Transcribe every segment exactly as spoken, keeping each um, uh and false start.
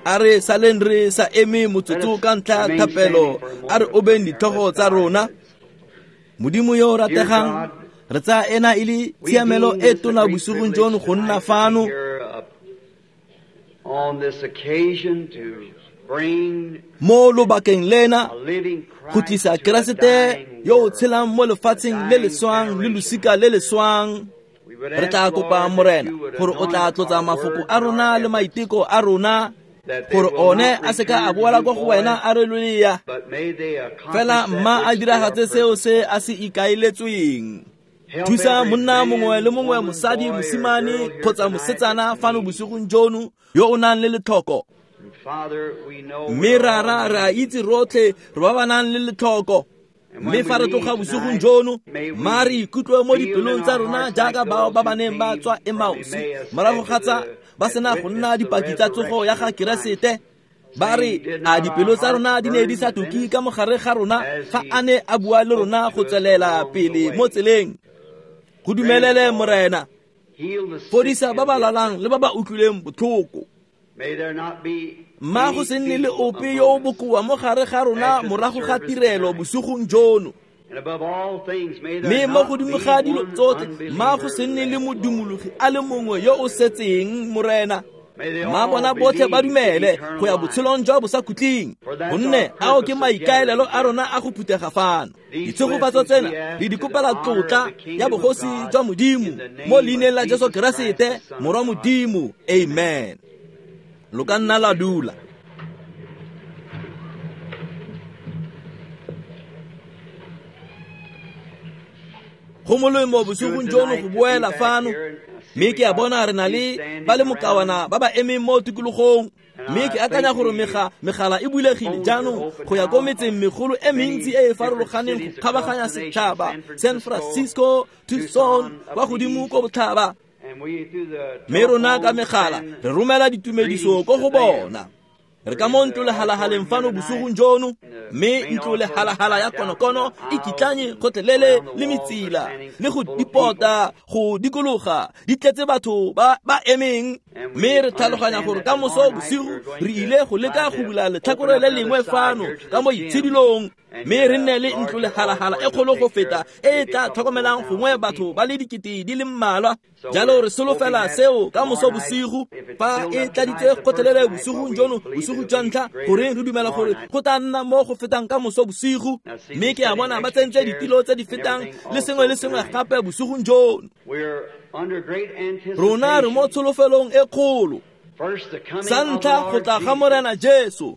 A re saleng re sa eme motsotso ka ntlha thapelo, a re obeng ditlhogo tsa rona. Modimo yo o rategang, re tsaya ena e le tshiamelo e tona bosigong jono go nna fano mo lobakeng lena go tlisa Keresete yo o tshelang mo lefatsheng le le swang le losika le le swang. Re tla kopa Morena gore o tla tlotsa mafoko a rona le maiteko a rona, gore one a seka a boela kwa go wena a re lolea, fela mma a diragatse seo se a se ikaeletsweng. Thusa monna mongwe le mongwe, mosadi, mosimane kgotsa mosetsana fano bosigong jono yo o nang le letlhoko. Mme rara, re a itse rotlhe re ba ba nang le letlhoko. Mme fa re tloga bosigong jono, mma re ikutlwe mo dipelong tsa rona jaaka bao ba ba neng ba tswa Emausi morago ga tsa ba sena go nna dipaki tsa tsogo ya ga Keresete. Ba re, a dipelo tsa rona di ne di sa tuki ka mogare ga rona fa a ne a bua le rona go tswelela pele mo tseleng. Go dumelele Morena, fodisa ba ba lwalang le ba ba utlwileng botlhoko. Mma go se nne le ope yo o bokoa mo gare ga rona morago ga tirelo bosigong jono. Mme mo godimo ga dilo tsotlhe, mma go se nne le modumologi a le mongwe yo o setseng, Morena. Mma bona botlhe ba dumele go ya botshelong jwa bosakhutleng, gonne ao ke maikaelelo a rona a go phuthega fano. Ditshegofatso tsena le di kopela tlotla ya bogosi jwa Modimo mo leineng la Jesu Keresete, Morwa Modimo. Amen. Lo ka nna la dula. Go molemo bosigong jono go boela fano, mme ke a bona re na le ba le mokawana ba ba emeng mo tikologong. Mme ke akanya gore mega megala e bulegile jaanong go ya ko metseng megolo e mentsi e e farologaneng go kgabaganya setšhaba, San Francisco, Tucson, kwa godimo ko botlhaba. Mme rona ka megala re romela ditumediso ko go bona. Re ka mo ntlo lehalahaleng fano bosigong jono, mme ntlo lehalahala ya konokono e kitlanye gotlhelele le metsila le go dipota go dikologa di tletse batho ba ba emeng. Mme re tlhaloganya gore ka moso bosigo re ile go leka go bula letlhakore le lengwe fano ka mo itshidilong, mme re nne le ntlo lehalahala e kgolo go feta e e tla tlhokomelang gongwe batho ba le dikete di le mmalwa. Jalo re solofela seo ka moso bosigo fa e tladitse gotlhelele bosigong jono, bosigo jwa ntlha, gore re dumela gore go tla nna mo go fetang ka moso bosigo. Mme ke a bona ba tsentse ditilo tse di fetang le sengwe le sengwe gape bosigong jono. Rona re mo tsholofelong e kgolo. Sa ntlha, go tla ga Morena Jesu,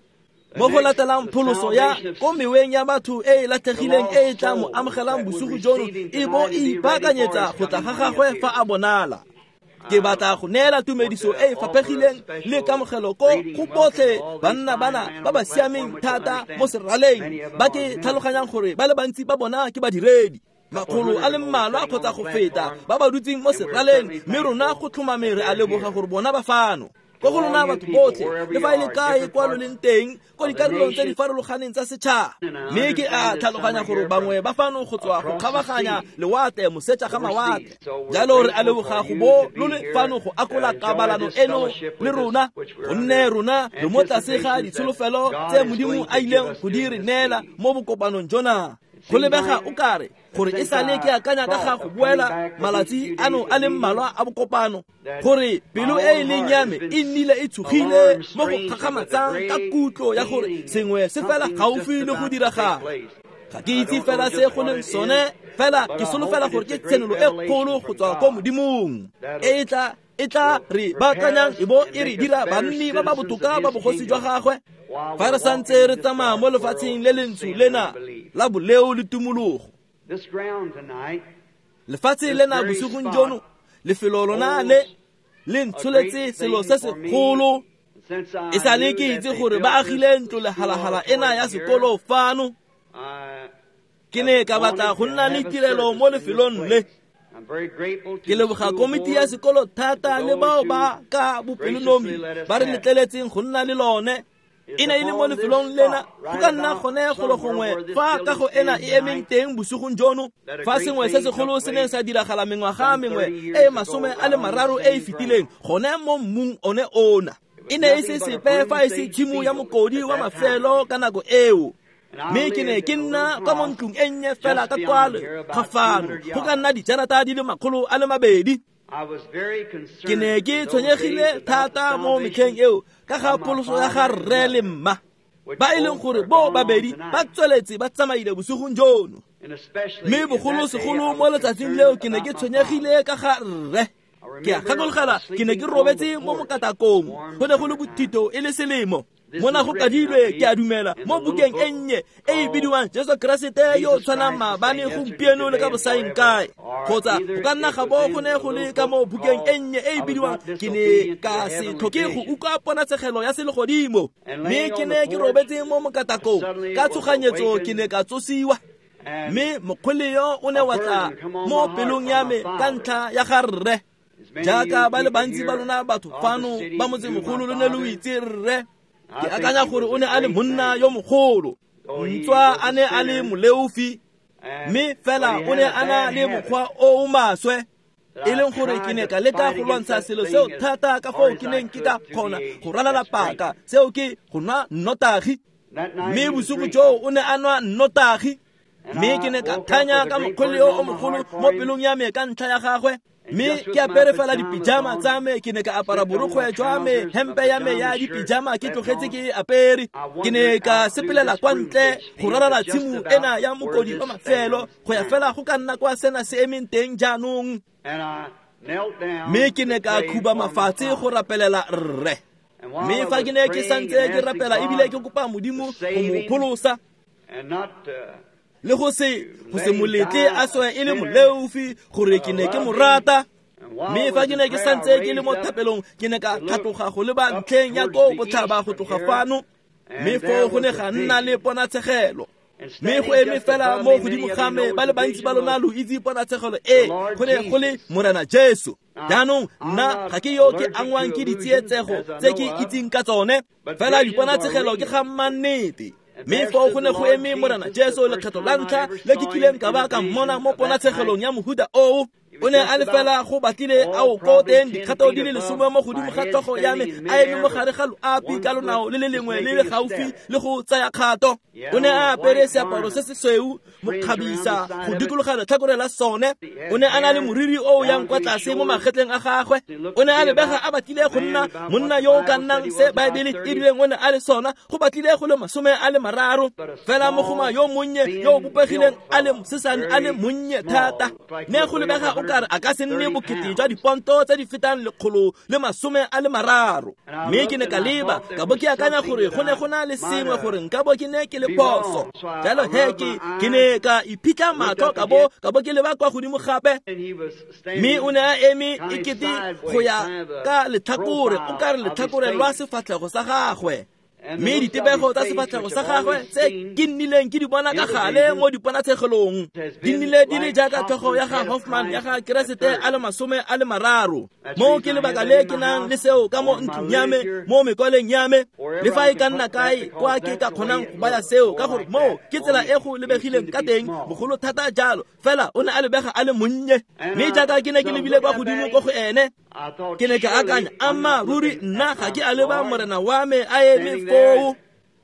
mo go latelang pholoso ya ko meweng ya batho e e latlhegileng e e tla mo amogelang bosigo jono e bo e ipaakanyetsa go tla ga gagwe fa a bonala. Ke batla go neela tumediso e e faphegileng le kamogelo ko go botlhe banna bana ba ba siameng thata mo seraleng, ba ke tlhaloganyang gore ba le bantsi ba bona ke badiredi, makgolo a le mmalwa kgotsa go feta ba ba dutseng mo seraleng. Mme rona go tlhomame re a leboga gore bona ba fano. Ko go lona batho botlhe, le fa e le kae kwa lo leng teng ko dikarolong tse di farologaneng tsa setšhaba. Mme ke a tlhaloganya gore bangwe ba fano go tswa go kgabaganya lewatle moseja ga mawatle. Jalo re a leboga go bo lo le fano go akola kabalano eno le rona, gonne rona re mo tlase ga ditsholofelo tse Modimo a ileng go di re neela mo bokopanong jona. Go lebega o kare gore e sale ke akanya ka ga go boela malatsi ano a le mmalwa a bokopano, gore pelo e e leng ya me e nnile e tshogile mo go kgakgamatsang ka kutlo ya gore sengwe se fela gaufi le go diragala. Ga ke itse fela se go leng sone, fela ke solofela gore ke tshenolo e kgolo go tswa ko Modimong e e tla e tla re baakanyang e bo e re dira banni ba ba botoka ba bogosi jwa gagwe fa re santse re tsamaya mo lefatsheng le lentsho lena la boleo le tumologo. Lefatshe lena bosigong jono, lefelo lona le le ntsholetse selo se segolo. E sale ke itse gore ba agile ntlo lehalahala ena ya sekolo fano, ke ne ka batla go nna le tirelo mo lefelong le. Ke leboga komiti ya sekolo thata le bao ba ka bopelonomi ba re letleletseng go nna le lone. E ne e le mo lefelong lena go ka nna gone golo gongwe fa kago ena e emeng teng bosigong jono, fa sengwe se segolo se neng sa diragala mengwaga mengwe e masome a le mararo e e fetileng gone mo mmung one ona. E ne e se sepe fa e se tshimo ya mokodi wa mafelo ka nako eo. Mme ke ne ke nna kwa mo ntlong e nnye fela ka kwalo ga fano, go ka nna dijarata di le makgolo a le mabedi. Ke ne ke tshwenyegile thata mo metlheng eo ka ga pholoso ya ga rre le mma, ba e leng gore bo babedi ba tsweletse ba tsamaile bosigong jono. Mme bogolosegolo mo letsatsing leo ke ne ke tshwenyegile ka ga rre. Ke a gakologelwa ke ne ke robetse mo mokatakong, go ne go le bothito e le selemo. Mona go kadilwe ke a dumela mo bukeng e nnye e e bidiwang Jesu Keresete yo o tshwanang maabane gompieno le ka bosaeng kae, kgotsa go ka nna ga bo go ne go le ka mo bukeng e nnye e e bidiwang Ke ne ka se tlhoke go utlwa ponatshegelo ya selegodimo. Mme ke ne ke robetse mo mokatakong, ka tshoganyetso ke ne ka tsosiwa. Mme mokgweleo o ne wa tla mo pelong ya me ka ntlha ya ga rre. Jaaka ba le bantsi ba lona batho fano ba motsemogolo lo ne lo itse rre, ke akanya gore o ne a le monna yo mogolo, ntswa a ne a le moleofi, mme fela o ne a na le mokgwa o o maswe, e leng gore ke ne ka leka go lwantsha selo seo thata ka foo ke neng ke ka kgona go ralala paka, seo ke go nwa nnotagi. Mme bosigo joo o ne a nwa nnotagi, mme ke ne ka thanya ka mokgweleo o mogolo mo pelong ya me ka ntlha ya gagwe. Mme ke apere fela dipijama tsa me, ke ne ka apara borokgwe jwa me, hempe ya me ya dipijama ke tlogetse ke e apere. Ke ne ka sepelela kwa ntle go ralala tshimo ena ya mokodi wa mafelo go ya fela go ka nna kwa sena se emeng teng jaanong. Mme ke ne ka khuba mafatshe go rapelela rre. Mme fa ke ne ke santse ke rapela ebile ke kopa Modimo go mo pholosa le go se go se moletle a swe e le moleofi, gore ke ne ke mo rata. Mme fa ke ne ke santse ke le mo thapelong, ke ne ka tlhatloga go leba ntlheng ya ko botlhaba go tloga fano, mme foo go ne ga nna le ponatshegelo. Mme go eme fela mo godimo ga me, ba le bantsi ba lona lo itse ponatshegelo e, go ne go le Morena Jesu. Jaanong nna ga ke yo ke angwang ke ditsietsego tse ke itseng ka tsone, fela diponatshegelo ke ga mmannete. Mme foo go ne go eme Morena Jesu lekgetho la ntlha le ke kileng ka ba ka mmona mo ponatshegelong ya mohuta oo. O ne a le fela go batlile a o ko teng dikgato di le lesome mo godimo ga tlhogo ya me, a eme mo gare ga loapi ka lonao le le lengwe le le gaufi le go tsaya kgato. O ne a apere seaparo se se sweu mokgabisa go dikologa letlhakore la sone. O ne a na le moriri o o yang kwa tlase mo magetleng a gagwe. O ne a lebega a batlile go nna monna yo o ka nnang se Baebele e rileng o ne a le sona, go batlile go le masome a le mararo. Fela mogoma yo monnye yo o bopegileng a le mosesane a le monnye thata, ne go lebega o kare a ka se nne bokete jwa diponto tse di fetang lekgolo le masome a le mararo. Mme ke ne ka leba ka bo ke akanya gore go ne go na le sengwe gore nka bo ke ne ke le phoso. Jalo he ke ke ne ka iphitlha matlho ka bo ka bo ke leba kwa godimo gape, mme o ne a eme ekete go ya ka letlhakore, o kare letlhakore lwa sefatlhego sa gagwe. Mme ditebego tsa sefatlhego sa gagwe tse ke nnileng ke di bona ka gale mo diponatshegelong di nnile di le jaaka tlhogo ya ga Hoffman ya ga Keresete a le masome a le mararo. Mo ke lebaka le ke nang le seo ka mo ntlong ya me, mo mekwaleng ya me, le fa e ka nna kae kwa ke ka kgonang go baya seo, ka gore moo ke tsela e go lebegileng ka teng bogolo thata jalo. Fela o ne a lebega a le monnye, mme jaaka ke ne ke lebile kwa godimo ko go ene, ke ne ka akanya, amma ruri nna ga ke a leba Morena wa me a eme foo.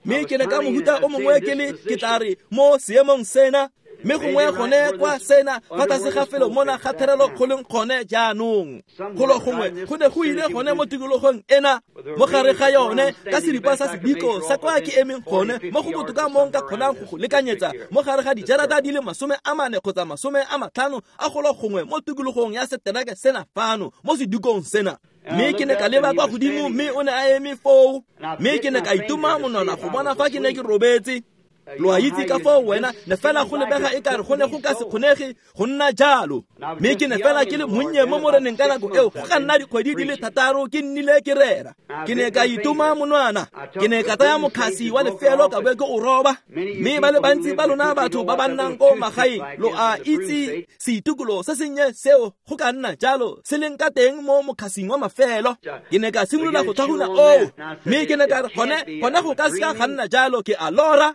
Mme ke ne ka mohuta o mongwe ke le ke tla re mo seemong sena, mme gongwe gone kwa sena fa tlase ga felo mona ga therelo go leng gone jaanong. Golo gongwe go ne go ile gone mo tikologong ena mo gare ga yone ka seripa sa sediko sa kwa ke emeng gone mo go botoka mo nka kgonang go go lekanyetsa mo gare ga dijarata di le masome a mane kgotsa masome a matlhano a golo gongwe mo tikologong ya setereke sena fano mo sedikong sena. Mme ke ne ka leba kwa godimo, mme o ne a eme foo, mme ke ne ka itoma monwana go bona fa ke ne ke robetse. Lo a itse ka foo wena ne fela go lebega e kare go ne go ka se kgonege go nna jalo. Mme ke ne fela ke le monnye mo moreneng ka nako eo, go ka nna dikgwedi di le thataro ke nnile ke rera. Ke ne ka itoma monwana, ke ne ka tsaya mokgasi wa lefelo ka bo ke o roba. Mme ba le bantsi ba lona batho ba ba nnang ko magaeng lo a itse seitukulo se sennye seo go ka nna jalo se leng ka teng mo mokgasing wa mafelo. Ke ne ka simolola go tlhaguna oo, mme ke ne ka re gone gone go ka seka ga nna jalo, ke a lora.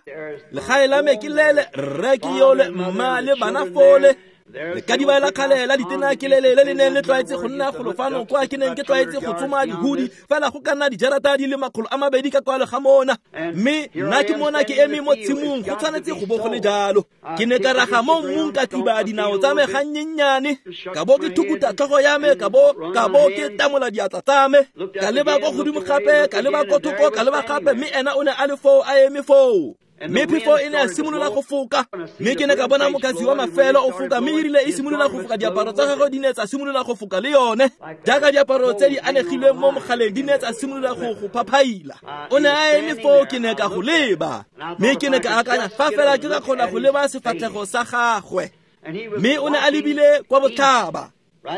Legae la me ke lele, rre ke yole, mma le bana fole. Lekadiba la kgale la ditena ke lele le le neng le tlwaetse go nna golo fano kwa ke neng ke tlwaetse go tsoma dihudi fela go ka nna dijarata di le makgolo a mabedi ka kwalo ga mona. Mme nna ke mona ke eme mo tshimong, go tshwanetse go bo go le jalo. Ke ne ka raga mo mmung ka thiba dinao tsa me gannyennyane, ka bo ke thukuta tlhogo ya me, ka bo ka bo ke tamola diatla tsa me, ka leba ko godimo gape, ka leba ko thoko, ka leba gape, mme ena o ne a le foo a eme foo. Mme phefo e ne ya simolola go foka, mme ke ne ka bona mokatsi wa mafelo o foka, mme erile e simolola go foka diaparo tsa gagwe di ne tsa simolola go foka le yone, jaaka diaparo tse di anegilweng mo mogaleng di ne tsa simolola go go phaphaila. O ne a eme foo, ke ne ka go leba, mme ke ne ka akanya fa fela ke ka kgona go leba sefatlhego sa gagwe. Mme o ne a lebile kwa botlhaba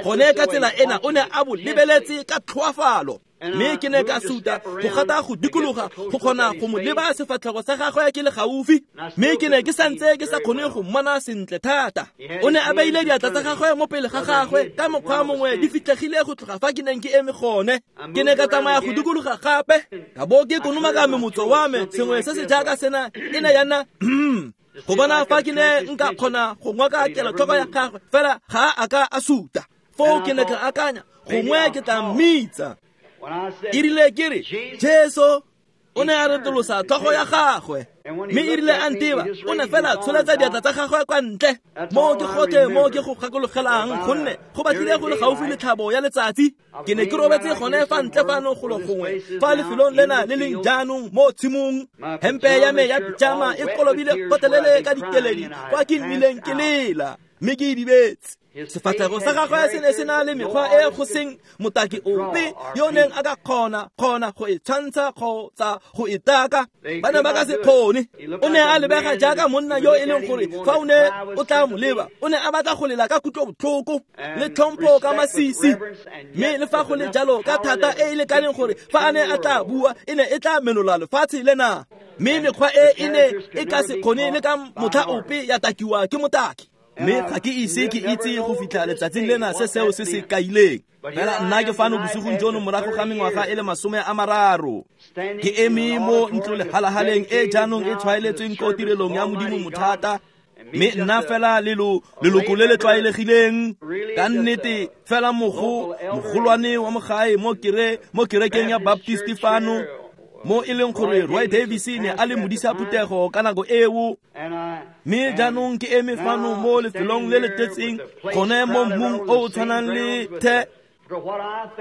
gone ka tsela ena, o ne a bo lebeletse ka tlhoafalo. Mme ke ne ka suta go gata go dikologa go kgona go mo leba sefatlhego sa gagwe ke le gaufi, mme ke ne ke santse ke sa kgone go mmona sentle thata. O ne a beile diatla tsa gagwe mo pele ga gagwe ka mokgwa mongwe di fitlhegile go tloga fa ke neng ke eme gone. Ke ne ka tsamaya go dikologa gape, ka bo ke konomaka memotso wa me, sengwe se se jaaka sena e ne ya nna go bona fa ke ne nka kgona go ngoka kelotlhoko ya gagwe, fela ga a ka a suta. Foo ke ne ka akanya gongwe ke tla mmitsa. E rile ke re Jesu, o ne a retolosa tlhogo ya gagwe, mme e rile a nteba o ne fela tsholetsa diatla tsa gagwe kwa ntle. Moo ke gotlhe mo ke go gakologelang, gonne go batlile go le gaufi le tlhabo ya letsatsi. Ke ne ke robetse gone fa ntle fano golo gongwe fa lefelong lena le leng jaanong mo tshimong, hempe ya me ya pijama e kolobile gotlhelele ka dikeledi kwa ke nnileng ke lela mme ke idibetse. Sefatlhego sa gagwe se ne se na le mekgwa e go seng motaki ope yo neng a ka kgona kgona go e tshwantsha kgotsa go e taka, ba ne ba ka se kgone. O ne a lebega jaaka monna yo e leng gore fa o ne o tla mo leba o ne a batla go lela ka kutlobotlhoko le tlhompho ka masisi, mme le fa go le jalo ka thata e e lekaneng gore fa a ne a tla bua e ne e tla menola lefatshe lena. Mme mekgwa e e ne e ka se kgone le ka motlha ope ya takiwa ke motaki. Mme ga ke ise ke itse go fitlha letsatsing lena se seo se se kaileng. Fela nna ke fano bosigong jono morago ga mengwaga e le masome a mararo, ke eme mo ntlolehalahaleng e jaanong e tshwaeletsweng ko tirelong ya Modimo mothata, mme nna fela lelo leloko le le tlwaelegileng ka nnete fela mogo mogolwane wa mogae mo kere mo kerekeng ya Baptist fano, mo e leng gore Roy Davis ne a le modisa phuthego ka nako eo. Mme jaanong ke eme fano mo lefelong le le tletseng gone mo mmung o o tshwanang le the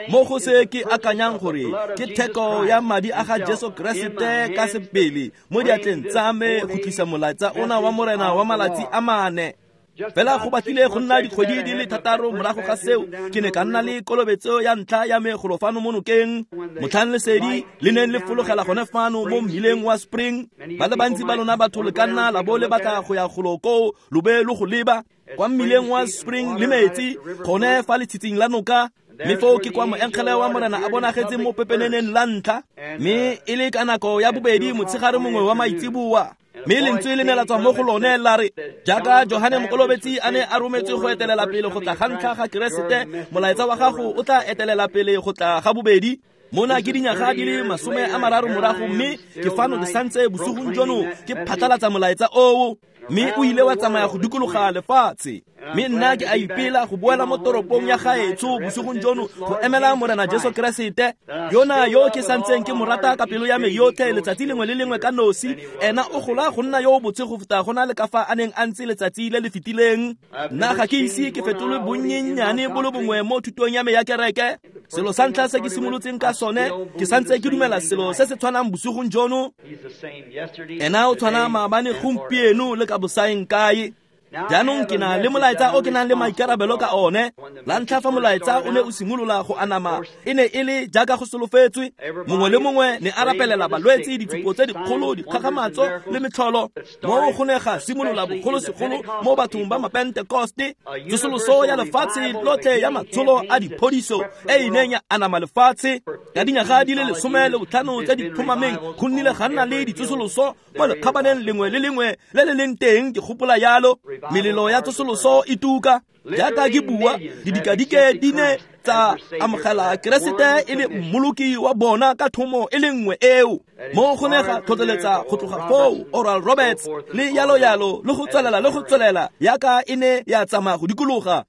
mo go se ke akanyang gore ke theko ya madi a ga Jesu Keresete ka sebele mo diatleng tsa me go tlisa molaetsa ona wa Morena wa malatsi a mane. Fela go batlile go nna dikgwedi di le thataro morago ga seo ke ne ka nna le kolobetso ya ntlha ya me golo fano mo nokeng, motlhang lesedi le neng le fologela gone fano mo mmileng wa Spring. Ba le bantsi ba lona batho le ka nna la bo le batla go ya golo koo lo be lo go leba kwa mmileng wa Spring le metsi gone fa letshitsing la noka. Mme foo ke kwa moengele wa Morena a bonagetseng mo pepeneneng la ntlha, mme e le ka nako ya bobedi motshegare mongwe wa maitseboa. Mme lentswe le ne la tswa mo go lone la re, jaaka Johane Mokolobetsi a ne a rometswe go etelela pele go tla ga ntlha ga Keresete, molaetsa wa gago o tla etelela pele go tla ga bobedi. Mona ke dinyaga di le masome a mararo morago, mme ke fano ke santse bosigong jono ke phatlalatsa molaetsa oo, mme o ile wa tsamaya go dikologa lefatshe. Mme nna ke a ipela go boela mo toropong ya gaetsho bosigong jono go emela Morena Jesu Keresete yona yo ke santseng ke mo rata ka pelo ya me yotlhe letsatsi lengwe le lengwe ka nosi. Ena o gola go nna yo o botse go feta go na le ka fa a neng a ntse letsatsi le le fetileng. Nna ga ke ise ke fetolwe bonnyennyane bo le bongwe mo thutong ya me ya kereke. Selo sa ntlha se ke simolotseng ka sone, ke santse ke dumela selo se se tshwanang bosigong jono. Ena o tshwana maabane, gompieno le ka bosaeng kae. Jaanong ke na le molaetsa o ke nang le maikarabelo ka one. La ntlha fa molaetsa o ne o simolola go anama, e ne e le jaaka go solofetswe. Mongwe le mongwe ne a rapelela balwetse, ditshupo tse dikgolo, dikgakgamatso le metlholo. Mo go ne ga simolola bogolosegolo mo bathong ba Mapentekoste, tsosoloso ya lefatshe lotlhe ya matsholo a diphodiso e e neng ya anama lefatshe. Ka dinyaga di le lesome le botlhano tse di tlhomameng go nnile ga nna le ditsosoloso mo lekgabaneng lengwe le lengwe le le leng teng, ke gopola yalo. Melelo ya tsosoloso e tuka jaaka ke bua, didikadike di ne tsa amogela Keresete e le mmoloki wa bona ka thomo e le nngwe eo. Mo go ne ga tlhotlheletsa go tloga foo Oral Roberts le yalo yalo le go tswelela le go tswelela yaka e ne ya tsamaya go dikologa.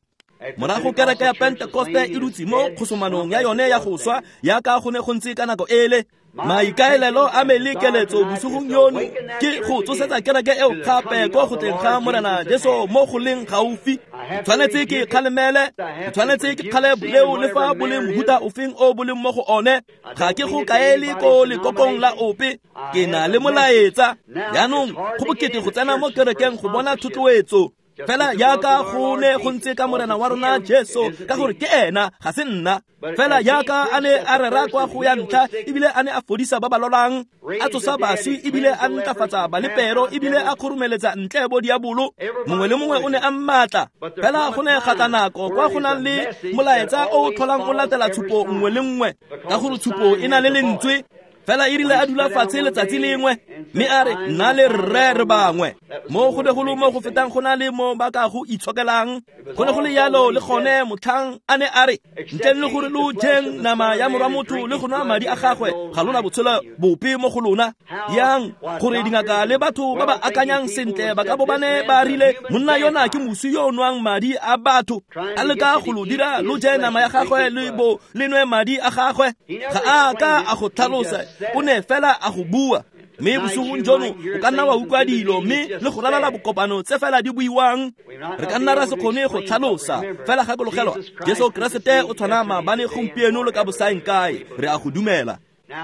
Morago kereke ya Pentekoste e dutse mo kgosomanong ya yone ya go swa yaka go ne go ntse ka nako ele. Maikaelelo a me le keletso bosigong yono ke go tsosetsa kereke eo gape ko go tleng ga Morena Jesu mo go leng gaufi. Tshwanetse ke kgalemele, tshwanetse ke kgale boleo le fa bo le mohuta ofeng o bo leng mo go one. Ga ke go kaele ko lekokong la ope, ke na le molaetsa. Jaanong go bokete go tsena mo kerekeng go bona thotloetso. Fela yaka go ne go ntse ka Morena wa rona Jesu, ka gore ke ena ga se nna. Fela yaka a ne a rera kwa go ya ntlha ebile a ne a fodisa ba ba lwalang, a tsosa baswi ebile a ntlafatsa balepero ebile a kgoromeletsa ntle bo diabolo. Mongwe le mongwe o ne a mmatla. Fela go ne ga tla nako kwa go nang le molaetsa o o tlholang o latela tshupo nngwe le nngwe, ka gore tshupo e na le lentswe. Fela e rile a dula fatshe letsatsi lengwe mme a re nna le rre re bangwe. Mo go ne go le mo go fetang go na le mo ba ka go itshokelang. Go ne go le yalo le gone motlhang a ne a re ntleng le gore lo jeng nama ya morwa motho le go nwa madi a gagwe ga lona botshelo bope mo go lona. Yang gore dingaka le batho ba ba akanyang sentle ba ka bo ba ne ba rile monna yona ke moswi yo o nwang madi a batho, a leka go lo dira lo je nama ya gagwe le bo le nwe madi a gagwe. Ga a ka a go tlhalosa, o ne fela a go bua. Mme bosigong jono o ka nna wa utlwa dilo mme le go ralala bokopano tse fela di buiwang. Re ka nna ra se kgone go tlhalosa. Fela gakologelwa, Jesu Keresete o tshwana maabane, gompieno le ka bosaeng kae. Re a go dumela.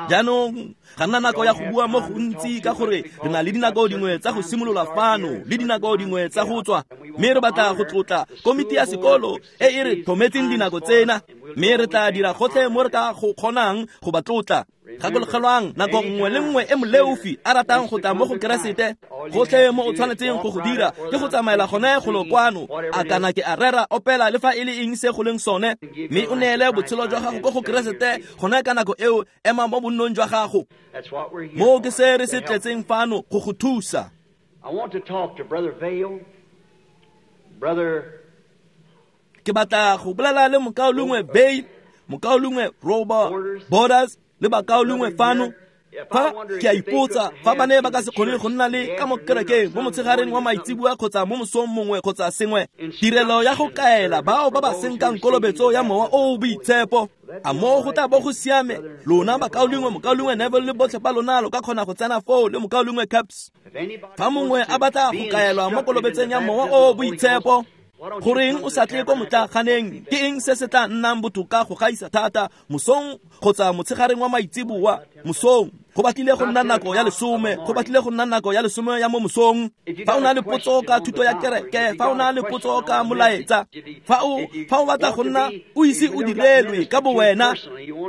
Jaanong ga nna nako ya go bua mo gontsi ka gore re na le dinako dingwe tsa go simolola fano le dinako dingwe tsa go tswa, mme re batla go tlotla komiti ya sekolo e e re tlhometseng dinako tsena, mme re tla dira gotlhe mo re ka go kgonang go ba tlotla. Gakologelwang, nako nngwe le nngwe e moleofi a ratang go tla mo go Keresete, gotlhe mo o tshwanetseng go go dira ke go tsamaela gone golo kwano, a kana ke a rera, opela le fa e le eng se go leng sone, mme o neele botshelo jwa gago ko go Keresete gone ka nako eo. Ema mo bonnong jwa gago. Mo ke se re se tletseng fano go go thusa. I want to talk to Brother Vayle, Brother Ke batla go bolela le mokaulengwe Vayle, mokaulengwe Robert Borders le bakaulengwe fano. Fa ke a ipotsa fa ba ne ba ka se kgone go nna le ka mo kerekeng mo motshegareng wa maitseboa kgotsa mo mosong mongwe kgotsa sengwe, tirelo ya go kaela bao ba ba senkang kolobetso ya Mowa o o Boitshepo. A mo go tla bo go siame lona bakaulengwe, mokaulengwe Neville le botlhe ba lona lo ka kgona go tsena foo le mokaulengwe Caps. Fa mongwe a batla go kaelwa mo kolobetseng ya Mowa o o Boitshepo, goreng o sa tle ko motlaganeng? Ke eng se se tla nnang botoka go gaisa thata, mosong kgotsa motshegareng wa maitseboa? Mosong go batlile go nna nako ya lesome, go batlile go nna nako ya lesome ya mo mosong. Fa o na le potso ka thuto ya kereke, fa o na le potso ka molaetsa, fa o fa o batla go nna o ise o direlwe ka bo wena,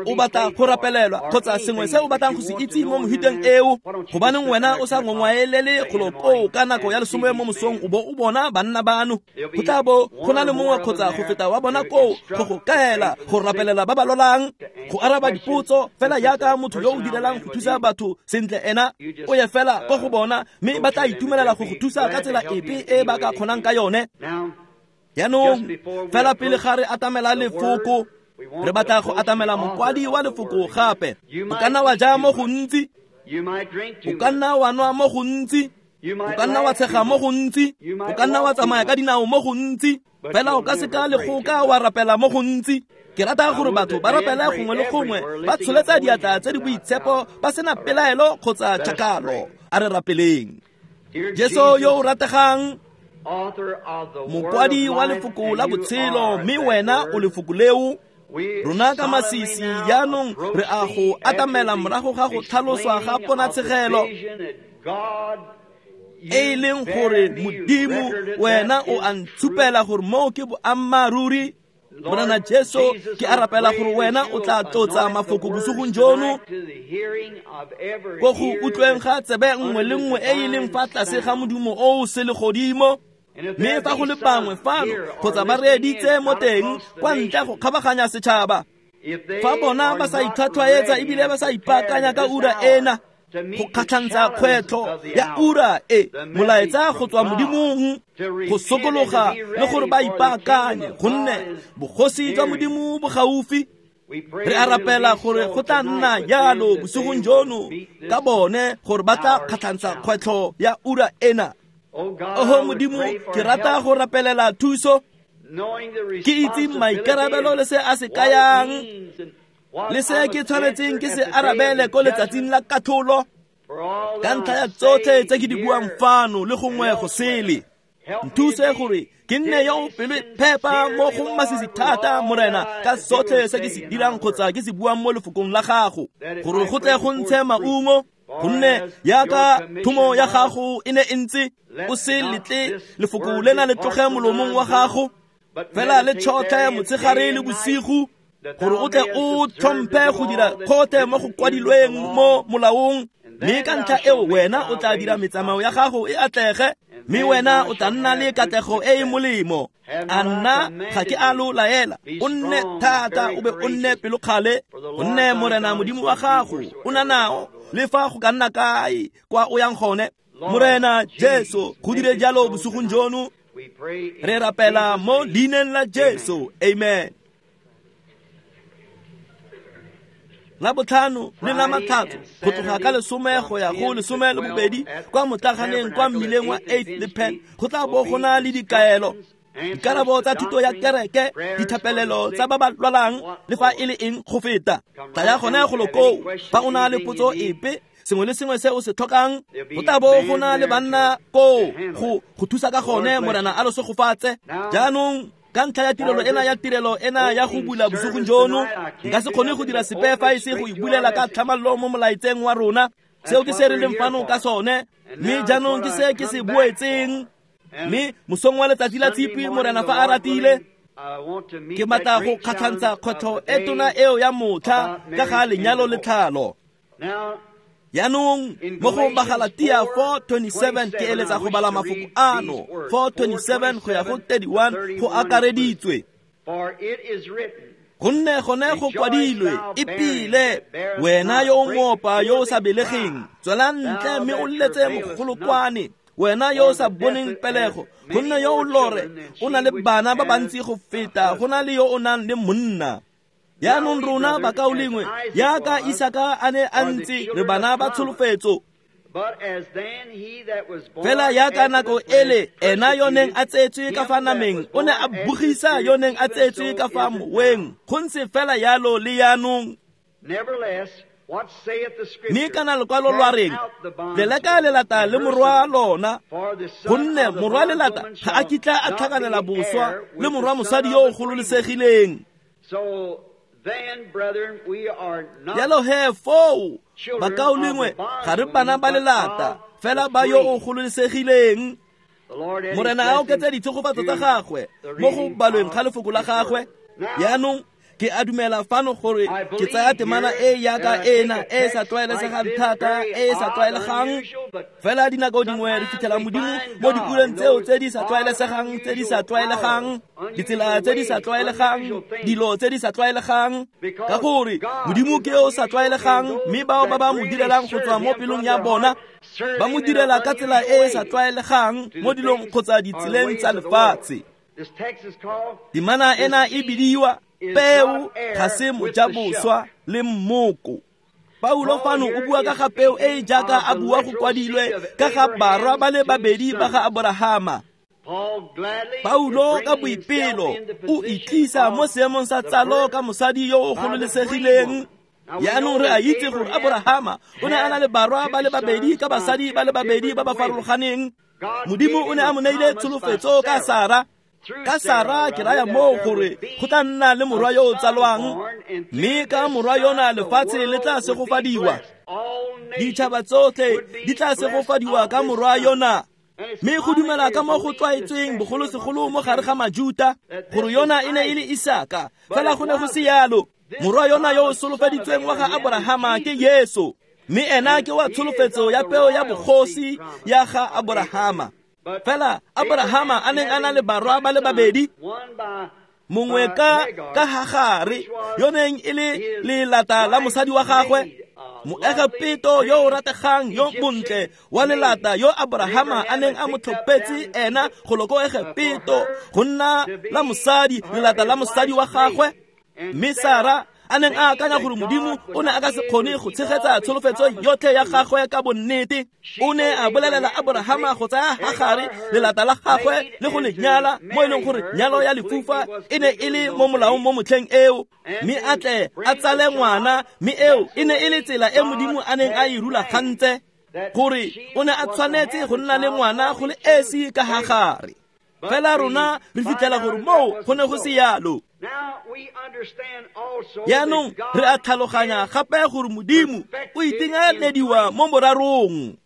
o batla go rapelelwa kgotsa sengwe se o batlang go se itse mo mohuteng eo, gobaneng wena o sa ngongwaelele golo koo ka nako ya lesome mo mosong o bo o bona banna bano? Go tla bo go na le mongwe kgotsa go feta wa bona koo go go kaela, go rapelela ba ba lwalang, go araba dipotso, fela yaka motho yo o direlang go thusa batho sentle ena o ye fela ko go bona, mme ba tla itumelela go go thusa ka tsela epe e ba ka kgonang ka yone. Jaanong fela pele ga re atamela lefoko, re batla go atamela mokwadi wa lefoko gape. O ka nna wa ja mo gontsi, o ka nna wa nwa mo gontsi, o ka nna wa tshega mo gontsi, o ka nna wa tsamaya ka dinao mo gontsi, fela o ka seka le go ka wa rapela mo gontsi. Ke rata gore batho ba rapele gongwe le gongwe, ba tsholetsa diatla tse di boitshepo, ba sena pelaelo kgotsa tšhakalo. A re rapeleng. Jesu yo o rategang, mokwadi wa lefoko la botshelo, mme wena o lefoko leo. Rona ka masisi jaanong re a go atamela morago ga go tlhaloswa ga ponatshegelo e e leng gore Modimo wena o a ntshupela gore moo ke boammaaruri. Morena Jesu, ke a rapela gore wena o tla tlotsa mafoko bosigong jono ko go utlweng ga tsebe nngwe le nngwe e e leng fa tlase ga modumo o o selegodimo. Mme fa go le bangwe fano kgotsa ba reeditse mo teng kwa ntle go kgabaganya setšhaba, fa bona ba sa itlhwatlhwaetsa ebile ba sa ipaakanya ka ura ena, go kgatlhantsha kgwetlho ya ura e molaetsa go tswa Modimong, go sokologa le gore ba ipaakanye gonne bogosi jwa Modimo bo gaufi. Re a rapela gore go tla nna jalo bosigong jono ka bone gore ba tla kgatlhantsha kgwetlho ya ura ena. Oho Modimo, ke rata go rapelela thuso, ke itse maikarabelo le se a se kayang le se ke tshwanetseng ke se arabele ko letsatsing la katlholo ka ntlha ya tsotlhe tse ke di buang fano le gongwe go sele. Nthuse gore ke nne yo o pelo phepa mo go masisi thata, Morena, ka sotlhe se ke se dirang kgotsa ke se buang mo lefokong la gago, gore go tle go ntshe maungo, gonne yaka thomo ya gago e ne e ntse. O se letle lefoko lena le tloge molomong wa gago, fela le tšhotlhe motshegare le bosigo, gore o tle o tlhomphe go dira kgothe mo go kwadilweng mo molaong. Mme ka ntlha eo wena o tla dira metsamao ya gago e atlege, mme wena o tla nna le katlego e e molemo. A nna ga ke a lo laela, o nne thata o be o nne pelokgale, gonne Morena Modimo wa gago o na nao le fa go ka nna kae kwa o yang gone. Morena Jesu, go dire jalo bosigong jono. Re rapela mo leineng la Jesu, amen. La botlhano le la matlhatso go tloga ka lesome go ya go lesome le bobedi kwa motlaganeng kwa mmileng wa eight le Penn go tla bo go na le dikaelo, dikarabo tsa thuto ya kereke, dithapelelo tsa ba ba lwalang le fa e le eng go feta. Tla ya gone go lokoo fa o na le potso epe, sengwe le sengwe se o se tlhokang, go tla bo go na le banna koo go go thusa ka gone. Morena a lo segofatse. Jaanong ka ntlha ya tirelo ena ya tirelo ena ya go bula bosigong jono, nka se kgone go dira sepe fa e se go ibulela ka tlhamallo mo molaetseng wa rona. Seo ke se re leng fano ka sone, mme jaanong ke se ke se boetseng. Mme mosong wa letsatsi la Tshipi, Morena fa a ratile, ke batla go kgatlhantsha kgwetlho e tona eo ya motlha ka ga lenyalo le tlhalo. Jaanong mo go Bagalatia four twenty-seven ke eletsa go bala mafoko ano four twenty-seven go ya go thirty-one go akareditswe. Gonne gone go kwadilwe, ipile wena yo o moopa yo o sa belegeng, tswela ntle mme o letse mogolokwane, wena yo o sa boneng pelego, gonne yo o lore o na le bana ba bantsi go feta go na le yo o nang le monna. Jaanong rona bakaulengwe, yaka Isaka a ne a ntse, re bana ba tsholofetso. Fela yaka nako ele ena yo neng a tsetswe ka fa nameng o ne a bogisa yo neng a tsetswe ka fa moweng, go ntse fela yalo le jaanong. Mme kana lekwalo lwa reng, leleka lelata le morwa lona, gonne morwa lelata ga a kitla a tlhakanela boswa le morwa mosadi yo o gololesegileng. Jalo he foo bakaulengwe, ga re bana ba lelata, fela ba yo o gololesegileng. Morena a oketse ditshegofatso tsa gagwe mo go balweng ga lefoko la gagwe. Jaanong ke a dumela fano gore ke tsaya temana e yaka ena e sa tlwaelesegang thata, e sa tlwaelegang, fela dinako dingwe re fitlhela Modimo mo diureng tseo tse di sa tlwaelesegang, tse di sa tlwaelegang, ditsela tse di sa tlwaelegang, dilo tse di sa tlwaelegang, ka gore Modimo ke yo o sa tlwaelegang, mme bao ba ba mo direlang go tswa mo pelong ya bona ba mo direla ka tsela e e sa tlwaelegang mo dilong kgotsa ditseleng tsa lefatshe. Temana ena e bidiwa peo ga se mojaboswa le mmoko. Paulo fano o bua ka ga peo e e jaaka a bua go kwadilwe ka ga barwa ba le babedi ba ga Aborahama. Paulo ka boipelo o itlisa mo seemong sa tsalo ka mosadi yo o gololesegileng. Jaanong re a itse gore Aborahama o ne a na le barwa ba le babedi ka basadi ba le babedi ba ba farologaneng. Modimo o ne a mo neile tsholofetso ka Sara. Ka Sara ke raya moo gore go tla nna le morwa yo o tsalwang, mme ka morwa yona lefatshe le tla segofadiwa, ditšhaba tsotlhe di tla segofadiwa ka morwa yona. Mme go dumela ka mo go tlwaetsweng bogolosegolo mo gare ga Majuta gore yona e ne e le Isaka, fela go ne go se yalo. Morwa yona yo o solofeditsweng wa ga Aborahama ke Yesu, mme ena ke wa tsholofetso ya peo ya bogosi ya ga Aborahama. Fela Aborahama a neng a na le barwa ba le babedi, mongwe ka ka Hagare yo neng e le lelata la mosadi wa gagwe, Moegepeto yo o rategang yo montle wa lelata yo Abrahama a neng a mo tlhophetse ena go ko Egepeto go nna la mosadi, lelata la mosadi wa gagwe. Mme Sara a neng a akanya gore Modimo o ne a ka se kgone go tshegetsa tsholofetso yotlhe ya gagwe ka bonnete, o ne a bolelela Abrahama go tsaya Hagare lelata la gagwe le go le nyala, mo e leng gore nyalo ya lefufa e ne e le mo molaong mo motlheng eo, mme a tle a tsale ngwana. Mme eo e ne e le tsela e Modimo a neng a e rulagantse gore o ne a tshwanetse go nna le ngwana go le esi ka Hagare. Fela rona re fitlhela gore moo go ne go se yalo. Jaanong re a tlhaloganya gape gore Modimo o itekanediwa mo borarong.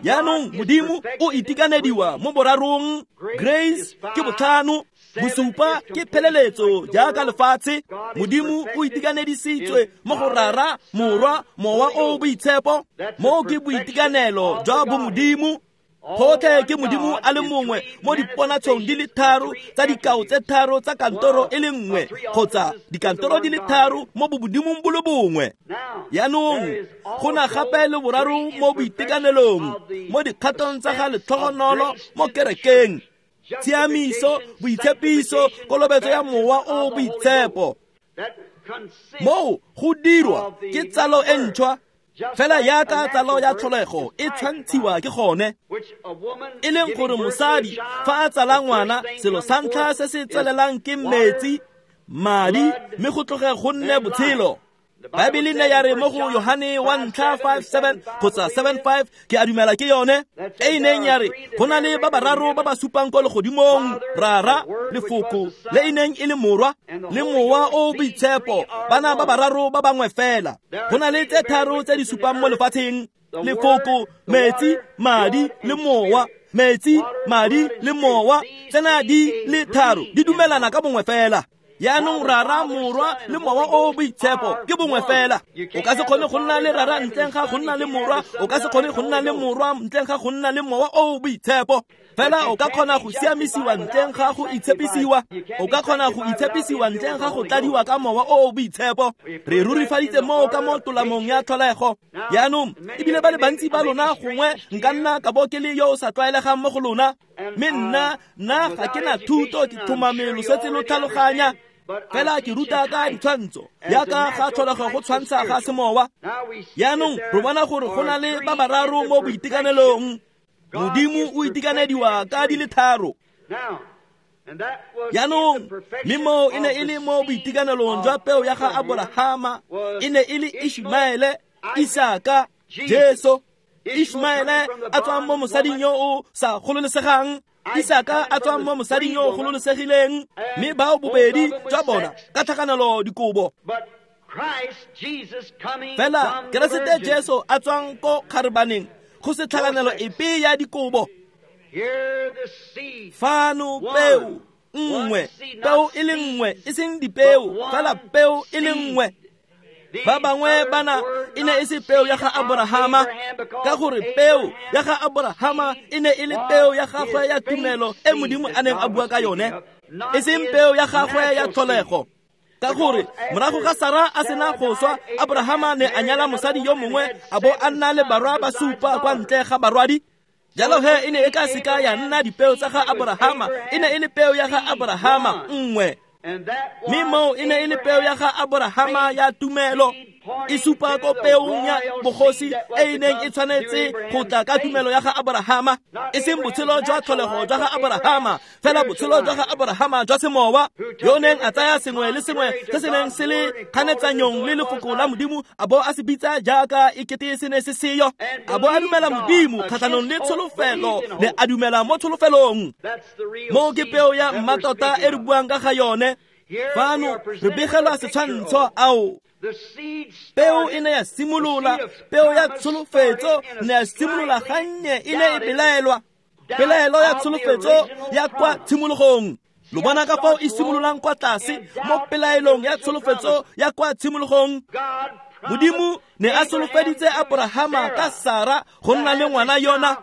Jaanong Modimo o itekanediwa mo borarong. Grace ke botlhano, bosupa ke pheleletso jaaka lefatshe. Modimo o itekanedisitswe mo go Rara, Morwa, Mowa o o Boitshepo. Moo ke boitekanelo jwa bomodimo. Gotlhe ke Modimo a le mongwe mo diponatshong di le tharo tsa dikao tse tharo tsa kantoro e le nngwe, kgotsa dikantoro di le tharo mo bomodimong bo le bongwe. Jaanong go na gape le boraro mo boitekanelong, mo dikgatong tsa ga letlhogonolo mo kerekeng: tshiamiso, boitshepiso, kolobetso ya Mowa o o Boitshepo. Moo go dirwa ke tsalo e ntšhwa, fela jaaka tsalo ya tlholego e tshwantshiwa ke gone, e leng gore mosadi fa a tsala ngwana, selo sa ntlha se se tswelelang ke metsi, madi, mme go tloge go nne botshelo. Baebele ne ya re mo go Yohane wa ntlha five seven kgotsa seven five, ke a dumela ke yone, e e neng ya re go na le ba bararo ba ba supang ko legodimong: Rara, Lefoko le e neng e le Morwa, le Mowa o o Boitshepo. Bana ba bararo ba bangwe fela. Go na le tse tharo tse di supang mo lefatsheng: Lefoko, metsi, madi le Mowa. Metsi, madi le Mowa, tsena di le tharo di dumelana ka bongwe fela. Jaanong Rara, Morwa le Mowa o o Boitshepo ke bongwe fela. O ka se kgone go nna le Rara ntleng ga go nna le Morwa, o ka se kgone go nna le Morwa ntleng ga go nna le Mowa o o Boitshepo. Fela o ka kgona go siamisiwa ntleng ga go itshepisiwa, o ka kgona go itshepisiwa ntleng ga go tladiwa ka Mowa o o Boitshepo. Re rurifaditse moo ka mo tolamong ya tlholego. Jaanong ebile ba le bantsi ba lona, gongwe nka nna ka bo ke le yo o sa tlwaelegang mo go lona, mme nna nna ga ke na thuto, ke tlhomamelo setse lo tlhaloganya. Fela ke ruta ka ditshwantsho jaaka ga tlholego go tshwantsha ga semowa. Jaanong re bona gore go na le ba bararo mo boitekanelong. Modimo o itekanediwa ka di le tharo. Jaanong mme moo e ne e le mo boitekanelong jwa peo ya ga Aborahama, e ne e le Ishmaele, Isaka, Jesu. Ishmaele a tswang mo mosading yo o sa gololesegang, Isaka a tswang mo mosading yo o gololesegileng, mme bao bobedi jwa bona ka tlhakanelo dikobo. Fela Keresete Jesu a tswang ko kgarebaneng go se tlhakanelo epe ya dikobo. Fano peo nngwe, peo e le nngwe, e seng dipeo, fela peo e le nngwe. Ba bangwe bana e ne e se peo ya ga Aborahama, ka gore peo ya ga Aborahama e ne e le peo ya gagwe ya tumelo e Modimo a neng a bua ka yone, e seng peo ya gagwe ya tlholego. Ka gore morago ga Sara a sena go swa, Aborahama ne a nyala mosadi yo mongwe, a bo a nna le barwa ba supa kwa ntle ga barwadi. Jalo he e ne e ka seka ya nna dipeo tsa ga Aborahama, e ne e le peo ya ga Aborahama nngwe. Mme moo e ne e le peo ya ga Aborahama ya tumelo, e supa ko peong ya bogosi e e neng e tshwanetse go tla ka tumelo ya ga Aborahama, e seng botshelo jwa tlholego jwa ga Aborahama, fela botshelo jwa ga Aborahama jwa semowa, yo neng a tsaya sengwe le sengwe se se neng se le kganetsanyong le lefoko la Modimo, a bo a se bitsa jaaka e kete se ne se seyo, a bo a dumela Modimo kgatlhanong le tsholofelo, ne a dumela mo tsholofelong. Moo ke peo ya mmatota e re buang ka ga yone. Fano re begelwa setshwantsho ao. Peo e ne ya simolola, peo ya tsholofetso ne ya simolola gannye, e ne e belaelwa, pelaelo ya tsholofetso ya kwa tshimologong. Lo bona ka fao e simololang kwa tlase mo pelaelong ya tsholofetso ya kwa tshimologong. Modimo ne a solofeditse Aborahama ka Sara go nna le ngwana yona,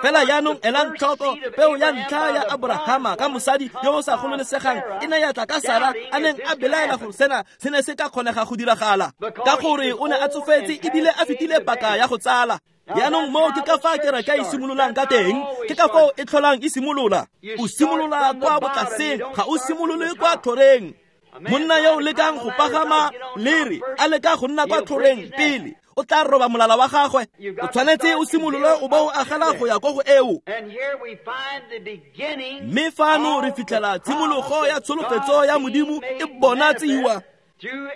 Fela jaanong elang tlhoko peo ya ntlha ya Aborahama ka mosadi yo o sa gololesegang e ne ya tla ka Sara a neng a belaela gore sena se ne se ka kgonega go diragala, ka gore o ne a tsofetse ebile a fetile paka ya go tsala. Jaanong moo ke ka fa kereke e simololang ka teng, ke ka foo e tlholang e simolola. O simolola kwa botlaseng, ga o simolole kwa tlhoreng. Monna yo o lekang go pagama lere a leka go nna kwa tlhoreng pele, o tla roba molala wa gagwe. O tshwanetse o simolole o bo o agela go ya ko go eo. Mme fano re fitlhela tshimologo ya tsholofetso ya Modimo e bonatsiwa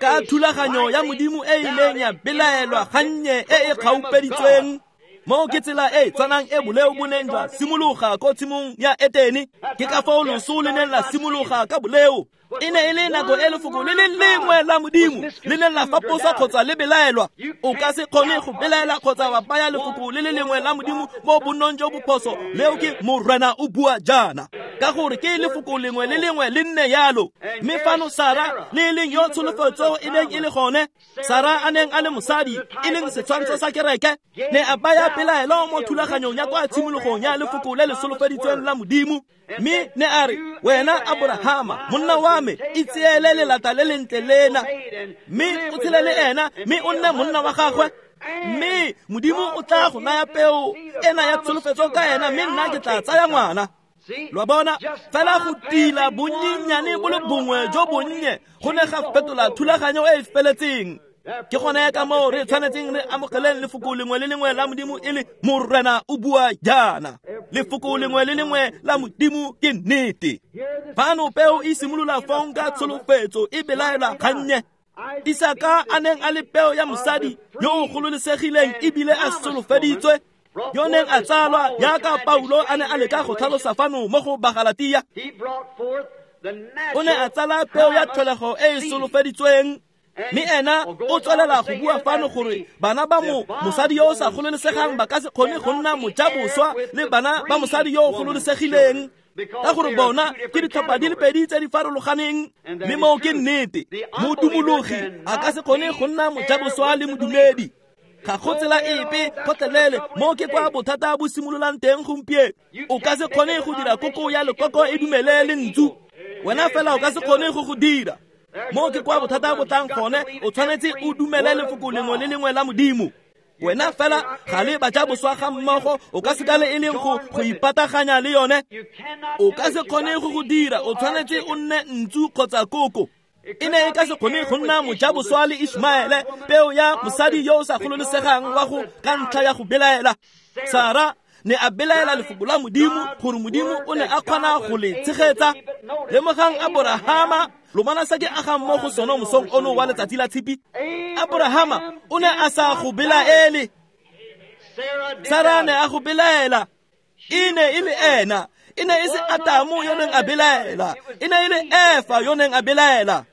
ka thulaganyo ya Modimo e ileng ya belaelwa gannye e e kgaupeditsweng. Moo ke tsela e tshwanang e boleo bo neng jwa simologa ko tshimong ya Etene. Ke ka foo loso le neng la simologa ka boleo. E ne e le nako e lefoko le le lengwe la Modimo le neng la faposa kgotsa le belaelwa. O ka se kgone go belaela kgotsa wa baya lefoko le le lengwe la Modimo mo bonnong jo bophoso. Leo ke Morena o bua jaana, ka gore ke lefoko lengwe le lengwe le nne yalo. Mme fano Sara le e leng yo tsholofetso e neng e le gone, Sara a neng a le mosadi e leng setshwantsho sa kereke, ne a baya pelaelo mo thulaganyong ya kwa tshimologong ya lefoko le le solofeditsweng la Modimo. Mme ne a re, wena Aborahama monna wa me, itseele lelata le lentle lena, mme o tshele le ena, mme o nne monna wa gagwe, mme Modimo o tla go naya peo ena ya tsholofetso ka ena, mme nna ke tla tsaya ngwana. Lo bona, fela go tila bonnyenyane bo le bongwe jo bonnye go ne ga fetola thulaganyo e e feletseng. Ke gone ka moo re tshwanetseng re amogeleng lefoko lengwe le lengwe la Modimo e le Morena o bua jaana. Lefoko lengwe le lengwe la Modimo ke nnete. Fano peo e simolola fong ka tsholofetso e belaelwa gannye. Isaka a neng a le peo ya mosadi yo o gololesegileng ebile a solofeditswe, yo neng a tsalwa jaaka Paulo a ne a leka go tlhalosa fano mo go Bagalatia. O ne a tsala peo ya tlholego e e solofeditsweng, mme ena o tswelela go bua fano gore bana ba mo mosadi yo o sa gololesegang ba ka se kgone go nna mojaboswa le bana ba mosadi yo o gololesegileng, ka gore bona ke ditlhopha di le pedi tse di farologaneng. Mme moo ke nnete, modumologi a ka se kgone go nna mojaboswa le modumedi. Ga go tsela epe gotlhelele. Moo ke kwa bothata bo simololang teng gompieno. O ka se kgone go dira koko ya lekoko e dumele le ntsu, wena fela o ka se kgone go go dira. Moo ke kwa bothata bo tlang gone. O tshwanetse o dumele lefoko lengwe le lengwe la Modimo. Wena fela ga le bajaboswa ga mmogo, o ka se ka le e leng go go ipataganya le yone. O ka se kgone go go dira. O tshwanetse o nne ntsu kgotsa koko. E ne e ka se kgone go nna mojaboswa le Ishmaele, peo ya mosadi yo o sa gololesegang wa go ka ntlha ya go belaela. Sara ne a belaela lefoko la Modimo gore Modimo o ne a kgona go le tshegetsa. Lemogang Aborahama, lo bona se ke agang mo go sone mosong ono wa letsatsi la tshipi. Aborahama o ne a sa go belaele, Sara ne a go belaela. E ne e le ena, e ne e se Atamo yo neng a belaela, e ne e le Efa yo neng a belaela.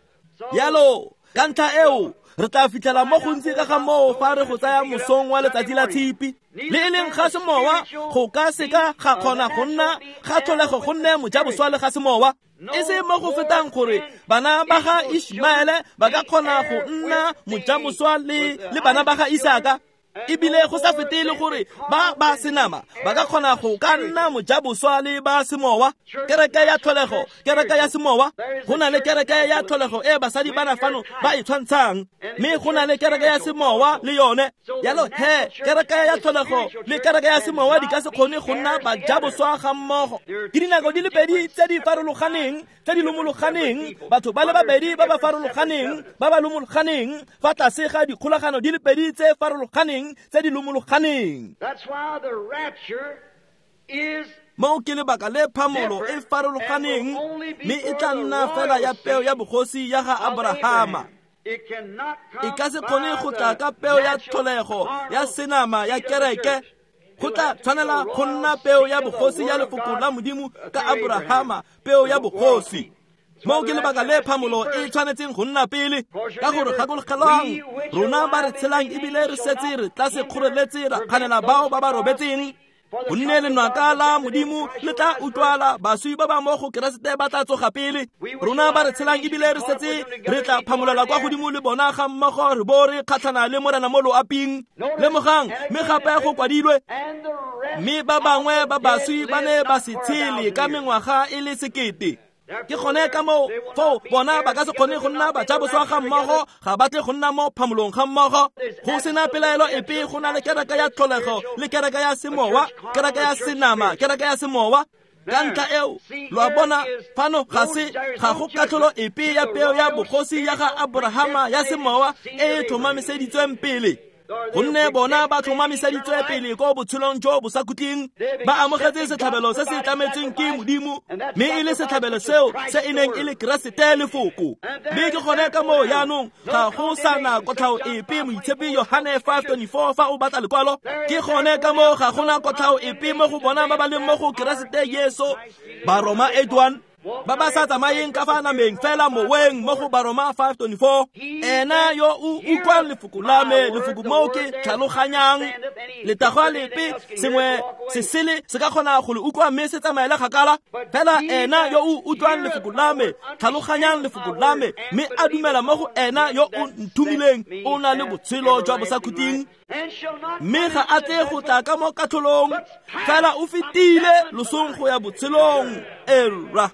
Yalo ka ntlha eo re tla fitlhela mo gontsi ka ga moo fa re go tsaya mosong wa letsatsi la tshipi. Le e leng ga semowa go ka seka ga kgona go nna ga tlholego go nne mojaboswa le ga semowa. E se mo go fetang gore bana ba ga Ishmaele ba ka kgona go nna mojaboswa le le bana ba ga Isaka, ebile go sa fete le gore ba ba senama ba ka kgona go ka nna mojaboswa le ba semowa. Kereke ya tlholego, kereke ya semowa. Go na le kereke ya tlholego e basadi bana fano ba e tshwantshang, mme go na le kereke ya semowa le yone. Yalo he, kereke ya tlholego le kereke ya semowa di ka se kgone go nna bajaboswa ga mmogo. Ke dinako di le pedi tse di farologaneng, tse di lomologaneng, batho ba le babedi ba ba farologaneng, ba ba lomologaneng fa tlase ga dikgolagano di le pedi tse farologaneng, tse di lomologaneng. Moo ke lebaka le phamolo e farologaneng, mme e tla nna fela ya peo ya bogosi ya ga Aborahama. E ka se kgone go tla ka peo ya tlholego ya senama ya kereke. Go tla tshwanela go nna peo ya bogosi ya lefoko la Modimo ka Aborahama, peo ya bogosi. Moo ke lebaka le phamolo e tshwanetseng go nna pele, ka gore gakologelwang rona ba re tshelang ebile re setse re tla se kgoreletse ra kganela bao ba ba robetseng. Gonne lenaka la Modimo le tla utlwala, baswi ba ba mo go Keresete ba tla tsoga pele. Rona ba re tshelang ebile re setse re tla phamolelwa kwa godimo le bona ga mmogo, re bo re kgatlhana le Morena mo loaping. Lemogang, mme gape go kwadilwe, mme ba bangwe ba baswi ba ne ba se tshele ka mengwaga e le sekete. Ke gone ka moo foo bona ba ka se kgone go nna bajaboswa ga mmogo, ga ba tle go nna mo phamolong ga mmogo. Go sena pelaelo epe, go na le kereke ya tlholego le kereke ya semowa, kereke ya senama, kereke ya semowa. Ka ntlha eo, lo a bona, fano ga se ga go katlholo epe ya peo ya bogosi ya ga Aborahama ya semowa e e tlhomamiseditsweng pele. Gonne bona ba tlhomamiseditswe pele ko botshelong jo bo sa khutleng, ba amogetse setlhabelo se se tlametsweng ke Modimo, mme e le setlhabelo seo se e neng e le Keresete lefoko. Mme ke gone ka moo jaanong ga go sa na kotlhao epe, Moitshepi Yohane five twenty-four, fa o batla lekwalo. Ke gone ka moo ga gona kotlhao epe mo go bona ba ba leng mo go Keresete Jesu. Baroma eight one, ba ba sa tsamayeng ka fa nameng fela moweng, mo go Baroma five twenty-four. Ena yo o utlwang lefoko la me, lefoko moo ke tlhaloganyang, letagwa lepe sengwe se sele se ka kgona go le utlwa mme se tsamaele kgakala. Fela ena yo o utlwang lefoko la me, tlhaloganyang lefoko la me, mme a dumela mo go ena yo o nthomileng, o na le botshelo jwa bosakhutleng, mme ga a tle go tla ka mo katlholong, fela o fetile losong go ya botshelong. Era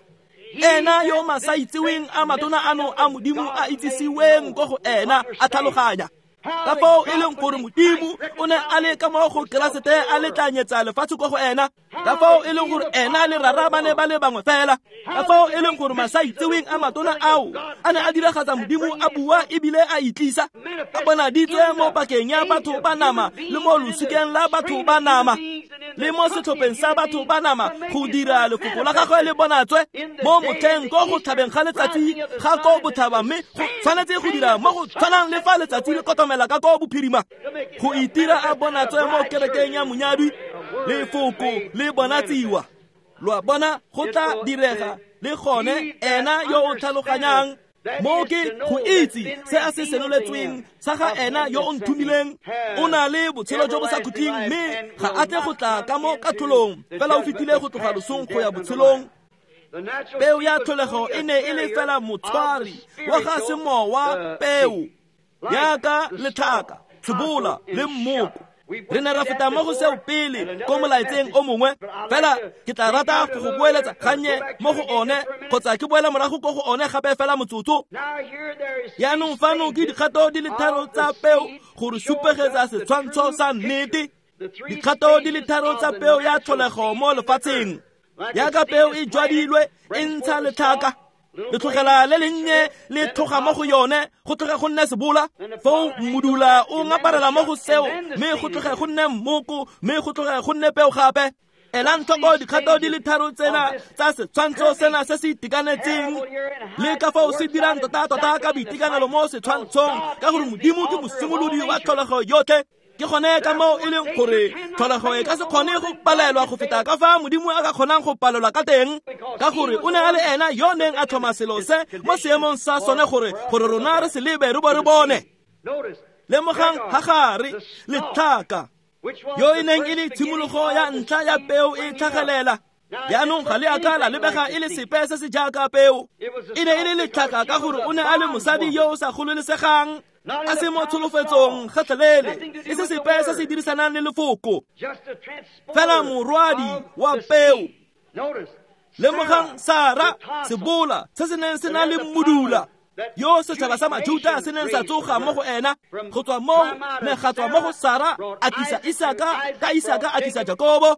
ena yo masaitseweng a matona ano a Modimo a itsisiweng ko go ena a tlhaloganya ka foo e leng gore Modimo o ne a le ka mo go Keresete a letlanyetsa lefatshe ko go ena, ka foo e leng gore ena le Rara ba ne ba le bangwe fela, ka foo e leng gore masaitseweng a matona ao a ne a diragatsa Modimo a bua ebile a itlisa, a bonaditswe mo pakeng ya batho ba nama le mo losikeng la batho ba nama le mo setlhopheng sa batho ba nama, go dira lefoko la gagwe le bonatswe mo motlheng ko go tlhabeng ga letsatsi ga ko botlhaba, mme go tshwanetse go dira mo go tshwanang le fa letsatsi le kotomela ka ko bophirima, go itira a bonatswe mo kerekeng ya monyadwi, lefoko le bonatsiwa. Lo a bona, go tla direga le gone ena yo o tlhaloganyang mo ke go itse se a se senoletsweng sa ga ena yo o nthomileng, o na le botshelo jo bo sa khutleng, mme ga a tle go tla ka mo katlholong, fela o fetile go tloga losong go ya botshelong. Peo ya tlholego e ne e le fela motshwari wa ga semowa peo, yaka letlhaka, sebola le mmoko. Re ne ra feta mo go seo pele ko molaetseng o mongwe, fela ke tla rata go go boeletsa gannye mo go one, kgotsa ke boela morago ko go one gape fela motsotso. Jaanong fano ke dikgato di le tharo tsa peo go re supegetsa setshwantsho sa nnete. Dikgato di le tharo tsa peo ya tlholego mo lefatsheng. Yaka peo e jwadilwe e ntsha letlhaka, letlhogela le lennye le tlhoga mo go yone, go tloge go nne sebola, foo mmudula o ngaparela mo go seo, mme go tloge go nne mmoko, mme go tloge go nne peo gape. Elang tlhoko dikgato di le tharo tsena tsa setshwantsho sena se se itekanetseng, le ka fao se dirang tota-tota ka boitekanelo mo setshwantshong, ka gore Modimo ke mosimolodi wa tlholego yotlhe. Ke gone ka moo e leng gore tlholego e ka se kgone go palelwa go feta ka fa Modimo a ka kgonang go palelwa ka teng, ka gore o ne a le ena yo neng a tlhoma selo se mo seemong sa sone gore gore rona re se lebe re bo re bone. Lemogang Hagare letlhaka, yo e neng e le tshimologo ya ntlha ya peo e tlhagelela. Jaanong ga le a ka la lebega e le sepe se se jaaka peo, e ne e le letlhaka ka gore o ne a le mosadi yo o sa gololesegang, a se mo tsholofetsong gotlhelele, e se sepe se se dirisanang le lefoko, fela morwadi wa peo. Lemogang Sara, sebola se se neng se na le mmudula, yo setšhaba sa Majuta se neng sa tsoga mo go ena. Go tswa moo ne ga tswa mo go Sara a tlisa Isaka, ka Isaka a tlisa Jakobo,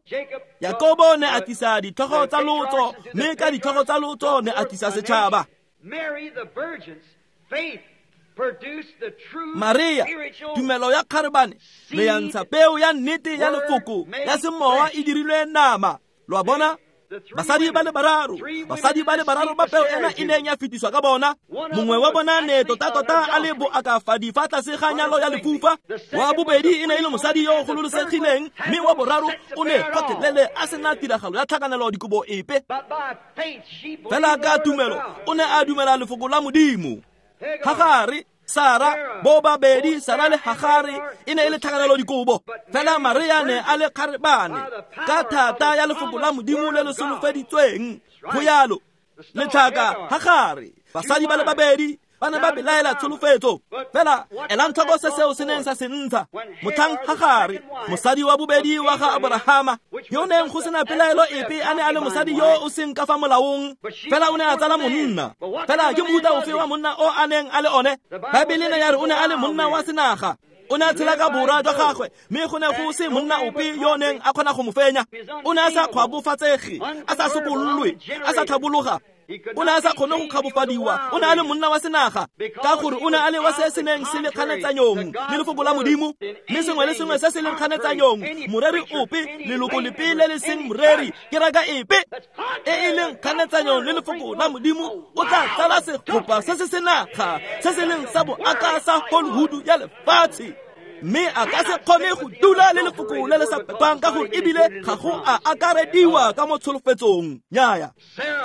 Jakobo ne a tlisa ditlhogo tsa lotso, mme ka ditlhogo tsa lotso ne a tlisa setšhaba. Maria, tumelo ya kgarebane, ne ya ntsha peo ya nnete ya lefoko ya semowa e dirilwe nama. Lo a bona, basadi ba le bararo, basadi ba le bararo ba peo ena e neng ya fetiswa ka bona. Mongwe wa bona ne tota-tota a le boakafadi fa tlase ga nyalo ya lefufa, wa bobedi e ne e le mosadi yo o gololosegileng, mme wa boraro o ne gotlhelele a sena tiragalo ya tlhakanelo dikobo epe. Fela ka tumelo o ne a dumela lefoko la Modimo. Hagare, Sara bo babedi Sara le Hagare e ne e le tlhakanelo dikobo fela Maria ne a le kgarebane ka thata ya lefoko la Modimo le le solofeditsweng go yalo letlhaka Hagare basadi ba le babedi ba ne ba belaela tsholofetso fela elang tlhoko se seo se neng sa se ntsha motlhang Hagare mosadi wa bobedi wa ga Abrahama yo neng go sena pelaelo epe a ne a le mosadi yo o seng ka fa molaong fela o ne a tsala monna fela ke mohuta ofe wa monna o a neng a le one Baebele ne ya re o ne a le monna wa senaga o ne a tshela ka borwa jwa gagwe mme go ne go se monna ope yo neng a kgona go mo fenya o ne a sa kgwabofatsege a sa sokololwe a sa tlhabologa o ne a sa kgone go kgabofadiwa o ne a le monna wa senaga ka gore o ne a le wa se se neng se le kganetsanyong le lefoko la Modimo mme sengwe le sengwe se se leng kganetsanyong moreri ope leloko lepe le le seng moreri keraka epe e e leng kganetsanyong le lefoko la Modimo o tla tsala segopa se se senaga se se leng sa boaka sa Hollywood ya lefatshe mme a ka se kgone go dula le lefoko le le sa pepang ka gore ebile ga go a akarediwa ka mo tsholofetsong nyaya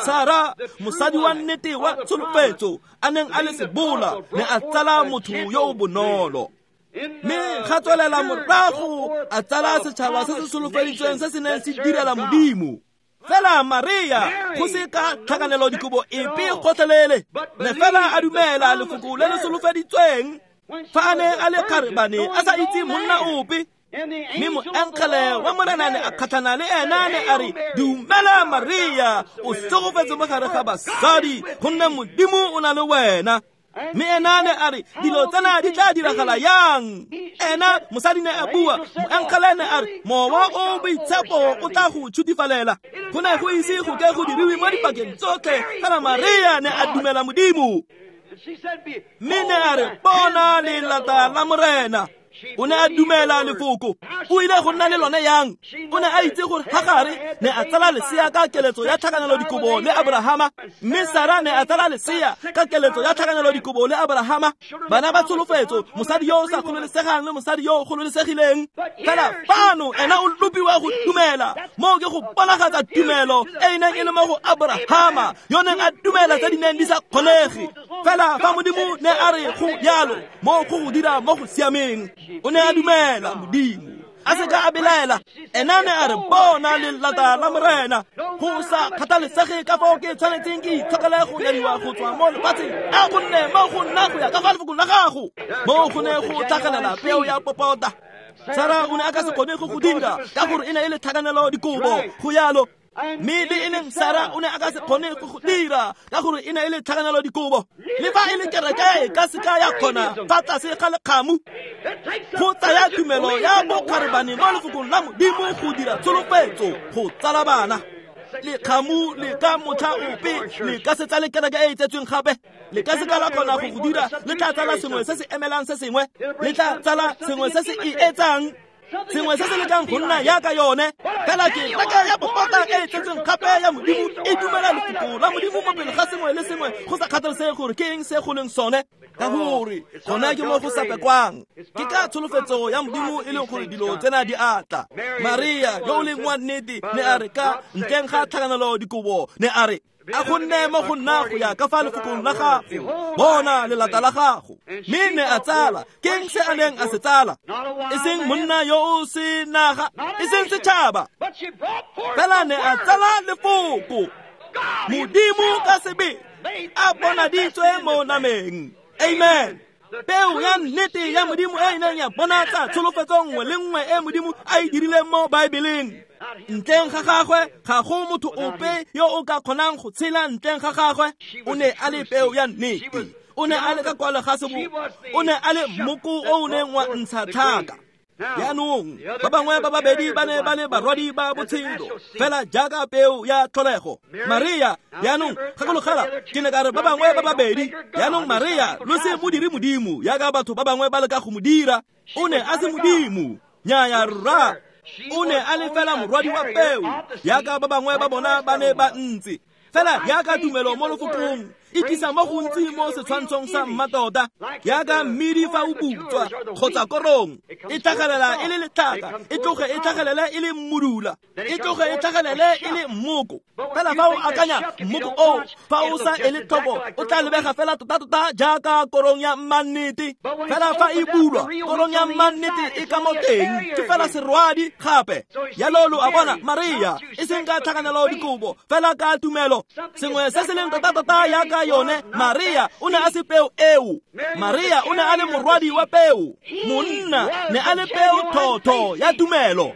Sara mosadi wa nnete wa tsholofetso a neng a le sebola ne a tsala motho yo o bonolo mme ga tswelela morago a tsala setšhaba se se solofeditsweng se se neng se direla Modimo fela Maria go se ka tlhakanelo dikobo epe gotlhelele ne fela a dumela lefoko le le solofeditsweng fa a ne a le kgarebane a sa itse monna ope mme moengele wa Morena ne a kgatlhana le ena ne a re dumela Maria o segofetse mo gare ga basadi gonne Modimo o na le wena mme ena ne a re dilo tsena di tla diragala yang ena mosadi ne a bua moengele ne a re mowa o boitshepo o tla go tshutifalela go ne go ise go ke go diriwe mo dipakeng tsotlhe fela Maria ne a dumela Modimo mme ne a re bona lelata la Morena o ne a dumela lefoko o ile go nna le lone yang o ne a itse gore Hagare ne a tsala lesea ka keletso ya tlhakanelo dikobo le Abrahama mme Sara ne a tsala lesea ka keletso ya tlhakanelo dikobo le Abrahama bana ba tsholofetso mosadi yo o sa kgololesegang le mosadi yo o kgololesegileng fela fano ena o lopiwa go dumela moo ke go bonagatsa tumelo e e neng e le mo go Abrahama yo neng a dumela tse di neng di sa kgonege fela fa Modimo ne a re go yalo moo go go dira mo go siameng o ne a dumela Modimo a se ka a belaela ena ne a re bona lelata la Morena go sa kgathalesege ka fao ke tshwanetseng ke itshokele go nyadiwa go tswa mo lefatsheng a go nne mo go nna go ya ka fa lefokong la gago mo go ne go tlhagelela peo ya popota Sara o ne a ka se kgone go go dira ka gore e ne e le tlhakanelo dikobo go yalo mme le e leng Sara o ne a ka se kgone go go dira ka gore e ne e le tlhakanelo dikobo le fa e le kereke e ka se ka ya kgona fa tlase ga lekgamu go tsaya tumelo ya bokgarebane mo lefokong la Modimo go dira tsholofetso go tsala bana lekgamu le ka motlha ope le ka se tsale kereke e e tsetsweng gape le ka se ka la kgona go go dira le tla tsala sengwe se se emelang se sengwe le tla tsala sengwe se se e etsang sengwe se se lekang go nna yaka yone fela ke reka ya popota e e tletseng gape ya Modimo e dumela lefoko la Modimo mo pele ga sengwe le sengwe go sa kgathalesege gore ke eng se go leng sone ka gore gona ke mo go sa pekwang ke ka tsholofetso ya Modimo e leng gore dilo tsena di atla Maria yo o leng wa nnete ne a re ka ntleng ga tlhakanelo dikobo ne a re a go nne mo go nna go ya ka fa lefokong la gago bona lelata la gago mme ne a tsala ke eng se a neng a se tsala e seng monna yo o senaga e seng setšhaba fela ne a tsala lefoko Modimo ka sebele a bonaditswe mo nameng amen peo ya nnete ya Modimo e e neng ya bonatsa tsholofetso nngwe le nngwe e Modimo a e dirileng mo Baebeleng ntleng ga gagwe ga go motho ope yo o ka kgonang go tshela ntleng ga gagwe o ne a le peo ya nnete o ne a le ka kwalo ga sebo o ne a le moko o o neng wa ntsha tlhaka jaanong ba bangwe ba babedi ba ne ba le barwadi ba botshelo fela jaaka peo ya tlholego Maria jaanong gakologela ke ne ka re ba bangwe ba babedi jaanong Maria lo se mo dire Modimo jaaka batho ba bangwe ba leka go mo dira o ne a se Modimo nyaya rra o ne a le fela morwadi wa peo jaaka ba bangwe ba bona ba ne ba ntse Fela jaaka tumelo mo lefokong e tlisa mo gontsi mo setshwantshong sa mmatota, jaaka mmidi fa o butswa kgotsa korong e tlhagelela e le letlhaka, e tloge e tlhagelele e le mmudula, e tloge e tlhagelele e le mmoko. Fela fa o akanya mmoko oo, fa o sa ele tlhoko, o tla lebega fela tota-tota jaaka korong ya mmannete. Fela fa e bulwa, korong ya mmannete e ka mo teng, ke fela serwadi gape. Jalo lo a bona Maria e seng ka tlhakanelo dikobo, fela ka tumelo. Sengwe se se leng tota-tota jaaka yone, Maria o ne a se peo eo. Maria o ne a le morwadi wa peo. Monna ne a le peo thotho ya tumelo,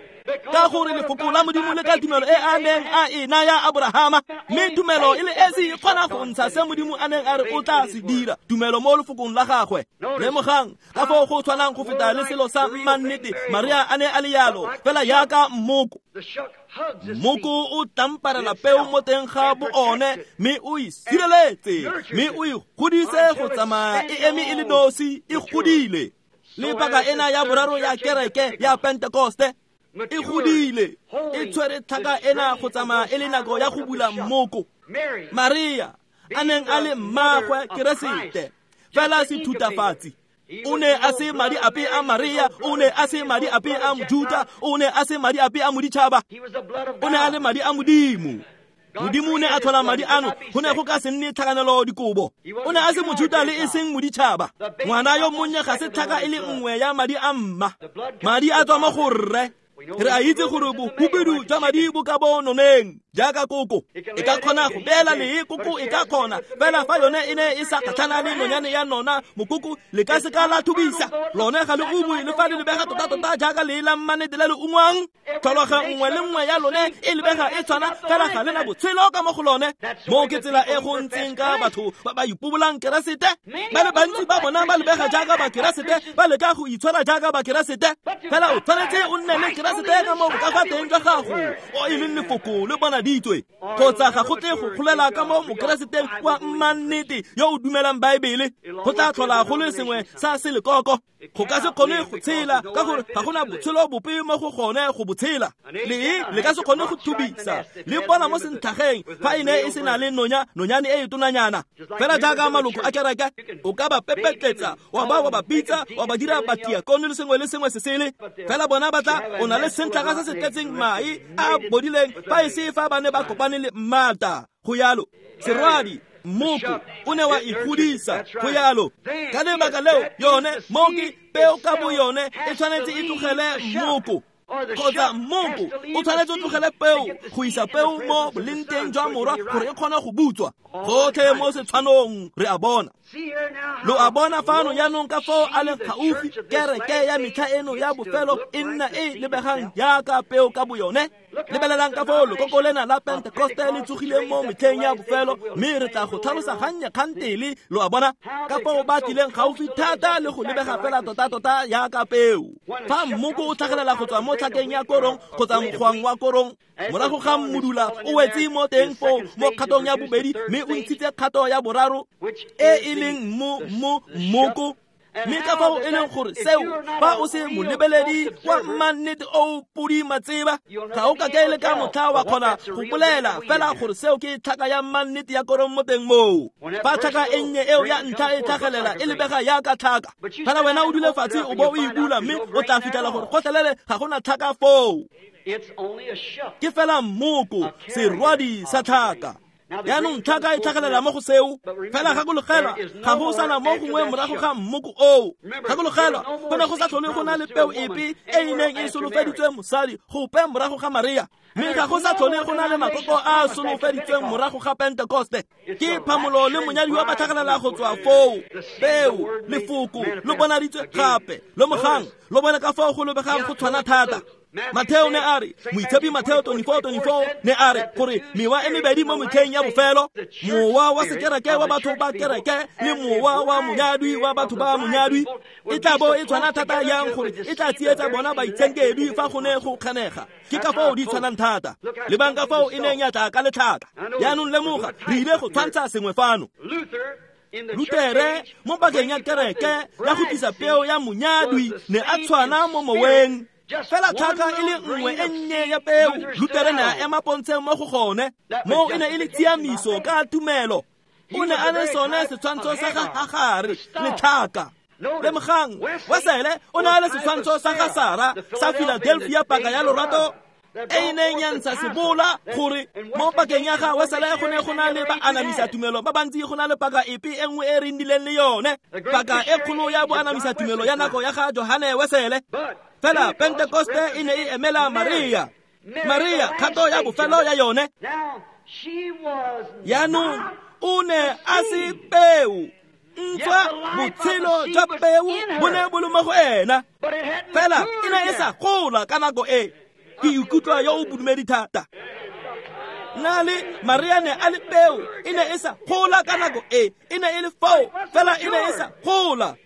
ka gore lefoko la Modimo le ka tumelo e a neng a e naya Abrahama, mme tumelo e le esi e kgona go ntsha se Modimo a neng a re o tla se dira. Tumelo mo lefokong la gagwe. Lemogang ka foo go tshwanang go feta le selo sa mmannete. Maria a ne a le yalo fela jaaka mmoko. Mmoko o tlamparela peo mo teng ga bo one, mme o e sireletse, mme o e godise go tsamaya e eme e le nosi, e godile. Le paka ena ya boraro ya kereke ya Pentekoste e godile, e tshwere tlhaka ena go tsamaya e le nako ya go bula mmoko. Maria a neng a le mmaagwe Keresete, fela sethutafatsi. O ne a se madi ape a Maria, o ne a se madi ape a Mojuta, o ne a se madi ape a moditšhaba, o ne a le madi a Modimo. Modimo o ne a tlhola madi ano, go ne go ka se nne tlhakanelo dikobo. O ne a se Mojuta le e seng moditšhaba. Ngwana yo monnye ga se tlhaka e le nngwe ya madi a mma. Madi a tswa mo go rre. Re a itse gore bohubedu jwa madi bo ka bo noneng jaaka koko. E ka kgona go beela lee, koko e ka kgona. Fela fa yone e ne e sa kgatlhana le nonyane ya nona, mokoko le ka se ka la thubisa. Lone ga le ungwe le fa le lebega tota-tota jaaka lee la mmanete le le ungwang. Tlhologa nngwe le nngwe ya lone e lebega e tshwana, fela ga le na botshelo ka mo go lone. Moo ke tsela e go ntseng ka batho ba ba ipobolang Keresete. Ba le bantsi ba bona ba lebega jaaka Bakeresete, ba leka go itshwara jaaka Bakeresete. Fela o tshwanetse o nne le Keresete ka mo ka fa teng jwa gago, o e leng lefoko le bonaditswe. Kgotsa ga go tle go golela ka mo Mokereseteng wa mmannete yo o dumelang Baebele. Go tla tlhola go le sengwe sa selekoko. Go ka se kgone go tshela ka gore ga gona botshelo bope mo go gone go botshela. Lee le ka se kgone go thubisa le bona mo sentlhageng fa e ne e se na le nonya, nonyane e e tonanyana. Fela jaaka maloko a kereke, o ka ba pepetletsa, wa ba wa ba bitsa, wa ba dira batiakone le sengwe le sengwe se sele. Fela bona ba tla o na le sentlhaga se se tletseng mae a bodileng fa e se fa ba ne ba kopane le mmata. Go yalo serwadi mmoko o ne wa ikgodisa go yalo. Ka lebaka leo yone moki peo ka bo yone e tshwanetse e tlogele mmoko, kgotsa mmoko o tshwanetse o tlogele peo go isa peo mo boleng teng jwa morwa gore e kgone go butswa. Gotlhe mo setshwanong re a bona. Lo a bona fano jaanong ka foo a leng gaufi kereke ya metlha eno ya bofelo e nna e lebegang jaaka peo ka bo yone. Lebelelang ka foo lekoko lena la Pentekoste le tsogileng mo metlheng ya bofelo, mme re tla go tlhalosa gannye kgantele. Lo a bona ka foo ba tlileng gaufi thata le go lebega fela tota-tota jaaka peo. Fa mmoko o tlhagelela go tswa mo tlhakeng ya korong kgotsa mokgwang wa korong, morago ga mmudula o wetse mo teng foo mo kgatong ya bobedi, mme o ntshitse kgato ya boraro e e leng mo mo mmoko. Mme ka fao e leng gore seo fa o se molebeledi wa mmannete o podi matseba, ga o ka ke le ka motlha wa kgona go bolela fela gore seo ke tlhaka ya mmannete ya korong mo teng moo. Fa tlhaka e nnye eo ya ntlha e tlhagelela e lebega jaaka tlhaka, fela wena o dule fatshe o bo o e bula, mme o tla fitlhela gore gotlhelele ga gona tlhaka foo. Ke fela mmoko, serwadi sa tlhaka. Jaanong tlhaka e tlhagelela mo go seo. Fela gakologelwa, ga go sana mo gongwe morago ga mmoko oo. Gakologelwa, go ne go sa tlhole go na le peo epe e e neng e solofeditswe mosadi gope morago ga Maria, mme ga go sa tlhole go na le makoko a a solofeditsweng morago ga Pentekoste. Ke phamolo le monyadiwa ba tlhagelela go tswa foo. Peo, lefoko, lo bonaditswe gape. Lemogang, lo bone ka foo go lebegang go tshwana thata. Mateo ne a re, moitshepi Mateo twenty-four twenty-four ne a re gore mewa e mebedi mo metlheng ya bofelo, mowa wa sekereke wa batho ba kereke le mowa wa monyadwi wa batho ba monyadwi, e tla bo e tshwana thata yang gore e tla tsietsa bona baitshenkedwi fa go ne go kganega. Ke ka foo di tshwanang thata. Lebang ka foo e neng ya tla ka letlhaka. Jaanong lemoga, re ile go tshwantsha sengwe fano. Lutere mo pakeng ya kereke ya go tlisa peo ya monyadwi ne a tshwana mo moweng Fela tlhaka e le nngwe e nnye ya peo, Lutere ne a ema pontsheng mo go gone. Moo e ne e le tshiamiso ka tumelo. O ne a le sone setshwantsho sa ga Hagare, letlhaka. Lemogang, Wesele o ne a le setshwantsho sa ga Sara sa Philadelphia, paka ya lorato e e neng ya ntsha sebola gore mo pakeng ya ga Wesele go ne go na le baanamisa tumelo ba bantsi go na le paka epe e nngwe e re nnileng le yone, paka e kgolo ya boanamisa tumelo ya nako ya ga Johane Wesele. Fela Pentekoste e ne e emela Maria, Maria kgato ya bofelo ya yone. Jaanong o ne a se peo, ntswa botshelo jwa peo bo ne bo le mo go ena, fela e ne e sa gola ka nako e. Ke ikutlwa yo o bodumedi thata. Nna le Maria ne a le peo, e ne e sa gola ka nako e, e ne e le foo, fela e ne e sa gola.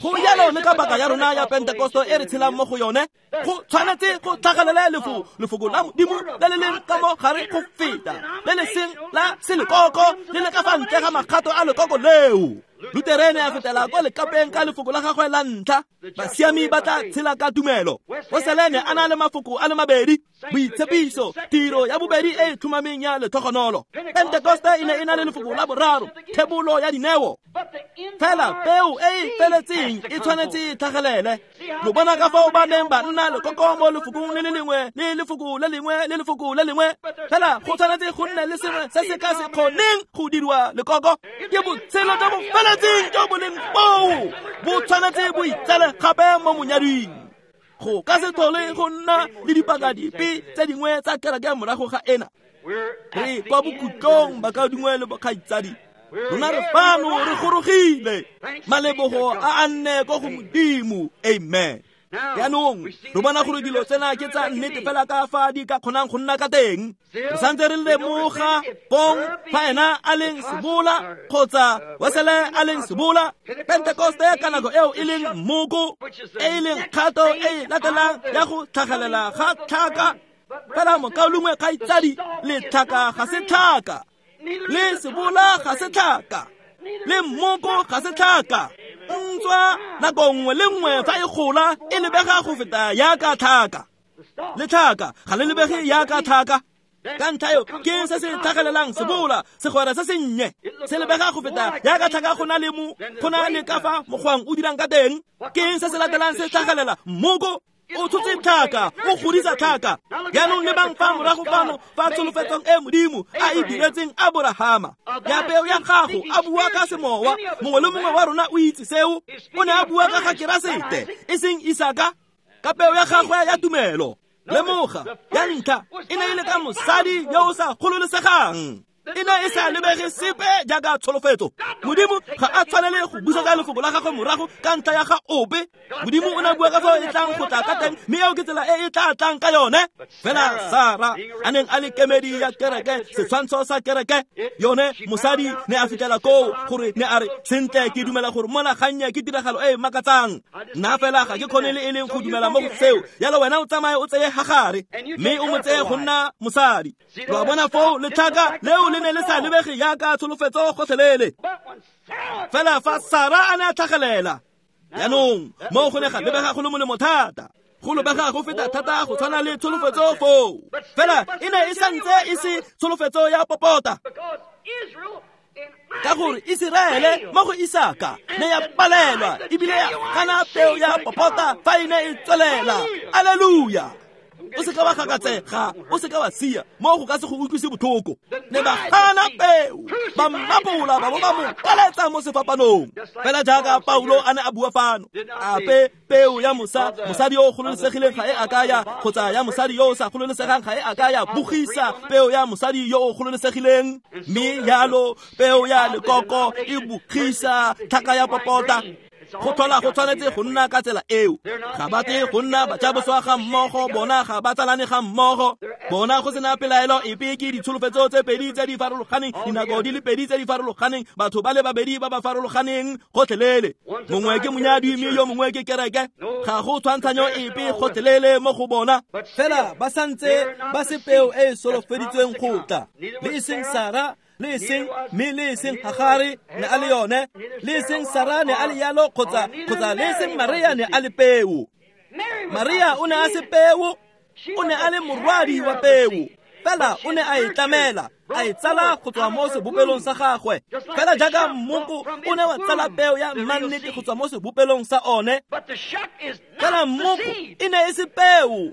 Go jalo le ka baka ya rona ya Pentekoste e re tshelang mo go yone, go tshwanetse go tlhagelele lefoko, lefoko la Modimo le le leng ka mo gare go feta, le le seng la selekoko, le le ka fa ntle ga makgato a lekoko leo. Lutere ne a fetela kwa lekapeng ka lefoko la gagwe la ntlha, basiami ba tla tshela ka tumelo. Wesele ne a na le mafoko a le mabedi, boitshepiso, tiro ya bobedi e e tlhomameng ya letlhogonolo. Pentekoste e ne e na le lefoko la boraro, thebolo ya dineo. Fela peo e e feletseng e tshwanetse e tlhagelele. Lo bona ka fao ba neng ba nna lekoko mo lefokong le le lengwe le lefoko le lengwe le lefoko le lengwe. Fela go tshwanetse go nne le sengwe se se ka se kgoneng go diriwa lekoko. Ke botshelo jo bo feletseng jo bo leng foo, bo tshwanetse bo itsale gape mo monyading. Go ka se tlhole go nna le dipaka dipe tse dingwe tsa kereke morago ga ena. Re kwa bokhutlong bakaudingwe le bokgaitsadi, rona re fano re gorogile. Malebogo a a nne ko go Modimo. Amen. Jaanong re bona gore dilo tsena ke tsa nnete fela ka fa di ka kgonang go nna ka teng. Re santse re lemoga pong fa ena a leng sebola kgotsa Wesele a leng sebola, Pentekoste ka nako eo e leng mmoko, e e leng kgato e e latelang ya go tlhagelela ga tlhaka. Fela mokaulengwe kgaitsadi, letlhaka ga se tlhaka, le sebola ga se tlhaka, le mmoko ga se tlhaka. Ntswa nako nngwe le nngwe fa e gola e lebega go feta yaka tlhaka, le tlhaka ga le lebege yaka tlhaka. Ka ntlha eo ke se se tlhagelelang sebola, segwera se se nnye se lebega go feta yaka tlhaka go na le mo go na le ka fa mokgwang o dirang ka teng. Ke se se latelang se tlhagelela mmoko, o tshotse tlhaka, o godisa tlhaka. Jaanong lebang fa morago fano fa tsholofetsong e Modimo a e diretseng Aborahama ya peo ya gago, a bua ka semowa. Mongwe le mongwe wa rona o itse seo. O ne a bua ka ga Keresete, e seng Isaka, ka peo ya gagwe ya tumelo. Lemoga, ya ntlha e ne e le ka mosadi yo o sa gololesegang. E ne e sa lebege sepe jaaka tsholofetso. Modimo ga a tshwanele go busetsa lefoko la gagwe morago ka ntlha ya ga ope. Modimo o ne a bua ka fao e tlang go tla ka teng, mme eo ke tsela e e tla tlang ka yone. Fela Sara a neng a le kemedi ya kereke, setshwantsho sa kereke, yone mosadi ne a fitlhela koo gore ne a re, sentle ke dumela gore mona gannye ke tiragalo e e makatsang. Nna fela ga ke kgone le e leng go dumela mo go seo. Jalo wena o tsamaye o tseye Hagare, mme o mo tseye go nna mosadi. Lo a bona foo letlhaka leo le ne le sa lebege yaka tsholofetso gotlhelele. Fela fa Sara a ne a tlhagelela, jaanong mo go ne ga lebega go le molemo thata, go lebega go feta thata go tshwana le tsholofetso foo. Fela e ne e santse e se tsholofetso ya popota, ka gore Iseraele mo go Isaka ne ya palelwa ebile ya gana peo ya popota fa e ne e tswelela. Alleluia. O se ka wa gakatsega, o se ka wa sia, mo go ka se go utlwise botlhoko. Ne ba gana peo, ba mmapola ba bo ba mo kaletsa mo sefapanong. Fela jaaka Paulo a ne a bua fano, ape peo ya mosa, mosadi yo o gololesegileng ga e a ka ya, kgotsa ya mosadi yo o sa gololesegang ga e a ka ya bogisa peo ya mosadi yo o gololesegileng. Mme jalo peo ya lekoko e bogisa tlhaka ya popota. Go tlhola go tshwanetse go nna ka tsela eo. Ga ba tle go nna bajaboswa ga mmogo, bona ga ba tsalane ga mmogo. Bona go sena pelaelo epe ke ditsholofetso tse pedi tse di farologaneng, dinako di le pedi tse di farologaneng, batho ba le babedi ba ba farologaneng gotlhelele. Mongwe ke monyadi mme yo mongwe ke kereke. Ga go tshwantshanyo epe gotlhelele mo go bona. Fela ba santse ba se peo e e solofeditsweng go tla. Le e seng Sara, le e seng mme le e seng Hagare ne a le yone, le e seng Sara ne a le yalo, kgotsa kgotsa le e seng Maria ne a le peo. Maria o ne a se peo, o ne a le morwadi wa peo. Fela o ne a e tlamela, a e tsala go tswa mo sebopelong sa gagwe. Fela jaaka mmoko o ne wa tsala peo ya mannete go tswa mo sebopelong sa one. Fela mmoko e ne e se peo.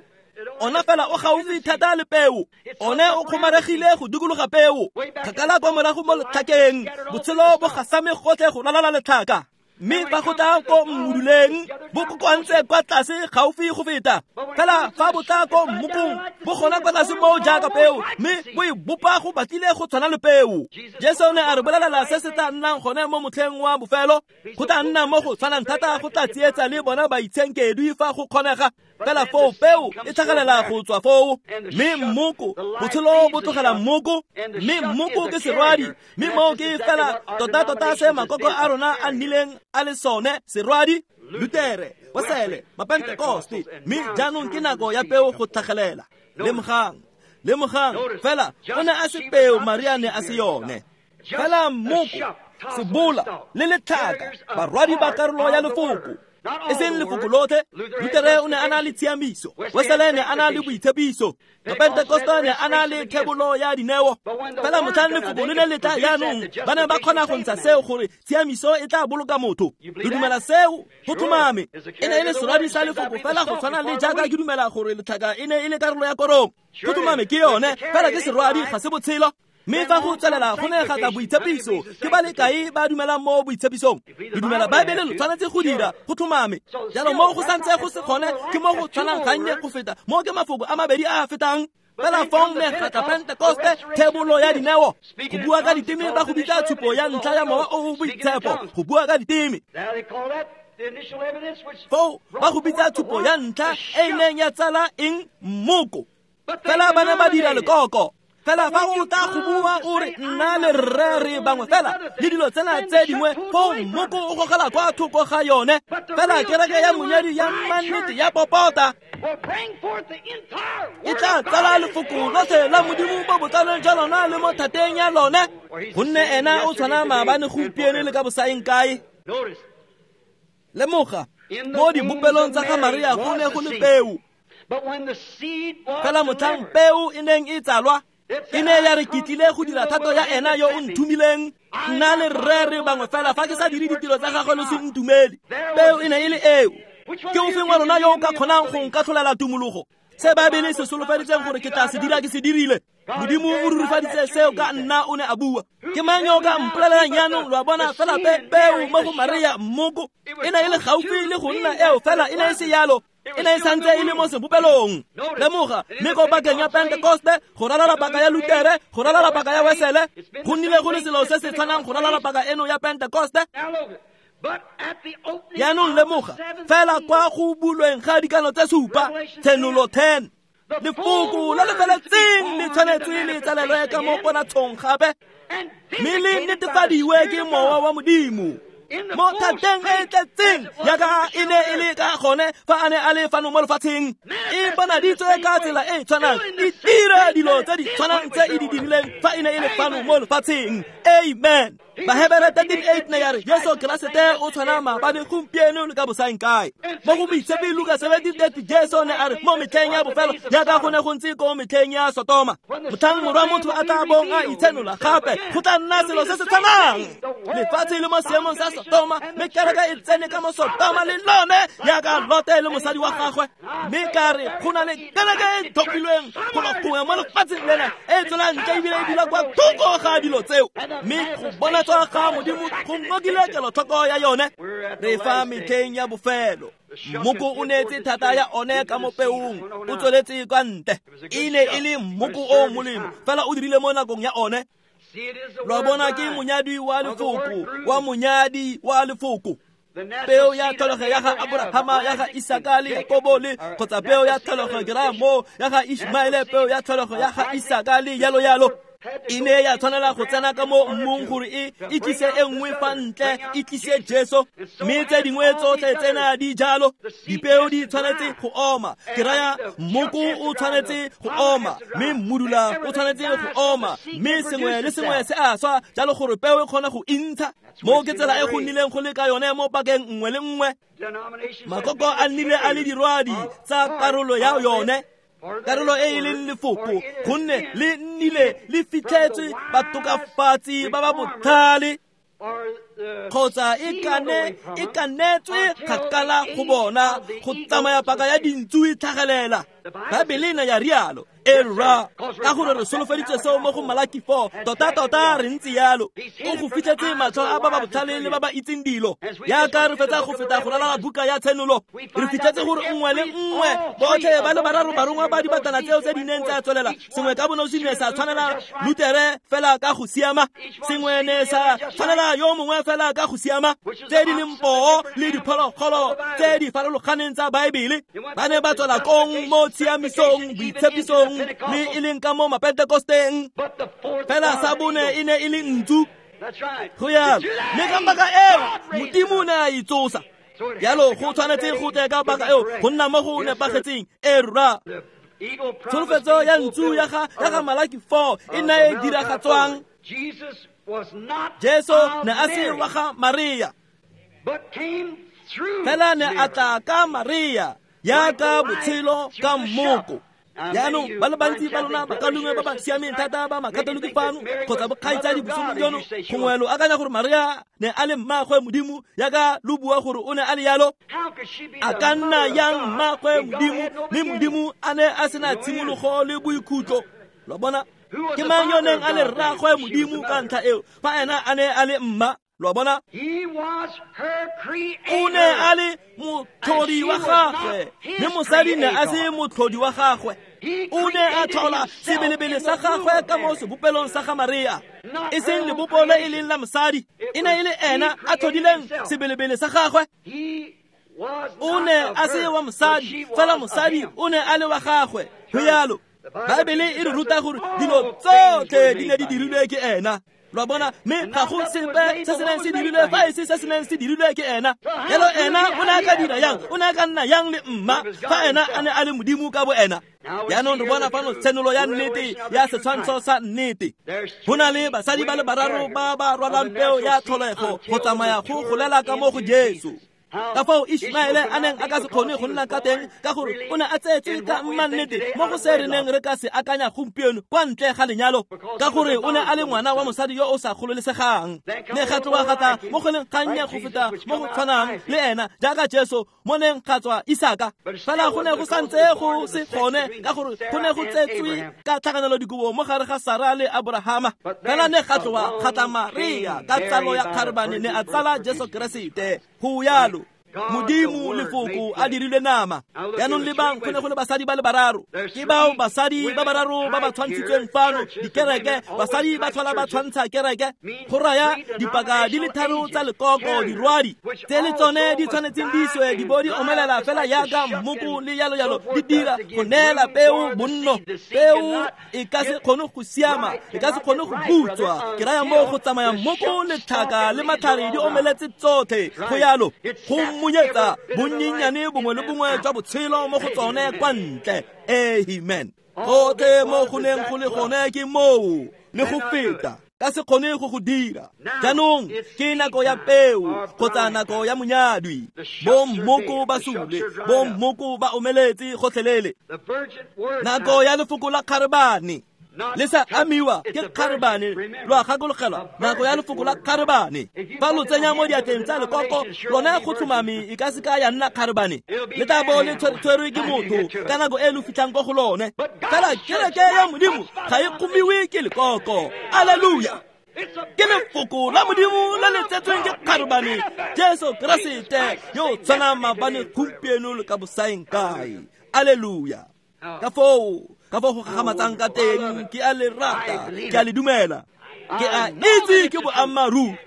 Ona fela o gaufi thata le peo. One o kgomaregile go dikologa peo. Kgakala kwa morago mo letlhakeng, botshelo bo gasame gotlhe go ralala letlhaka. Mme fa go tla ko mmuduleng, bo kokoantse kwa tlase gaufi go feta. Fela fa bo tla ko mmokong, bo gona kwa tlase moo jaaka peo, mme bo e bopa go batlile go tshwana le peo. Jesu o ne a re bolelela se se tla nnang gone mo motlheng wa bofelo. Go tla nna mo go tshwanang thata go tla tsietsa le bona baitshenkedwi fa go kgonega. Fela foo peo e tlhagelela go tswa foo, mme mmoko, botshelo bo tlogela mmoko, mme mmoko ke serwadi, mme moo ke fela tota-tota se makoko a rona a nnileng a le sone, serwadi, Lutere, Wesele, Mapentekoste, mme jaanong ke nako ya peo go tlhagelela. Lemogang, lemogang, fela o ne a se peo, Maria ne a se yone. Fela mmoko, sebola le letlhaka, barwadi ba karolo ya lefoko. E seng lefoko lotlhe. Lutere o ne a na le tshiamiso, Wesele ne a na le boitshepiso, Mapentekoste ne a na le thebolo ya dineo. Fela motlhang lefoko le ne le tla jaanong, ba ne ba kgona go ntsha seo gore tshiamiso e tla boloka motho. Re dumela seo, go tlhomame. E ne e le serwadi sa lefoko fela go tshwana le jaaka ke dumela gore letlhaka e ne e le karolo ya korong. Go tlhomame ke yone, fela ke serwadi, ga se botshelo. Mme fa go tswelela go ne ga tla boitshepiso, ke ba le kae ba dumelang mo boitshepisong? Le dumela Baebele, lo tshwanetse go dira, go tlhomame. Jalo mo go santse go se gone, ke mo go tshwanang gannye go feta, mo ke mafoko a mabedi a a fetang. Fela fong ne ga tla Pentekoste, thebolo ya dineo. Go bua ka diteme ba go bitsa tshupo ya ntlha ya mowa o o boitshepo, go bua ka diteme. Foo ba go bitsa tshupo ya ntlha e e neng ya tsala eng? Mmoko. Fela ba ne ba dira lekoko. Fela fa o tla go bua o re nna le rre re bangwe fela le dilo tsena tse dingwe, foo mmoko o gogela kwa thoko ga yone. Fela kereke ya monyadi ya mannete ya popota e tla tsala lefoko lotlhe la Modimo mo botlalong jwa lona le mo thateng ya lone, gonne ena o tshwana maabane, gompieno le ka bosaeng kae. Lemoga, mo dibopelong tsa ga Maria go ne go le peo. Fela motlhang peo e neng e tsalwa, e ne ya re ke tlile go dira thato ya ena yo o nthumileng. Nna le rre re bangwe fela, fa ke sa dire ditiro tsa gagwe lo se ntumele. Peo e ne e le eo. Ke ofeng wa lona yo o ka kgonang go nkatlholela tumologo? Se Baebele se solofeditseng gore ke tla se dira, ke se dirile. Modimo o rurifaditse seo ka nna, o ne a bua. Ke mang yo o ka mpolelelang jaanong? Lo a bona, fela pe peo mo go Maria mmoko e ne e le gaufi le go nna eo, fela e ne e se yalo. E ne e santse e le mo sebopelong. Lemoga, mme ko pakeng ya Pentekoste, go ralala paka ya Lutere, go ralala paka ya Wesele, go nnile go le selo se se tshwanang go ralala paka eno ya Pentekoste. Jaanong lemoga, fela kwa go bulweng ga dikano tse supa, Tshenolo ten, lefoko le le feletseng le tshwanetse le tsalelwe ka mo ponatshong gape, mme le netefadiwe ke mowa wa Modimo mo thateng e tletseng jaaka e ne e le ka gone fa a ne a le fano mo lefatsheng. E bonaditswe ka tsela e e tshwanang, e dira dilo tse di tshwanang tse e di dirileng fa e ne e le fano mo lefatsheng. Amen. Bahebere thirteen eight ne ya re Jesu Keresete o tshwana maabane, gompieno le ka bosaeng kae. Mo go Moitshepi Luka seventeen thirty, Jesu ne a re mo metlheng ya bofelo jaaka go ne go ntse ko metlheng ya Sotoma, motlhang morwa motho a tla bong a itshenola gape, go tla nna selo se se tshwanang. Lefatshe le mo seemong sa Sotoma, mme kereke e tsene ka mo Sotoma le lone jaaka Lote le mosadi wa gagwe. Mme ka re go na le kereke e thopilweng go lo gongwe mo lefatsheng lena e tswelang ntle ebile e dula kwa thoko ga dilo tseo, mme go bona tswa ga Modimo go ngokile kelotlhoko ya yone. Re fa metlheng ya bofelo. Mmoko o neetse thata ya one ka mo peong, o tsweletse kwa ntle. E ne e le mmoko o molemo, fela o dirile mo nakong ya one. Lo bona ke monyadi wa lefoko, wa monyadi wa lefoko. Peo ya tlholego ya ga Aborahama, ya ga Isaka le Jakobo le kgotsa peo ya tlholego ke raya moo ya ga Ishmaele, peo ya tlholego ya ga Isaka le yalo yalo. E ne ya tshwanela go tsena ka mo mmung gore e e tlise e nngwe fa ntle, e tlise Jesu. Mme tse dingwe tsotlhe tsena di jalo. Dipeo di tshwanetse go oma. Ke raya mmoko o tshwanetse go oma, mme mmudula o tshwanetse go oma, mme sengwe le sengwe se a swa jalo gore peo e kgone go intsha. Mo ke tsela e go nnileng go le ka yone mo pakeng nngwe le nngwe. Makoko a nnile a le dirwadi tsa karolo ya yone, karolo e e leng lefoko, gonne le nnile le fitlhetswe batokafatsi ba ba botlhale, kgotsa e kane e kanetswe kgakala go bona go tsamaya paka ya dintsu e tlhagelela. Baebele ne ya rialo. E rra, ka gore re solofeditse seo mo go Malaki four, tota-tota re ntse yalo. O go fitlhetse matlho a ba ba botlhale le ba ba itseng dilo. Jaaka re fetsa go feta go ralala buka ya Tshenolo, re fitlhetse gore nngwe le nngwe botlhe ba le bararo barongwa ba dibatana tseo tse di neng tsa tswelela, sengwe ka bonosi ne sa tshwanela Lutere fela ka go siama, sengwe ne sa tshwanela yo mongwe fela ka go siama, tse di leng poo le diphologolo tse di farologaneng tsa Baebele. Ba ne ba tswela kong mo tshiamisong, boitshepisong, le e leng ka mo Mapentekosteng. Fela sa bone e ne e le ntsu. Go yalo. Mme ka paka eo Modimo o ne a itsosa. Jalo go tshwanetse go tle ka paka eo go nna mo go nepagetseng. E rra, tsholofetso ya ntsu ya ga ya ga Malaki four e ne e diragatswang. Jesu ne a se wa ga Maria, fela ne a tla ka Maria yaka botshelo ka mmoko. Jaanong ba le bantsi ba lona bakalungwe ba ba siameng thata ba makatoliki fano kgotsa bokgaitsadi bosomong jono, gongwe lo akanya gore Maria ne a le mmaagwe Modimo yaka lo bua gore o ne a le yalo. A ka nna yang mmaagwe Modimo, mme Modimo a ne a sena tshimologo le boikhutlo? Lo bona, ke mang yo neng a le rraagwe Modimo ka ntlha eo fa ena a ne a le mma? Lo bona, o ne a le motlhodi wa gagwe, mme mosadi ne a se motlhodi wa gagwe. O ne a tlhola sebelebele sa gagwe ka mo sebopelong sa ga Maria, e seng lebopo le e leng la mosadi. E ne e le ena a tlhodileng sebelebele sa gagwe. O ne a se wa mosadi, fela mosadi o ne a le wa gagwe. Go yalo. Baebele e re ruta gore dilo tsotlhe di ne di dirilwe ke ena. Lo bona, mme ga go sepe se se neng se dirilwe fa e se se se neng se dirilwe ke ena. Jalo ena o ne a ka dira yang? O ne a ka nna yang le mma fa ena a ne a le Modimo ka bo ena? Jaanong re bona fano tshenolo ya nnete ya setshwantsho sa nnete. Go na le basadi ba le bararo ba ba rwalang peo ya tlholego go tsamaya go golela ka mo go Jesu. Ka fao Ishmaele a neng a ka se kgone go nna ka teng, ka gore o ne a tsetswe ka mmannete mo go se re neng re ka se akanya gompieno kwa ntle ga lenyalo, ka gore o ne a le ngwana wa mosadi yo o sa gololesegang. Ne ga tloga ga tla mo go leng gannye go feta mo go tshwanang le ena jaaka Jesu mo neng ga tswa Isaka. Fela go ne go santse go se gone, ka gore go ne go tsetswe ka tlhakanelo dikobo mo gare ga Sara le Abrahama. Fela ne ga tloga ga tla Maria ka tsalo ya kgarebane, ne a tsala Jesu Keresete. Go yalo. Modimo lefoko a dirilwe nama. Jaanong lebang, go ne go le basadi ba le bararo. Ke bao basadi ba bararo ba ba tshwantshitsweng fano, dikereke. Basadi ba tlhola ba tshwantsha kereke, go raya dipaka di le tharo tsa lekoko, dirwadi tse le tsone di tshwanetseng di iswe di bo di omelela fela yaka mmoko le yalo yalo, di dira go neela peo bonno. Peo e ka se kgone go siama, e ka se kgone go butswa. Ke raya mo go tsamaya mmoko le tlhaka le matlhare di omeletse tsotlhe. Go yalo, go monyetsa bonnyenyane bongwe le bongwe jwa botshelo mo go tsone kwa ntle. Amen. Gotlhe mo go neng go le gone ke moo le go feta, ka se kgone go go dira. Jaanong ke nako ya peo kgotsa nako ya monyadwi. Bo mmoko ba sule, bo mmoko ba omeletse gotlhelele. Nako ya lefoko la kgarebane le sa amiwa ke kgarebane. Lo a gakologelwa nako ya lefoko la kgarebane. Fa lo tsenya mo diatleng tsa lekoko, lone go tlhomame e ka se ka ya nna kgarebane. Le tla bo le tshwerwe ke motho ka nako e lo fitlhang ko go lone. Fela kereke ya Modimo ga e kgomiwe ke lekoko. Alleluia. Ke lefoko la Modimo le le tsetsweng ke kgarebane, Jesu Keresete yo tshwanang maabane, gompieno le ka bosaeng kae. Alleluia. Ka foo ka foo go gagamatsang ka teng, ke a le rata, ke a le dumela, ke a itse ke boammaaruri.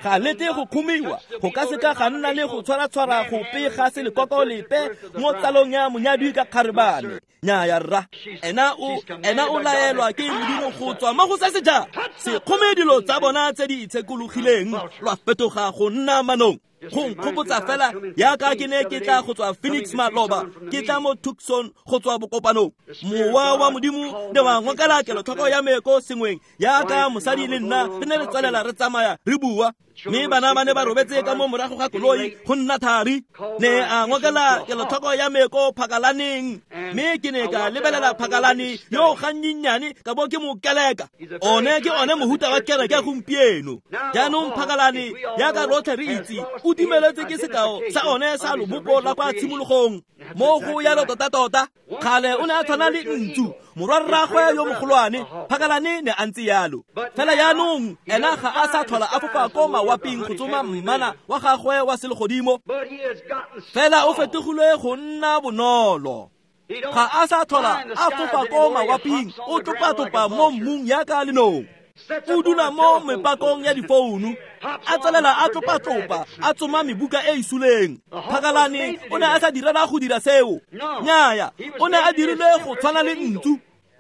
Ga lete go kgomiwa, go ka seka ga nna le go tshwara-tshwara gope ga se lekoko lepe mo tsalong ya monyadwi ka kgarebane. Nnyaya rra, ena o ena o laelwa ke Modimo go tswa mo go se se jang. Se kgome dilo tsa bona tse di itshekologileng, lwa fetoga go nna manong. Go nkgopotsa fela yaka ke ne ke tla go tswa Phoenix maloba, ke tla mo Tucson go tswa bokopanong. Mowa wa Modimo ne wa ngokela kelotlhoko ya me ko sengweng, yaka mosadi le nna re ne re tswelela re tsamaya re bua. Mme bana ba ne ba robetse ka mo morago ga koloi go nna thari. Ne a ngokela kelotlhoko ya me ko phakalaneng, mme ke ne ka lebelela phakalane yo gannyenyane ka bo ke mo keleka. One ke one mohuta wa kereke gompieno. Jaanong phakalane yaka rotlhe re itse o dumeletse ke sekao sa one sa lobopo la kwa tshimologong. Mo go yalo tota-tota, kgale o ne a tshwana le ntsu, morwarraagwe yo mogolwane. Phakalane ne a ntse yalo. Fela jaanong ena ga a sa tlhola a fofa ko mawaping go tsoma mmana wa gagwe wa selegodimo. Fela o fetogile go nna bonolo. Ga a sa tlhola a fofa ko mawaping, o topa-topa mo mmung yaka lenong. O dula mo mepakong ya difounu, a tswelela a tlopa-tlopa, a tsoma mebuka e e suleng. Phakalane o ne a sa direla go dira seo. Nnyaya, o ne a dirilwe go tshwana le ntsu.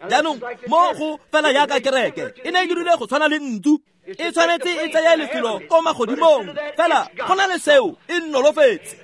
Jaanong mo go fela yaka kereke e ne e dirilwe go tshwana le ntsu, e tshwanetse e tseye lefelo ko magodimong. Fela go na le seo, e nnolofetse.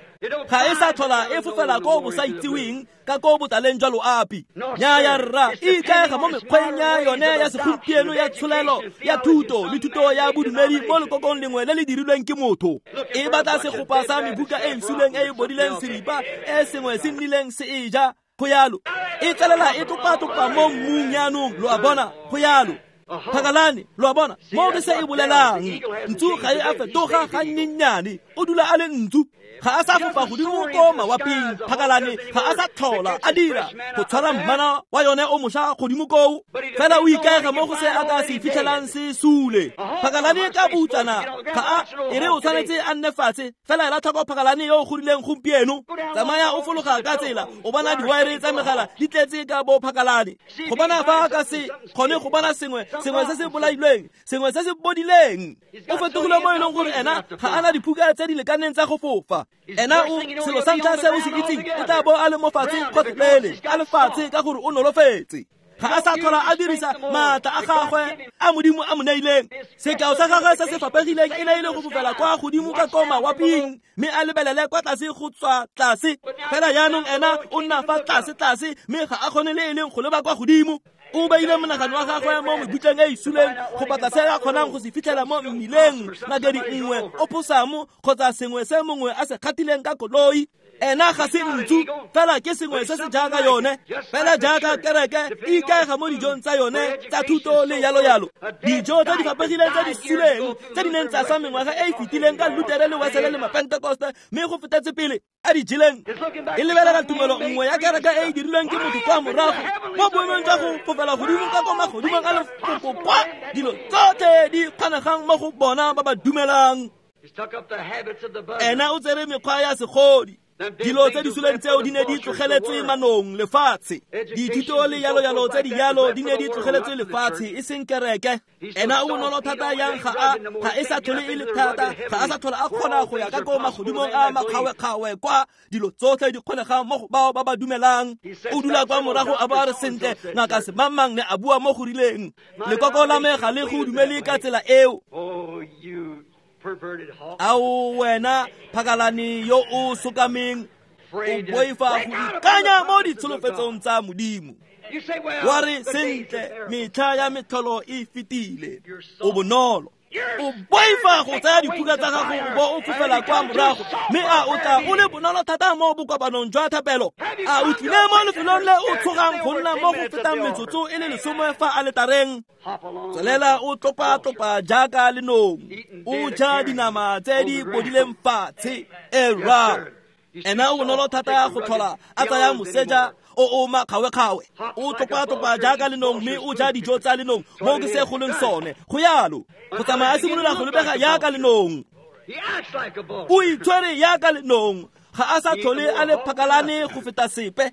Ga e sa tlhola e fofela ko bosaitseweng ka ko botaleng jwa loapi. Nnyaya rra, e ikaega mo mekgweng ya yone ya segompieno ya tsholelo ya thuto le thuto ya bodumedi mo lekokong lengwe le le dirilweng ke motho. E batla segopa sa mebuka e e suleng e e bodileng seripa e sengwe se nnileng se e ja. Go yalo, e tswelela e topa-topa mo mmung jaanong, lo a bona. Go yalo. Phakalane, lo a bona, mo ke se e bolelang. Ntsu ga e a fetoga gannyenyane, o dula a le ntsu. Ga a sa fofa godimo ko mawaping. Phakalane ga a sa tlhola a dira go tshwara mmana wa yone o mošwa godimo koo. Fela o ikaega mo go se a ka se fitlhelang se sule. Phakalane ka boutsana ga a e re o tshwanetse a nne fatshe. Fela ela tlhoko phakalane yo o godileng gompieno. Tsamaya o fologa ka tsela, o bona diwaere tsa megala di tletse ka bo phakalane. Go bona fa a ka se kgone go bona sengwe, sengwe se se bolailweng, sengwe se se bodileng. O fetogile mo e leng gore ena ga a na diphuka tse di lekaneng tsa go fofa. Ena o selo sa ntlha se o se itseng, o tla bo a le mo fatshe gotlhelele, a le fatshe ka gore o nolofetse. Ga a sa tlhola a dirisa maatla a gagwe a Modimo a mo neileng. Sekao sa gagwe se se fapegileng e ne e le go fofela kwa godimo ka ko mawaping, mme a lebelele kwa tlase go tswa tlase. Fela jaanong ena o nna fa tlase-tlase, mme ga a kgone le e leng go leba kwa godimo. O beile monagano wa gagwe mo mebutleng e e suleng go batla se a kgonang go se fitlhela mo mmileng, nakedi nngwe, oposamo kgotsa sengwe se mongwe a se kgatileng ka koloi. Ena ga se ntsu, fela ke sengwe se se jaaka yone. Fela jaaka kereke e ikaega mo dijong tsa yone tsa thuto le yalo-yalo. Dijo tse di fapegileng tse di suleng tse di neng tsa swa mengwaga e e fetileng ka Lutere le Wesele le Mapentekoste, mme go fetetse pele a di jeleng. E lebelela tumelo nngwe ya kereke e e dirilweng ke motho kwa morago mo boemong jwa go fofela godimo ka ko magodimong a lefoko kwa dilo tsotlhe di kgonegang mo go bona ba ba dumelang. Ena o tsere mekgwa ya segodi. Dilo tse di suleng tseo di ne di tlogeletswe manong lefatshe. Dithuto le yalo-yalo tse di yalo di ne di tlogeletswe lefatshe, e seng kereke. Ena o bonolo thata yang ga a ga e sa tlhole e le thata, ga a sa tlhola a kgona go ya ka ko magodimong a makgawe-kgawe kwa dilo tsotlhe di kgonegang mo go bao ba ba dumelang. O dula kwa morago a bo a re sentle, ngaka semangmang ne a bua mo go rileng. Lekoko la me ga le go dumele ka tsela eo. Ao wena phakalane yo o sokameng, o boifa go ikanya mo ditsholofetsong tsa Modimo. Wa re sentle, metlha ya metlholo e fetile. O bonolo. O boifa go tsaya diphuka tsa gago o bo o fofela kwa morago, mme a o tla o le bonolo thata mo bokopanong jwa thapelo. A o tlile mo lefelong le o tshogang go nna mo go fetang metsotso e le lesome fa aletareng. Tswelela o tlopa-tlopa jaaka lenong, o ja dinama tse di bodileng fatshe. Era ena o bonolo thata go tlhola a tsaya moseja o o makgawe-kgawe, o tlopa-tlopa jaaka lenong mme o ja dijo tsa lenong mo ke se go leng sone. Go yalo, go tsamaya a simolola go lebega jaaka lenong. O itshwere jaaka lenong, ga a sa tlhole a le phakalane go feta sepe.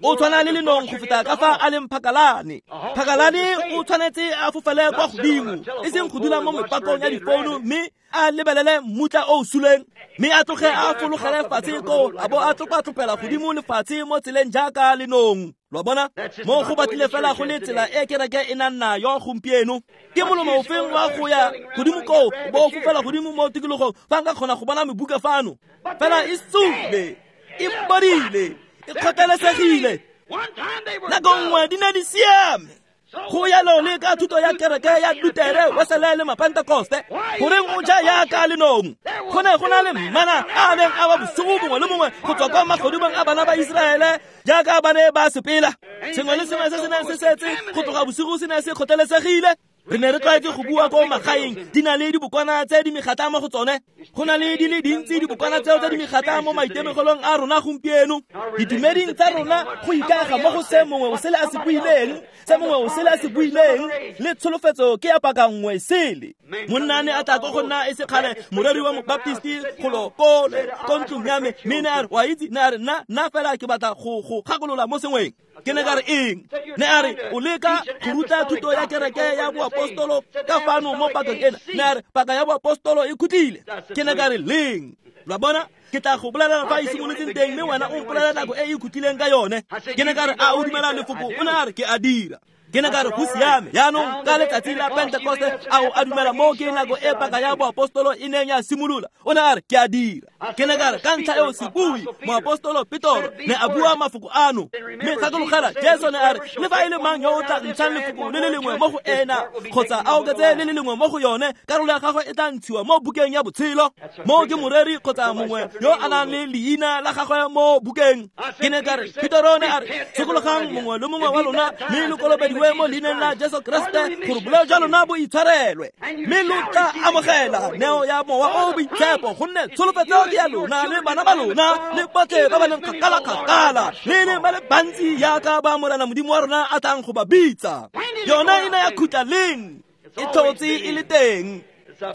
O tshwana le lenong go feta ka fa a leng phakalane. Phakalane o tshwanetse a fofele kwa godimo, e seng go dula mo mepakong ya difounu mme a lebelele mmutla o o suleng, mme a tloge a fologele fatshe koo a bo a tlopa-tlopela godimo lefatshe mo tseleng jaaka lenong. Lo a bona? Mo go batlile fela go le tsela e kereke e nang nayo gompieno. Ke molomo ofeng wa go ya godimo koo o bo o fofela godimo mo tikologong fa nka kgona go bona mebuka fano. Fela e sule, e bodile, e kgotlelesegile. Nako nngwe di ne di siame. Go yalo le ka thuto ya kereke ya Lutere, Wesele le Mapentekoste. Goreng o ja yaka lenong? Go ne go na le mana a neng a wa bosigo bongwe le bongwe go tswa kwa magodimong a bana ba Iseraele jaaka ba ne ba sepela. Sengwe le sengwe se se neng se setse go tloga bosigo se ne se kgotlelesegile. Re ne re tlwaetse go bua ko magaeng di na le dibokwana tse di megatla mo go tsone. Go na le di le dintsi dibokwana tseo tse di megatla mo maitemogelong a rona gompieno. Ditumeding tsa rona go ikaega mo go se mongwe o sele a se buileng, se mongwe o sele a se buileng, le tsholofetso ke ya paka nngwe sele. Monna ne a tla ko go nna e se kgale moreri wa mobaptisti golo kole ko ntlong ya me, mme ne a re, wa itse, ne a re, nna nna fela ke batla go go gakolola mo sengweng. Ke ne ka re eng? Ne a re o leka go ruta thuto ya kereke ya boapostolo ka fano mo pakeng ena. Ne a re paka ya boapostolo e khutlile. Ke ne ka re leng? Lo a bona? Ke tla go bolelela fa e simolotseng teng, mme wena o mpolelela nako e e khutlileng ka yone. Ke ne ka re a o dumela lefoko? O ne a re ke a dira. Ke ne ka re go siame. Jaanong ka letsatsi la Pentekoste a o a dumela mo ke nako e paka ya boapostolo e neng ya simolola? O ne a re ke a dira. Ke ne ka re ka ntlha eo sebui moapostolo Petoro ne a bua mafoko ano. Mme gakologela Jesu ne a re le fa e le mang yo o tla ntshang lefoko le le lengwe mo go ena kgotsa a oketse le le lengwe mo go yone, karolo ya gagwe e tla ntshiwa mo bukeng ya botshelo. Mo ke moreri kgotsa mongwe yo a nang le leina la gagwe mo bukeng. Ke ne ka re Petoro ne a re sokologang mongwe le mongwe wa lona mme lo kolobediwe mo leineng la Jesu Kriste gore boleo jwa lona bo itshwarelwe, mme lo tla amogela neo ya Mowa o o Boitshepo, gonne tsholofetso ke ya lona le bana ba lona le botlhe ba ba leng kgakala-kgakala le leng ba le bantsi jaaka ba Morena Modimo wa rona a tlang go ba bitsa. Yone e ne ya khutla leng? E tlhotse e le teng.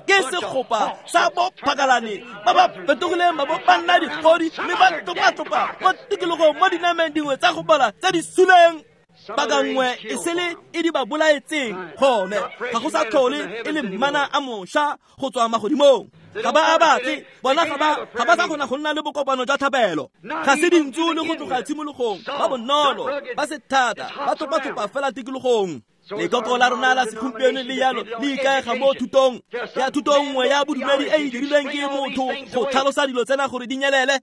Ke segopa sa bophakalane ba ba fetogileng ba bo ba nna digodi mme ba tlopa-tlopa mo tikologong mo dinameng dingwe tsa go bola tse di suleng. Paka nngwe e sele e di ba bolaetseng gone ga go sa tlhole e le mana a mošwa go tswa magodimong. Ga ba a batle bona, ga ba ga ba sa kgona go nna le bokopano jwa thapelo. Ga se dintsu le go tloga tshimologong, ba bonolo, ba se thata, ba tlopa-tlopa fela tikologong. Lekoko la rona la segompieno le yalo le ikaega mo thutong ya thuto nngwe ya bodumedi e e dirilweng ke motho go tlhalosa dilo tsena gore di nyelele,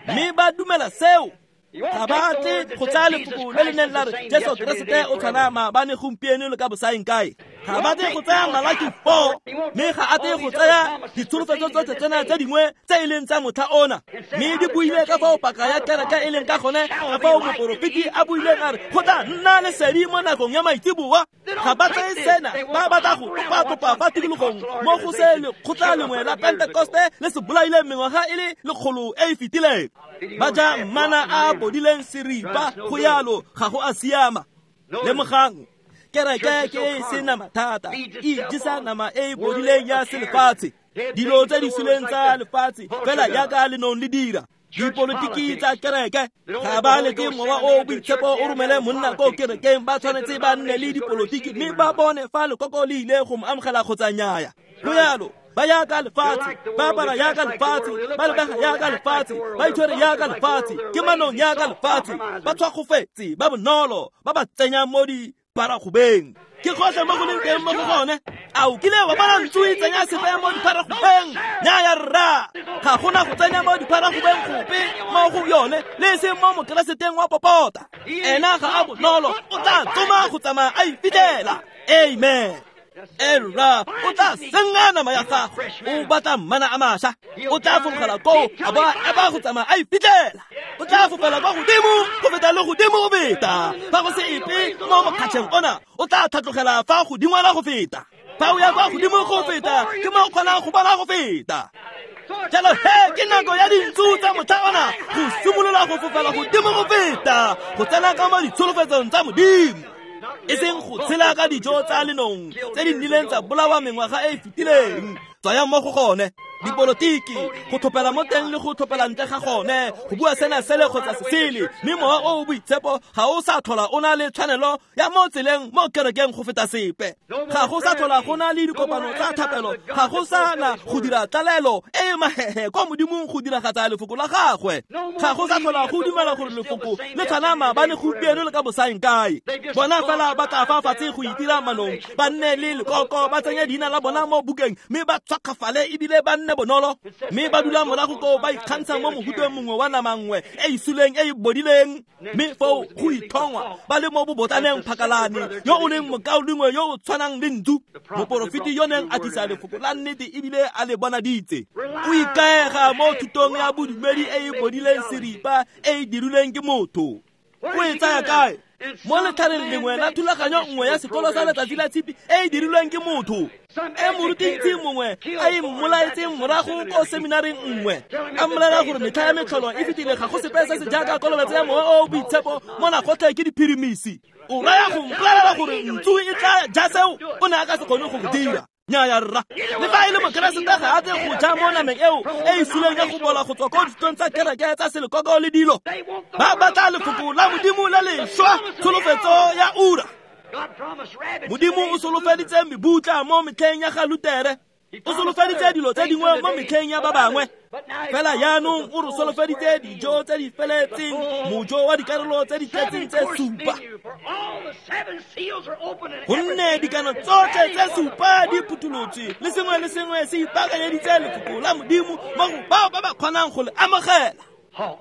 mme ba dumela seo. Ga ba tle go tsaya lefoko le le neng la re Jesu Keresete o tshwana maabane gompieno le ka bosaeng kae. Ga ba tle go tsaya Malaki four, mme ga a tle go tsaya ditsholofetso tsotlhe tsena tse dingwe tse e leng tsa motlha ona. Mme di buile ka fao paka ya kereke e leng ka gone, ka fao moporofeti a buileng a re go tla nna lesedi mo nakong ya maitseboa. Ga ba tseye sena, ba batla go topa-topa fa tikologong mo go se lekgotla lengwe la Pentekoste le se bolaileng mengwaga e le lekgolo e e fetileng. Ba ja mana a bodileng seripa, go yalo ga go a siama. Lemogang, kereke ke e sena mathata, e ijesa nama e e bodileng ya selefatshe, dilo tse di suleng tsa lefatshe fela jaaka lenong le dira. Dipolotiki tsa kereke ga ba leke Mowa o Boitshepo o romele monna ko kerekeng, ba tshwanetse ba nne le dipolotiki mme ba bone fa lekoko le ile go mo amogela kgotsa nnyaya. Go yalo ba yaka lefatshe, ba apara yaka lefatshe, ba lebega yaka lefatshe, ba itshwere yaka lefatshe, ke manong yaka lefatshe, ba tshwakgofetse, ba bonolo, ba ba tsenya mo diparagobeng. Ke gotlhe mo go leng teng mo go gone. A o kile wa bona ntsu e tsenya sepe mo diparagobeng? Nnyaya rra, ga gona go tsenya mo diparagobeng gope mo go yone, le e seng mo mokereseteng wa popota. Ena ga a bonolo, o tla tsoma go tsamaya a ifitlhela. Amen. Erra, o tla senga nama ya gagwe, o batla mana a mašwa, o tla fologela koo a bo a eba go tsamaya a ifitlhela. O tla fofela kwa godimo go feta le godimo go feta. Fa go se epe mo mokgatšheng ona, o tla tlhatlogela fa godingwana go feta. Fa o ya kwa godimo go feta, ke mo o kgonang go bona go feta. Jalo he ke nako ya dintsu tsa motlha ona go simolola go fofela godimo go feta, go tsena ka mo ditsholofetsong tsa Modimo. E seng go tshela ka dijo tsa lenong tse di nnileng tsa bolawa mengwaga e e fetileng. Tswayang mo go gone. Dipolotiki, go thopela mo teng le go thopela ntle ga gone, go bua sena sele kgotsa se sele, mme mowa o o boitshepo ga o sa tlhola o na le tshwanelo ya mo tseleng mo kerekeng go feta sepe. Ga go sa tlhola go na le dikopano tsa thapelo, ga go sa na go dira tlalelo e e mahehe kwa Modimong go diragatsa lefoko la gagwe. Ga go sa tlhola go dumela gore lefoko le tshwana maabane gompieno le ka bosaeng kae. Bona fela ba tla fa fatshe go itira manong, ba nne le lekoko, ba tsenye leina la bona mo bukeng, mme ba tshwakgafale ebile ba nne bonolo, mme ba dula morago koo ba ikgantsha mo mohuteng mongwe wa nama nngwe e e suleng e e bodileng, mme foo go ithongwa ba le mo bobotlaneng phakalane yo o leng mokaulengwe yo o tshwanang le ntsu. Moporofeti yo neng a tlisa lefoko la nnete ebile a le bonaditse. O ikaega mo thutong ya bodumedi e e bodileng seripa e e dirilweng ke motho. O e tsaya kae? Mo letlhareng lengwe la thulaganyo nngwe ya sekolo sa letsatsi la tshipi e e dirilweng ke motho, e morutintsi mongwe a e mmolaetseng morago ko seminareng nngwe, a mmolela gore metlha ya metlholo e fetile, ga go sepe se se jaaka kolobetso ya mowa o o boitshepo mona gotlhe ke diphirimisi. O raya go mpolelela gore ntsu e tla ja seo? O ne a ka se kgone go go dira. Nnyaya rra, le fa e le mokeresete ga a tle go ja mo nameng eo e e suleng ya go bola go tswa ko dithutong tsa kereke tsa selekoko le dilo. Ba batla lefoko la Modimo le lešwa, tsholofetso ya ura. Modimo o solofeditse mebutla mo metlheng ya ga Lutere, o solofeditse dilo tse dingwe mo metlheng ya ba bangwe, fela jaanong o re solofeditse dijo tse di feletseng, mojo wa dikarolo tse di tletseng tse supa. Gonne dikano tsotlhe tse supa di phuthulotswe, le sengwe le sengwe se ipaakanyeditse lefoko la Modimo mo go bao ba ba kgonang go le amogela.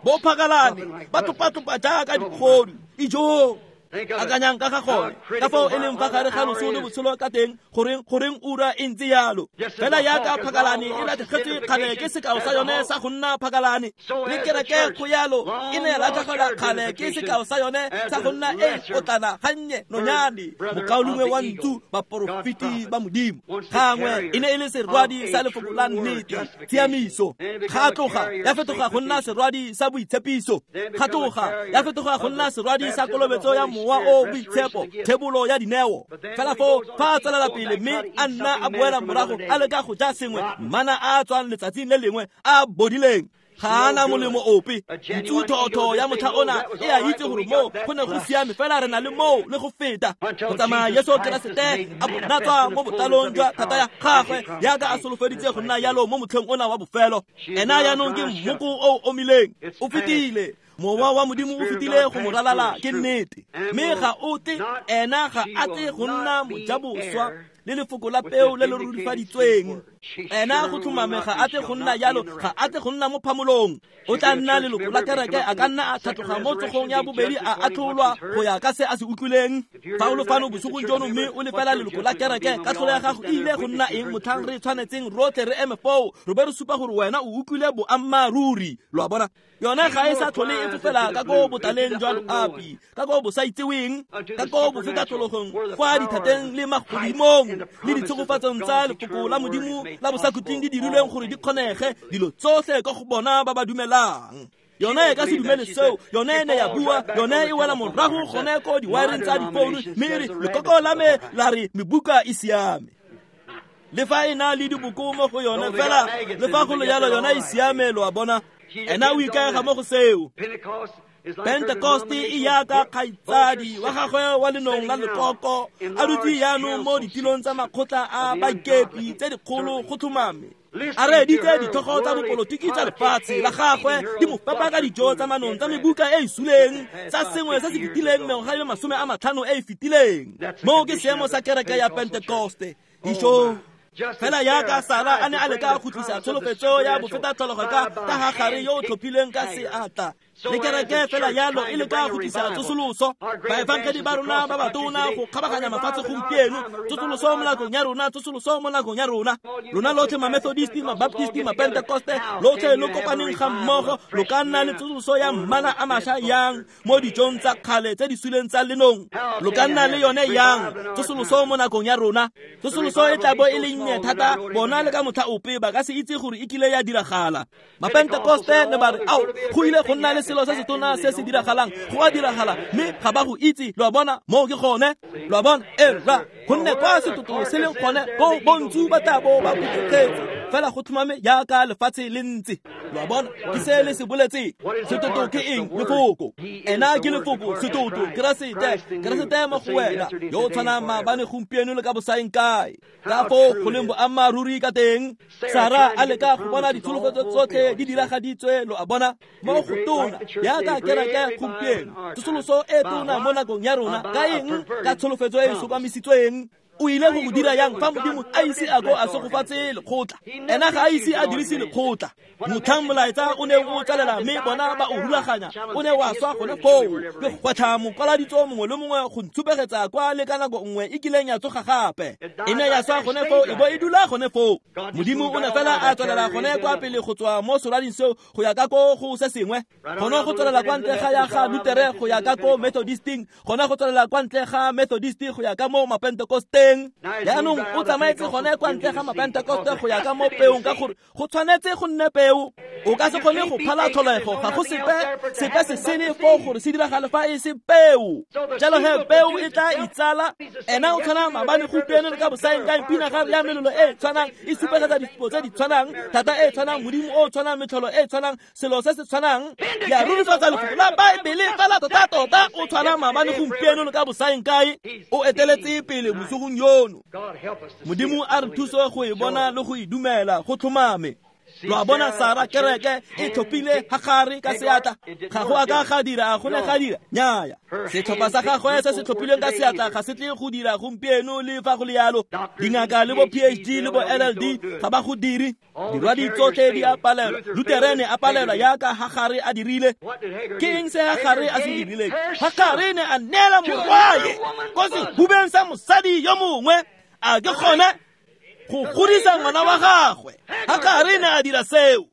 Bo phakalane ba topatopa jaaka dikgodu. Ijoo! Akanyang ka ga gone, ka fao e leng fa gare ga loso le botshelo ka teng, goreng goreng ura e ntse yalo. Fela yaka phakalane e latlhegetswe kgale ke sekao sa yone sa go nna phakalane, le kereke go yalo e ne ya latlhegelwa kgale ke sekao sa yone sa go nna e potlana gannye nonyane, mokaulengwe wa ntsu, baporofeti ba Modimo. Gangwe e ne e le serwadi sa lefoko la nnete, tshiamiso. Ga tloga ya fetoga go nna serwadi sa boitshepiso, ga tloga ya fetoga go nna serwadi sa kolobetso ya mowa o boitshepo, thebolo ya dineo. Fela foo fa a tswelela pele mme a nna a boela morago a leka go ja sengwe, mana a tswang letsatsing le lengwe a bodileng, ga a na molemo ope. Ntsu thotho ya motlha ona e a itse gore moo go ne go siame, fela re na le moo le go feta. Go tsamaya Jesu Keresete a bonatswa mo botlalong jwa thata ya gagwe, yaka a solofeditse go nna yalo mo motlheng ona wa bofelo. Ena jaanong ke mmoko o o omileng, o fetile. Mowa wa Modimo o fetile go mo ralala, ke nnete. Mme ga o tle, ena ga a tle go nna mojaboswa le lefoko la peo le le rurifaditsweng. Ena go tlhomame ga a tle go nna yalo, ga a tle go nna mo phamolong. O tla nna leloko la kereke, a ka nna a tlhatloga mo tsogong ya bobedi, a atlholwa go ya ka se a se utlwileng. Fa o le fano bosigong jono mme o le fela leloko la kereke, katlholo ya gago e ile go nna eng motlhang re tshwanetseng rotlhe re eme foo, re be re supa gore wena o utlwile boammaaruri? Lo a bona? Yone ga e sa tlhole e fofela ka ko botaleng jwa loapi, ka ko bosaitseweng, ka ko bofetatlhologong, kwa dithateng le magodimong le ditshegofatsong tsa lefoko la Modimo la bosakhutleng di dirilweng gore di kgonege dilo tsotlhe ka go bona ba ba dumelang. Yone e ka se dumele seo, yone e ne ya bua, yone e wela morago gone ko diwareng tsa difounu, mme e re lekoko la me la re mebuka e siame. Le fa e na le diboko mo go yone fela, le fa go le jalo yone e siame, lo a bona. Ena o ikaega mo go seo. Pentecoste e yaka kgaitsadi wa gagwe wa lenong la lekoko, a dutse jaanong mo ditilong tsa makgotla a baikepi tse dikgolo go tlhomame. A reeditse ditlhogo tsa bopolotiki tsa lefatshe la gagwe di mo fepa ka dijo tsa manong tsa mebuka e e suleng tsa sengwe se se fetileng mengwaga e le masome a matlhano e e fetileng. Moo ke seemo sa kereke ya Pentecoste. Dijo fela yaka Sara a ne a leka go tlisa tsholofetso ya bofetatlhologo ka ka Hagare yo o tlhophileng ka seatla, le kereke fela yalo e leka go tlisa tsosoloso. Baefangedi ba rona ba batona go kgabaganya mafatshe gompieno, tsosoloso mo nakong ya rona, tsosoloso mo nakong ya rona. Lona lotlhe ma-Methodist, ma-Baptist, ma-Pentecoste, lotlhe lo kopaneng ga mmogo, lo ka nna le tsosoloso ya mmala a mašwa yang mo dijong tsa kgale tse di suleng tsa lenong. Lo ka nna le yone yang tsosoloso mo nakong ya rona. Tsosoloso e tla bo e le nnye thata, bona le ka motlha ope ba ka se itse gore e kile ya diragala. Ma-Pentecoste ne ba re, ao, go ile go nna le selo se se tona se se diragalang, go a diragala, mme ga ba go itse. Lo a bona? Moo ke gone. Lo a bona? E rra, gonne kwa setoto se leng gone, ko bontsu ba tla bo ba phuthegetse. Fela go tlhomame jaaka lefatshe le ntse. Lo a bona, ke se le se boletseng. Setoto ke eng? Lefoko. Ena ke lefoko, setoto, Keresete, Keresete mo go wena, yo o tshwanang maabane, gompieno le ka bosaeng kae. Ka foo go leng boammaaruri ka teng. Sara a leka go bona ditsholofetso tsotlhe di diragaditswe, lo a bona, mo go tona jaaka kereke gompieno. Tsosoloso e tona mo nakong ya rona, ka eng? Ka tsholofetso e e sokamisitsweng. O ile go go dira yang fa Modimo a ise a ko a segofatse lekgotla? Ena ga a ise a dirise lekgotla. Motlhang molaetsa o neng o tsalela mme bona ba o rulaganya, o ne wa swa gone foo. Ke gwetlha mokwaladitso mongwe le mongwe go ntshupegetsa kwa le ka nako nngwe e kileng ya tsoga gape. E ne ya swa gone foo, e bo e dula gone foo. Modimo o ne fela a tswelela gone kwa pele go tswa mo solading seo go ya ka ko go se sengwe. Gone go tswelela kwa ntle ga ya ga Lutere go ya ka ko Methodisting, gone go tswelela kwa ntle ga Methodist go ya ka mo Mapentekosteng. Jaanong o tsamaetse gone kwa ntle ga Mapentekoste go ya ka mo peong, ka gore go tshwanetse go nne peo. O ka se kgone go phala tlholego, ga go sepe sepe se sele foo gore se diragale fa e se peo. Jalo he peo e tla itsala. Ena o tshwana maabane, gompieno le ka bosaeng kae. Pinagare ya melelo e tshwanang e supegetsa ditshupo tse di tshwanang, thata e tshwanang, Modimo o tshwanang, metlholo e tshwanang, selo se se tshwanang. Ya rurifatsa lefoko la Baebele fela tota-tota. O tshwana maabane, gompieno le ka bosaeng kae. O eteletse pele bosigong yono. Modimo a re thuse go e bona le go e dumela go tlhomame. Lo a bona, Sara kereke e tlhophile Hagare ka seatla. Ga go a ka ga dira, go ne ga dira. Nnyaya. Setlhopha sa gagwe se se tlhophilweng ka seatla ga se tle go dira gompieno le fa go le yalo. Dingaka le bo P H D le bo L L D ga ba go dire. Dirwadi tsotlhe di a palelwa. Luterene a palelwa jaaka Hagare a dirile. Ke eng se Hagare a se dirileng? Hagare ne a neela morwae ko sehubeng sa mosadi yo mongwe. A ke gone go godisa ngwana wa gagwe. Hagare ne a dira seo.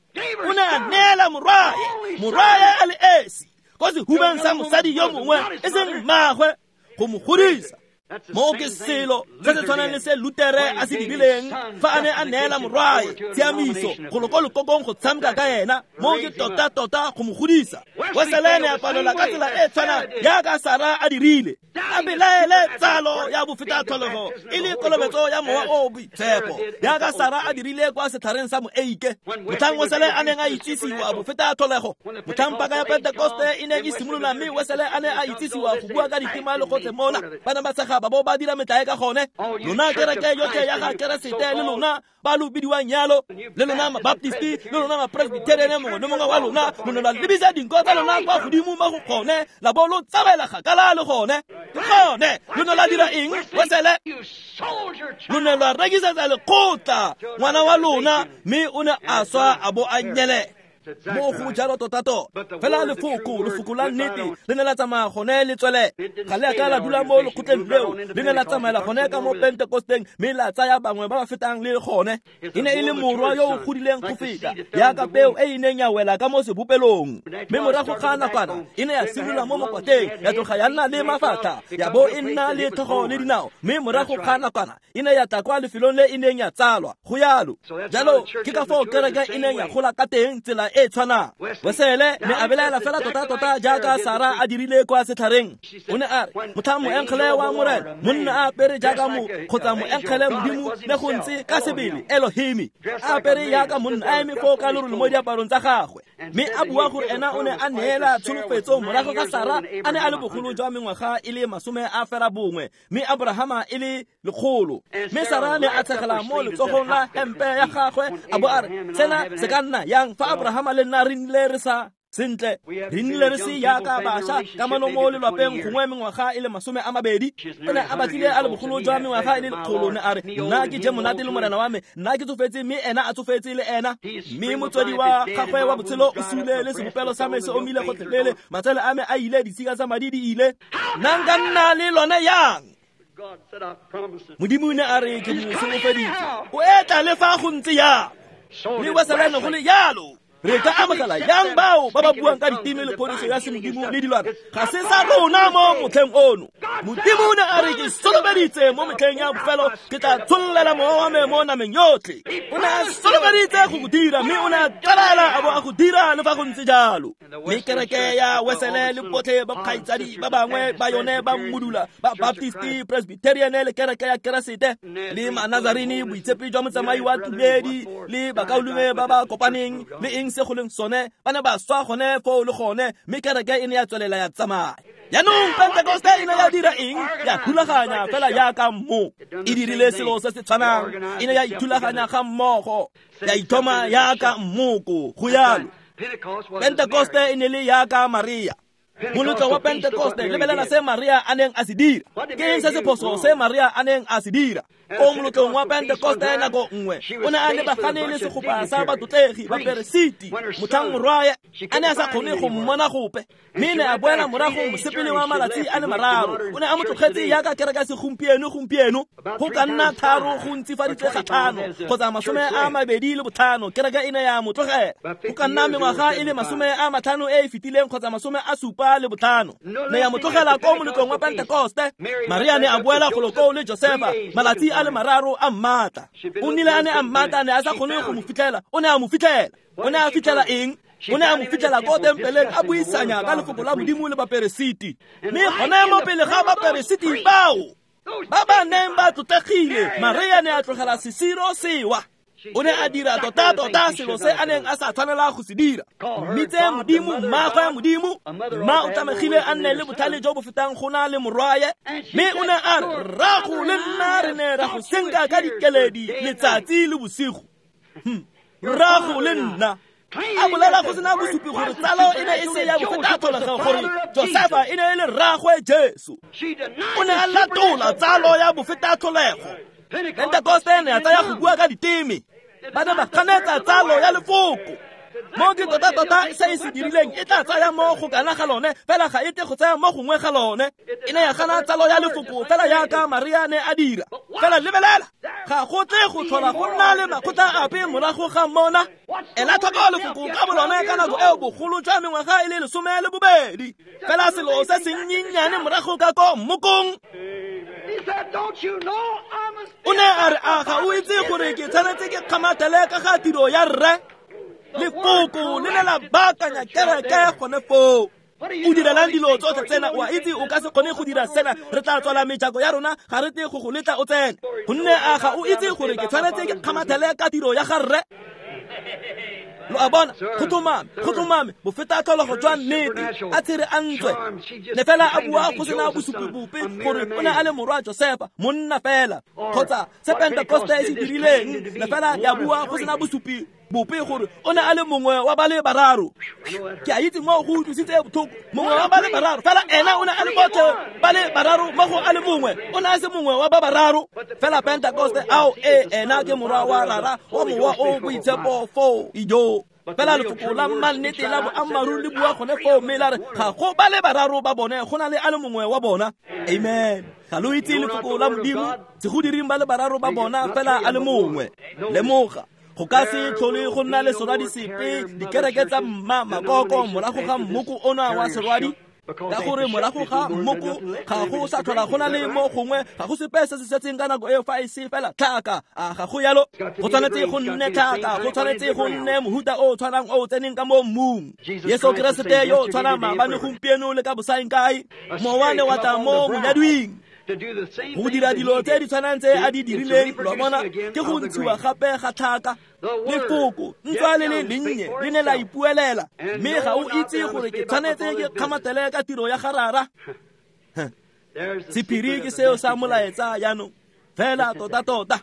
O ne a neela morwae, morwae a le esi, ko sehubeng sa mosadi yo mongwe e seng mmagwe, go mo godisa. Mo ke selo se se tshwanang le se Lutere a se dirileng fa a ne a neela morwae tshiamiso go lo ko lekokong go tshameka ka ena. Mo ke tota-tota go mo godisa. Wesele ne a palelwa ka tsela e tshwanang jaaka Sara a dirile. A belaele tsalo ya bofetatlholego e le kolobetso ya mowa o o boitshepo jaaka Sara a dirile kwa setlhareng sa moeike. Motlhang Wesele a neng a itsisiwa bofetatlholego, motlhang paka ya Pentekoste e neng e simolola mme Wesele a ne a itsisiwa go bua ka ditema le gotlhe mona, ba ne ba tshega ba bo ba dira metlae ka gone. Lona kereke yotlhe ya ga Keresete le lona ba lo bidiwang yalo, le lona Mabaptisti, le lona Mapresbyterian, mongwe le mongwe wa lona lo ne lwa lebisa dinko tsa lona kwa godimo mo go gone, la bo lo tsamaela kgakala le gone. Ke gone lo ne lwa dira eng? Wesele lo ne lwa rekisetsa lekgotla ngwana wa lona, mme o ne a swa a bo a nyele. Mo go jalo tota-tota. Fela lefoko, lefoko la nnete le ne la tsamaya gone le tswele. Ga le a ka la dula mo lekgotleng leo, le ne la tsamaela gone ka mo Pentekosteng mme la tsaya bangwe ba ba fetang le gone. E ne e le morwa yo o godileng go feta, jaaka peo e e neng ya wela ka mo sebopelong. Mme morago ga nakwana e ne ya simolola mo mokwateng, ya tloga ya nna le mafatlha, ya bo e nna le tlhogo le dinao. Mme morago ga nakwana e ne ya tla kwa lefelong le e neng ya tsalwa. Go yalo. Jalo ke ka foo kereke e neng ya gola ka teng tsela e tshwanang. Wesele ne a belaela fela tota-tota jaaka Sara a dirile kwa setlhareng. O ne a re, motlhang moengele wa Morena, monna a apere jaaka mo kgotsa moengele Modimo ne go ntse ka sebele Elohimi, a apere jaaka monna a eme foo ka lerole mo diaparong tsa gagwe. Mme a bua gore ena o ne a neela tsholofetso morago ga Sara a ne a le bogolo jwa mengwaga e le masome a fera bongwe, mme Abrahama e le lekgolo. Mme Sara ne a tshegela mo letsogong la hempe ya gagwe a bo a re, sena se ka nna yang fa Abrahama le nna re nnile re sa sentle, re nnile re se jaaka bašwa kamano mo lelwapeng gongwe mengwaga e le masome a mabedi. O ne a batlile a le bogolo jwa mengwaga e le lekgolo. Ne a re, nna ke je monate le morena wa me, nna ke tsofetse mme ena a tsofetse le ena. Mme motswedi wa gagwe wa botshelo o sule le sebopelo sa me se omile gotlhelele, matsele a me a ile, ditshika tsa madi di ile. Nna nka nna le lone yang? Modimo ne a re, ke mo solofeditse. O etla le fa go ntse yang. Mme Wesele ne go le yalo. Re ka amogela yang bao ba ba buang ka diteme le phodiso ya semodimo le dilwana? Ga se sa rona mo motlheng ono. Modimo o ne a re ke solofeditse mo metlheng ya bofelo ke tla tshollela mowa wa me mo nameng yotlhe. O ne a solofeditse go go dira, mme o ne a tswelela a bo a go dira le fa go ntse jalo. Mme kereke ya Wesele le botlhe ba kgaitsadi ba bangwe ba yone ba mmudula, ba Baptisti, Presbyterian le kereke ya Keresete le Manazarini, boitshepi jwa motsamai wa tumedi le bakaulengwe ba ba kopaneng le eng se go leng sone, ba ne ba swa gone foo le gone, mme kereke e ne ya tswelela ya tsamaya. Jaanong Pentekoste e ne ya dira eng? Ya thulaganya fela jaaka mmo. E dirile selo se se tshwanang, e ne ya ithulaganya ga mmogo, ya ithoma jaaka mmoko, go yalo. Pentekoste e ne le jaaka Maria. Moletlo wa Pentekoste, lebelela se Maria a neng a se dira. Ke eng se se phoso se Maria a neng a se dira? Ko moletlong wa Pentekoste nako nngwe, o ne a lebagane le segopa sa batlotlegi ba peresiti, motlhang morwae a ne a sa kgone go mmona gope, mme ne a boela morago mosepele wa malatsi a le mararo. O ne a mo tlogetse jaaka kereke ya segompieno gompieno, go ka nna tharo go ntsifaditswe ga tlhano kgotsa masome a mabedi le botlhano, kereke e ne ya mo tlogela. Go ka nna mengwaga e le masome a matlhano e e fetileng kgotsa masome a supa le botlhano, ne ya mo tlogela ko moletlong wa Pentekoste. Maria ne a boela golo koo le Josefa malatsi a le mararo a mmatla. O nnile a ne a mmatla, ne a sa kgone go mo fitlhela. O ne a mo fitlhela. O ne a fitlhela eng? O ne a mo fitlhela ko tempeleng a buisanya ka lefoko la Modimo le baperesiti. Mme gone mo pele ga baperesiti bao ba ba neng ba tlotlegile, Maria ne a tlogela sesiro sewa. O ne a dira tota-tota selo se a neng a sa tshwanela go se dira. Mmitse Modimo, mmaagwe Modimo, mma o tlamegile a nne le botlhale jo bo fetang go na le morwae. Mme o ne a re, rrago le nna re ne ra go senka ka dikeledi letsatsi le bosigo. Rrago le nna. A bolela go sena bosupi gore tsalo e ne e se ya bofetatlholego, gore Josefa e ne e le rraagwe Jesu. O ne a latola tsalo ya bofetatlholego. Pentekoste ne ya tsaya go bua ka diteme, ba ne ba ganetsa tsalo ya lefoko. Mo ke tota-tota se e se dirileng e tla tsaya mo go kana ga lone, fela ga e tle go tsaya mo gongwe ga lone. E ne ya gana tsalo ya lefoko fela jaaka Maria ne a dira. Fela lebelela, ga go tle go tlhola go nna le makgotla ape morago ga mona. Ela tlhoko lefoko ka bolone ka nako eo bogolo jwa mengwaga e le lesome le bobedi. Fela selo se sennyennyane morago ka ko mmokong. O ne a re, a ga o itse gore ke tshwanetse ke kgamathele ka ga tiro ya rre? Lefoko le ne la baakanya kereke gone foo. O direlang dilo tsotlhe tsena? O a itse o ka se kgone go dira sena. Re tla tswala mejako ya rona, ga re tle go go letla o tsene. Gonne a ga o itse gore ke tshwanetse ke kgamathele ka tiro ya ga rre? Lo a bona, go tlhomame, go tlhomame, bofetatlholego jwa nnete, a tshere a ntswe. Ne fela a bua go sena bosupi bope gore o ne a le morwa Josefa, monna fela. Kgotsa se Pentekoste e se dirileng, ne fela ya bua go sena bosupi bope gore o ne a le mongwe wa ba le bararo. Ke a itse mo go utlwisitse botlhoko, mongwe wa ba le bararo, fela ena o ne a le botlhe ba le bararo mo go a le mongwe, o ne a se mongwe wa ba bararo. Fela Pentekoste, ao e ena ke morwa wa Rara wa Mowa o Boitshepo foo, ijo. Fela lefoko la mannete la boammaaruri le bua gone foo, mme la re ga go ba le bararo ba bone, go na le a le mongwe wa bona. Amen. Ga lo itse lefoko la Modimo, se go diring ba le bararo ba bona, fela a le mongwe. Lemoga, go ka se tlhole go nna le serwadi sepe, dikereke tsa mma makoko morago ga mmoko ona wa serwadi. Ka gore morago ga mmoko ga go sa tlhola go na le mo gongwe, ga go sepe se se setseng ka nako eo fa e se fela tlhaka. A ga go yalo? Go tshwanetse go nne tlhaka, go tshwanetse go nne mohuta o o tshwanang o o tseneng ka mo mmung. Jesu Keresete yo o tshwanang maabane, gompieno le ka bosaeng kae. Mowa ne wa tla mo monyadwing go dira dilo tse di tshwanang tse a di dirileng. Lo bona, ke go ntshiwa gape ga tlhaka. Lefoko ntswa le le lennye le ne la ipuelela, mme ga o itse gore ke tshwanetse ke kgamathele ka tiro ya ga Rara. Sephiri ke seo sa molaetsa jaanong. Fela tota-tota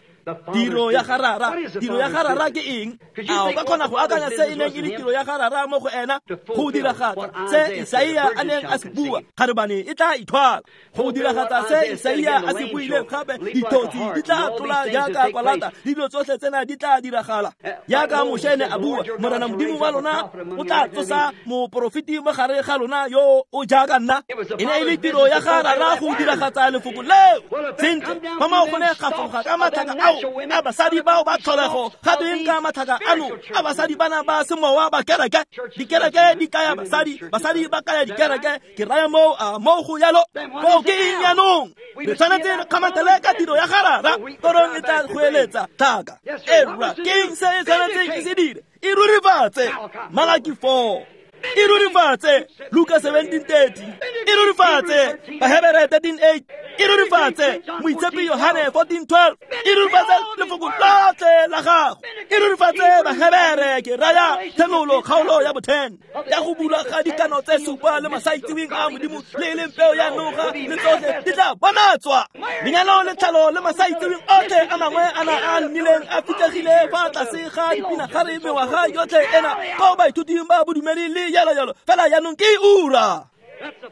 tiro ya ga Rara, tiro ya ga Rara ke eng? A o ka kgona go akanya se e neng e le tiro ya ga Rara mo go ena? Go diragatsa se Isaia a neng a se bua, kgarebane e tla ithwala. Go diragatsa se Isaia a se buileng gape, dithotsi di tla tlola jaaka kwalata, dilo tsotlhe tsena di tla diragala. Jaaka Moshe ne a bua, Morena Modimo wa lona o tla tsosa moporofeti mo gare ga lona yo o jaaka nna. E ne e le tiro ya ga Rara go diragatsa lefoko leo. Sentle, fa mo go ne ga fologa ka matlhaka ao Ao, a basadi bao ba tlholego ga tweng ka matlhaka ano a basadi bana ba semowa ba kereke? Dikereke di kaya basadi, basadi ba kaya dikereke. Ke raya moo a moo go yalo. Foo ke eng jaanong? Re tshwanetse re kgamatele ka tiro ya garara. Korong e tla goeletsa tlhaka. E rra, ke eng se e tshwanetseng e se dire? E rurifatse. Malaki four. E rurifatse. Luka seventeen thirty. E rurifatse. Bahebere thirteen eight. E rurifatse. Moitshepi Yohane fourteen twelve. E rurifatse lefoko lotlhe la gago. E rurifatse Bahebere ke raya Tshenolo kgaolo ya bo ten. Ya go bulwa ga dikano tse supa le masaitseweng a Modimo le e leng peo ya noga le tsotlhe di tla bonatswa. Lenyalo le tlhalo le masaitseweng otlhe a mangwe a na a nnileng a fitlhegile fa tlase ga dipinagare mengwaga yotlhe ena ko baithuting ba bodumedi le jalo jalo. Fela jaanong ke ura.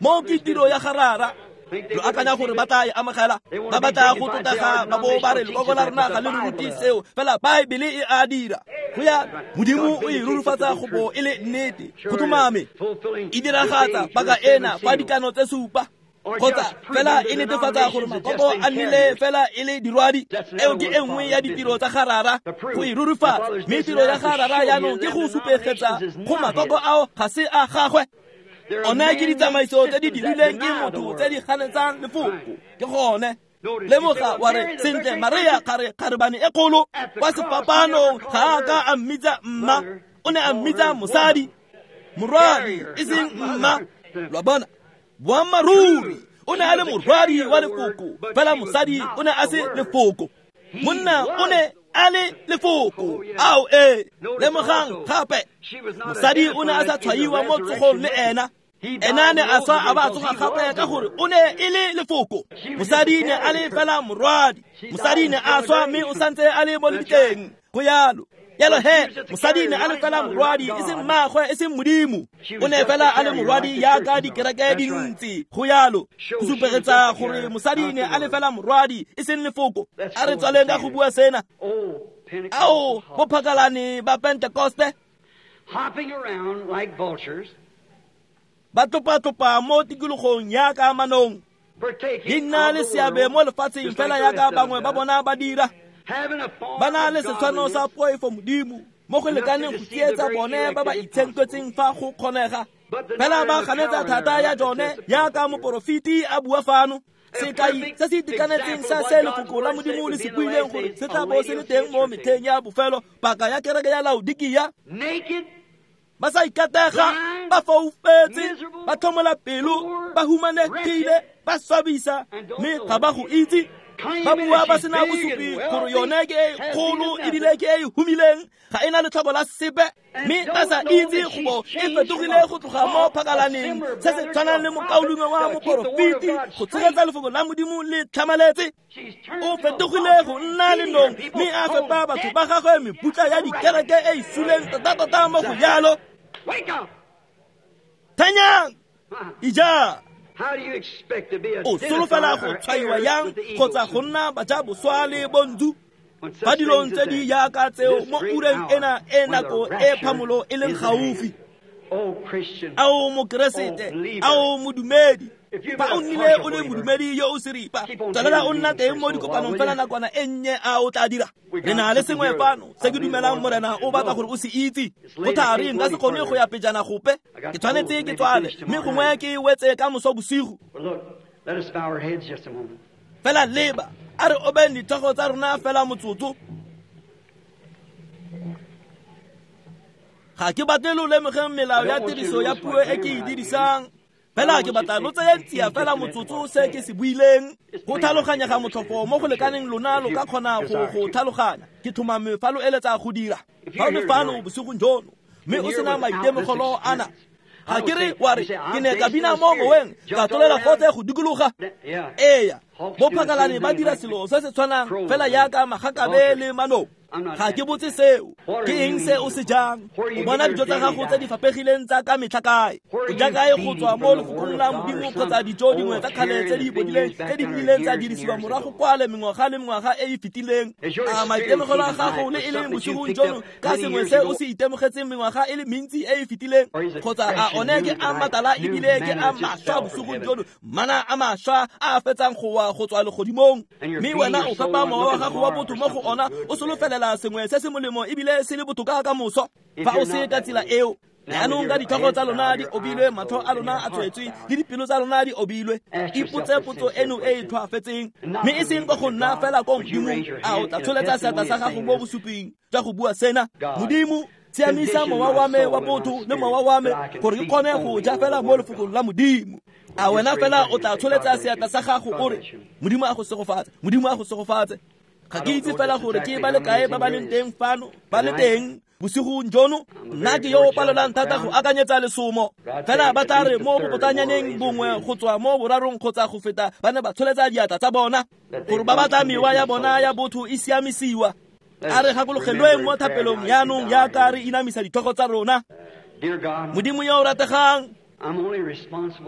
Mo ke tiro ya garara. Lo akanya gore ba tla e amogela, ba batla go tlotlega ba bo ba re lekoko la rona ga le re rute seo, fela Baebele e a dira. Go ya Modimo o e rurifatsa go bo e le nnete. Go tlhomame e diragatsa paka ena fa dikano tse supa kgotsa fela e netefatsa gore makoko a nnile fela e le dirwadi. Eo ke e nngwe ya ditiro tsa garara go e rurifatsa. Mme tiro ya garara jaanong ke go supegetsa go makoko ao ga se a gagwe. One ke ditsamaiso tse di dirilweng ke motho tse di ganetsang lefoko. Ke gone. Lemoga wa re sentle Maria kgare kgarebane e kgolo kwa sefapanong ga a ka a mmitsa mma, o ne a mmitsa mosadi, morwadi e seng mma. Lo a bona? Boammaaruri o ne a le morwadi wa lefoko, fela mosadi o ne a se lefoko. Monna o ne a le lefoko. Ao ee. Lemogang gape mosadi o ne a sa tshwaiwa mo tsogong le ena. Ena ne a swa a ba a tsoga gape ka gore o ne e le lefoko. Mosadi ne a le fela morwadi. Mosadi ne a swa mme o santse a le mo lebitleng. Go yalo. Yalo he, mosadi ne a le fela morwadi, e seng mmaagwe, e seng Modimo. O ne fela a le morwadi yaka dikereke dintsi. Go yalo. Go supegetsa gore mosadi ne a le fela morwadi, e seng lefoko. A re tswaleng ka go bua sena. Ao, bo phakalane ba Pentekoste hopping around like vultures, ba tlopa-tlopa mo tikologong yaka manong, di nna le seabe mo lefatsheng fela yaka bangwe ba bona ba dira. Ba na le setshwano sa poifo Modimo mo go lekaneng go tsietsa bone ba ba itshenketseng fa go kgonega. Fela ba ganetsa thata ya jone yaka moporofeti a bua fano. Sekai se se itekanetseng sa se lefoko la Modimo le se buileng gore se tla bo se le teng mo metlheng ya bofelo, paka ya kereke ya Laodikia. Ba sa ikatega, ba foufetse, ba tlhomola pelo, ba humanegile, ba swabisa, mme ga ba go itse. Ba bua ba sena bosupi gore yone ke e kgolo ebile ke e humileng, ga e na letlhoko la sepe, mme ba sa itse go bo e fetogile go tloga mo phakalaneng se se tshwanang le mokaulengwe wa moporofeti go tshegetsa lefoko la Modimo le tlhamaletse. O fetogile go nna lenong mme a fepa batho ba gagwe mebutla ya dikereke e e suleng tota-tota mo go jalo. Thanyang! Ija! O solofela go tshwaiwa yang kgotsa go nna bajaboswa le bontsu fa dilong tse di yaka tseo mo ureng ena e nako e phamolo e leng gaufi? Ao mokeresete, ao modumedi, fa o nnile o le modumedi yo o seripa, tswelela o nna teng mo dikopanong fela nakwana e nnye a o tla dira. Re na le sengwe fano se ke dumelang Morena o batla gore o se itse. Go thari nka se kgone go ya pejana gope, ke tshwanetse ke tswale mme gongwe ke wetse ka moso bosigo. Fela leba, a re obeng ditlhogo tsa rona fela motsotso. Ga ke batle lo lemogeng melao ya tiriso ya puo e ke e dirisang. Fela ke batla lo tseye tsia fela motsotso se ke se buileng. Go tlhaloganyega motlhofo mo go lekaneng lona lo ka kgona go go tlhaloganya. Ke tlhomame fa lo eletsa go dira. Fa o le fano bosigong jono mme o sena maitemogelo ana, ga ke re wa re ke ne ka bina mo moweng ka tlolela gotse go dikologa. Eya, bo phakalane ba dira selo se se tshwanang fela yaka magakabe le manong. Ga ke botse seo. Ke eng se o se jang? O bona dijo tsa gago tse di fapegileng tsa ka metlha kae? O ja kae go tswa mo lefokong la Modimo kgotsa dijo dingwe tsa kgale tse di bodileng tse di nnileng tsa dirisiwa morago kwale mengwaga le mengwaga e e fetileng? A maitemogelo a gago le e leng bosigong jono ka sengwe se o se itemogetseng mengwaga e le mentsi e e fetileng, kgotsa a one ke a matala ebile ke a mašwa bosigong jono, mana a mašwa a a fetsang go wa go tswa legodimong, mme wena o fepa mowa wa gago wa botho mo go ona o solofelela sengwe se se molemo ebile se le botoka ka moso? Fa o se ka tsela eo, jaanong ka ditlhogo tsa lona di obilwe, matlho a lona a tswetswe le dipelo tsa lona di obilwe, ipotse potso eno e e tlhoafetseng, mme e seng ka go nna fela ko Modimong. A o tla tsholetsa seatla sa gago mo bosuping jwa go bua sena: Modimo, siamisa mowa wa me wa botho le mowa wa me gore ke kgone go ja fela mo lefokong la Modimo. A wena fela o tla tsholetsa seatla sa gago o re: Modimo a go segofatse, Modimo a go segofatse. Ga ke itse fela gore ke ba le kae ba ba leng teng fano, ba le teng bosigong jono. Nna ke yo o palelwang thata go akanyetsa lesomo. Fela ba tla re mo bobotanyaneng bongwe go tswa mo borarong kgotsa go feta ba ne ba tsholetsa diatla tsa bona gore ba batla mewa ya bona ya botho e siamisiwa. A re gakologelweng mo thapelong jaanong jaaka re inamisa ditlhogo tsa rona. Modimo yo o rategang,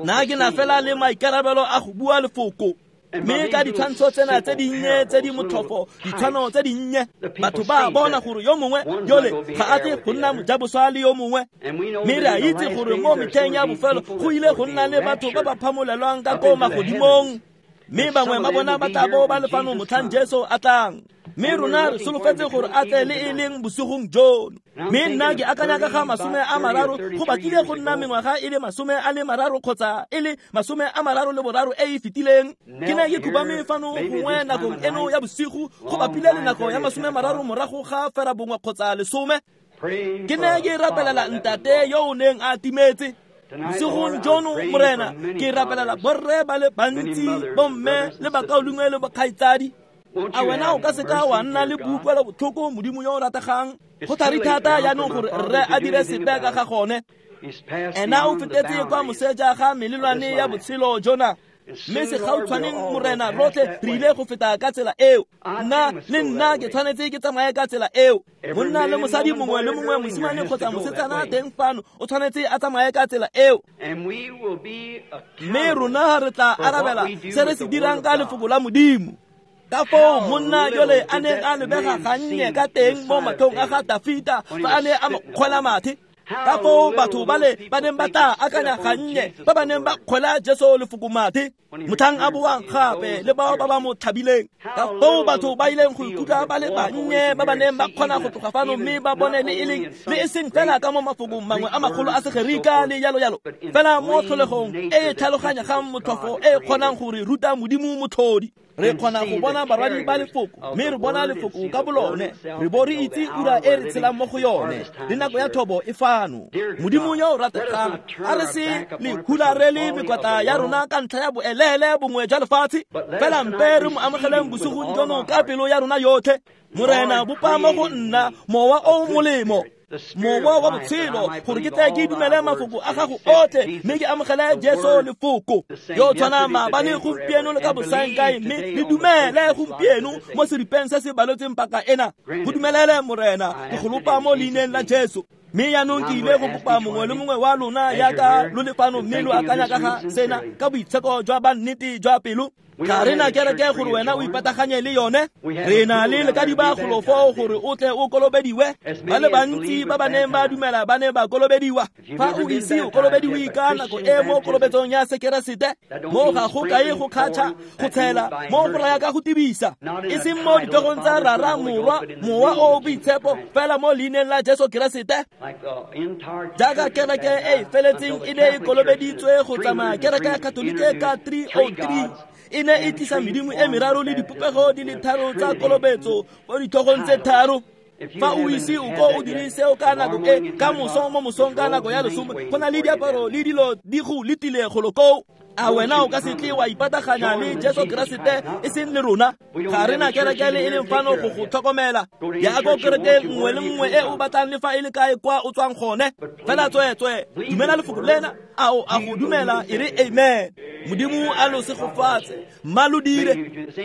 nna ke na fela le maikarabelo a go bua lefoko. Mme ka ditshwantsho tsena tse dinnye tse di motlhofo, ditshwano tse dinnye, batho ba bona gore yo mongwe yole ga a tle go nna mojaboswa le yo mongwe. Mme re a itse gore mo metlheng ya bofelo go ile go nna le batho ba ba phamolelwang ka ko magodimong, mme bangwe ba bona ba tla bo ba le fano motlhang Jesu a tlang. Mme rona re solofetse gore a tle le e leng bosigong jono. Mme nna ke akanya ka ga masome a mararo, go batlile go nna mengwaga e le masome a le mararo kgotsa e le masome a mararo le boraro e e fetileng. Ke ne ke khubame fano gongwe nakong eno ya bosigo, go bapile le nako ya masome a mararo morago ga fera bongwe kgotsa lesome. Ke ne ke rapelela ntate yo o neng a timetse. Bosigong jono, Morena, ke rapelela borre ba le bantsi, bomme le bakaulengwe le bokgaitsadi. A wena o ka seka wa nna le boutlwelo botlhoko, Modimo yo o rategang? Go thari thata jaanong gore rre a dire sepe ka ga gone. Ena o fetetse kwa moseja ga melelwane ya botshelo jona. Mme segautshwaneng, Morena, rotlhe re ile go feta ka tsela eo. Nna le nna ke tshwanetse ke tsamaye ka tsela eo. Monna le mosadi mongwe le mongwe, mosimane kgotsa mosetsana teng fano, o tshwanetse a tsamaye ka tsela eo. Mme rona re tla arabela se re se dirang ka lefoko la Modimo. Ka foo monna yole a neng a lebega gannye ka teng mo matlhong a ga Dafita fa a ne a mo kgwela mathe. Ka foo batho bale ba neng ba tla akanya gannye ba ba neng ba kgwela Jesu lefoko mathe motlhang a boang gape le bao ba ba mo tlhabileng. Ka foo batho ba ileng go ikutlwa ba le bannye ba ba neng ba kgona go tloga fano mme ba bone le e leng le e seng fela ka mo mafokong mangwe a magolo a Segerika le jalo jalo, fela mo tlholegong e e tlhaloganyegang motlhofo e e kgonang go re ruta Modimo motlhodi. Re kgona go bona barwadi ba lefoko, mme re bona lefoko ka bolone, re bo re itse ura e re tshelang mo go yone, le nako ya thobo e fano. Modimo yo o rategang, a re se le hularele mekwatla ya rona ka ntlha ya boelele bongwe jwa lefatshe, fela mpe re mo amogeleng bosigong jono ka pelo ya rona yotlhe. Morena, bopa mo go nna mowa o molemo, mowa wa botshelo, gore ke tle ke dumele mafoko a gago otlhe mme ke amogele Jesu lefoko yo tshwana maabane, gompieno le ka bosaengkae, mme le dumele gompieno mo seripeng se se baletseng paka ena. Go dumelele, Morena, ke go lopa mo leineng la Jesu. Mme jaanong ke ile go kopa mongwe le mongwe wa lona jaaka lo le fano mme lo akanya ka ga sena ka boitsheko jwa ba nnete jwa pelo. Ga re na kereke gore wena o ipataganye le yone. Re na le lekadiba golo foo gore o tle o kolobediwe. Ba le bantsi ba ba neng ba dumela ba ne ba kolobediwa. Fa o ise o kolobediwe ka nako e mo kolobetsong ya Sekeresete, mo ga go kae go kgatšha, go tshela, mo go raya ka go tibisa, e seng mo ditlhogong tsa Rara, Morwa, Mowa o o Boitshepo, fela mo leineng la Jesu Keresete. Jaaka kereke e e feletseng e ne e kolobeditswe go tsamaya kereke ya Katolike ka three oh three, e ne e tlisa medimo e meraro le dipopego di le tharo tsa kolobetso mo ditlhogong tse tharo. Fa o ise o ko o dire seo ka nako e, ka moso mo mosong ka nako ya lesome, go na le diaparo le dilo di go letile golo koo. A wena o ka se tle wa ipataganya le Jesu Keresete e seng le rona? Ga re na kereke le e leng fano go go tlhokomela. Ya ko kereke nngwe le nngwe e o batlang le fa e le kae kwa o tswang gone. Fela tsweetswe, dumela lefoko lena, a o a go dumela e re amen. Modimo a lo segofatse, mma lo dire.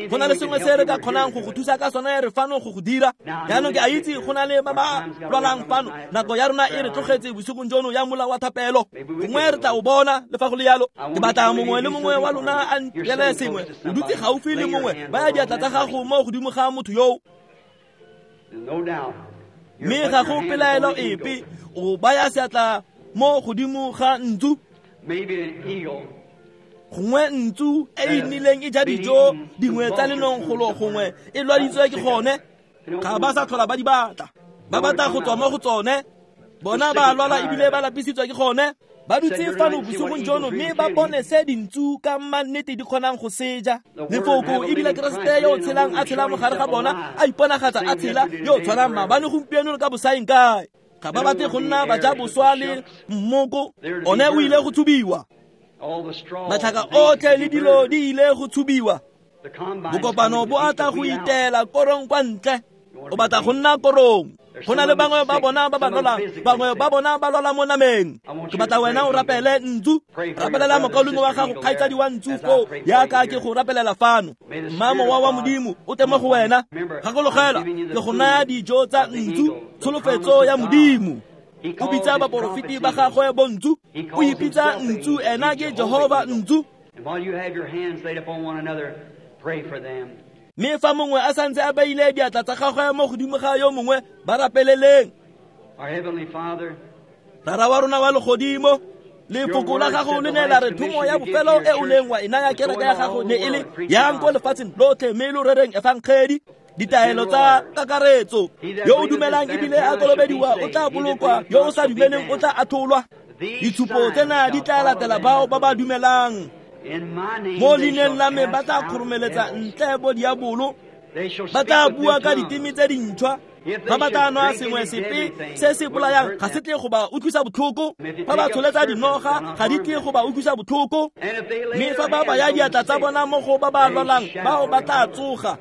Go na le sengwe se re ka kgonang go go thusa ka sone, re fano go go dira. Jaanong ke a itse go na le ba ba lwalang fano. Nako ya rona e re tlogetse bosigong jono ya mola wa thapelo. Gongwe re tla o bona le fa go le yalo. Ke batla mongwe le mongwe wa lona a ntirele sengwe. O dutse gaufi le mongwe, baya diatla tsa gago mo godimo ga motho yoo. Mme ga go pelaelo epe, o baya seatla mo godimo ga ntsu. Gongwe ntsu e e nnileng e ja dijo dingwe tsa lenong golo gongwe e lwaditswe ke gone. Ga ba sa tlhola ba di batla, ba batla go tswa mo go tsone. Bona ba lwala ebile ba lapisitswe ke gone. Ba dutse fano bosigong jono mme ba bone se dintsu ka mannete di kgonang go seja. Lefoko ebile Keresete yo o tshelang a tshela mo gare ga bona, a iponagatsa a tshela, yo o tshwanang maabane gompieno le ka bosaeng kae. Ga ba batle go nna ba ja boswa le mmoko, one o ile go tshubiwa. Matlhaka otlhe le dilo di ile go tshubiwa. Bokopano bo a tla go itela korong kwa ntle. O batla go nna korong. Go na le bangwe ba bona ba ba lwalang, bangwe ba bona ba lwala mo nameng. Ke batla wena o rapele ntsu. Rapelela mokaulengwe wa gago, kgaitsadi wa ntsu foo, yaka ke go rapelela fano. Mma mowa wa Modimo o teng mo go wena. Gakologelwa, ke go naya dijo tsa ntsu, tsholofetso ya Modimo. O bitsa baporofeti ba gagwe bontsu, o ipitsa ntsu, ena ke Jehova ntsu. Mme fa mongwe a santse a beile diatla tsa gagwe mo godimo ga yo mongwe, ba rapeleleng. Rara wa rona wa legodimo, lefoko la gago le ne la re thomo ya bofelo e o neng wa e naya kereke ya gago ne e le yang ko lefatsheng lotlhe mme lo rereng efangedi. Ditaelo tsa kakaretso, yo o dumelang ebile a kolobediwa o tla bolokwa, yo o sa dumeleng o tla atholwa. Ditshupo tsena di tla latela bao ba ba dumelang. Mo leineng la me ba tla kgoromeletsa ntle bo diabolo, ba tla bua ka diteme tse dintšhwa. Fa ba tla nwa sengwe sepe se se bolayang, ga se tle go ba utlwisa botlhoko. Fa ba tsholetsa dinoga, ga di tle go ba utlwisa botlhoko. Mme fa ba baya diatla tsa bona mo go ba ba lwalang, bao ba tla tsoga.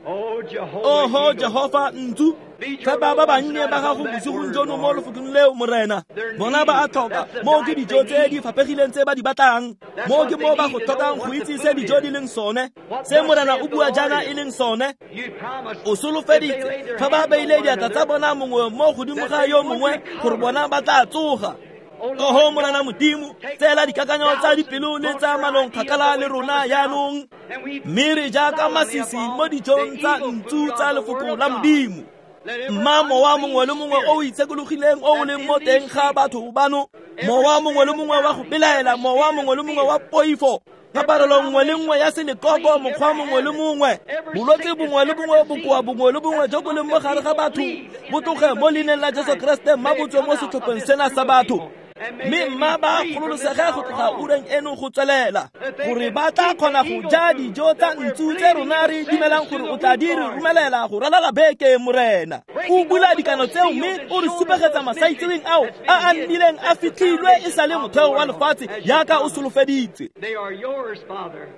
Oho Jehova ntsu, fa ba ba bannye ba gago bosigong jono mo lefokong leo, Morena. Bona ba a tlhoka, moo ke dijo tse di faphegileng tse ba di batlang. Moo ke mo ba go tlhokang go itse se dijo di leng sone, se Morena o bua jaana e leng sone. O solofeditse fa ba beile diatla tsa bona mongwe mo godimo ga yo mongwe gore bona ba tla tsoga. Oho Morena Modimo, tseela dikakanyo tsa dipelo le tsa manong kgakala le rona jaanong, mme re jaaka masisi mo dijong tsa ntsu tsa lefoko la Modimo. Mma mowa mongwe le mongwe o o itshekologileng o o leng mo teng ga batho bano, mowa mongwe le mongwe wa go belaela, mowa mongwe le mongwe wa poifo, kaparelo nngwe le nngwe ya selekoko, mokgwa mongwe le mongwe, bolwetse bongwe le bongwe, bokoa bongwe le bongwe jo bo leng mo gare ga batho, bo tloge mo leineng la Jesu Keresete, mma bo tswe mo setlhopheng sena sa batho. Mme mma ba gololosege go tloga ureng eno go tswelela, gore ba tla kgona go ja dijo tsa ntsu tse rona re dumelang gore o tla di re romelela go ralala beke, Morena. O bula dikano tseo mme o re supegetsa masaitseweng ao a a nnileng a fitlhilwe e sa le motheo wa lefatshe yaka o solofeditse.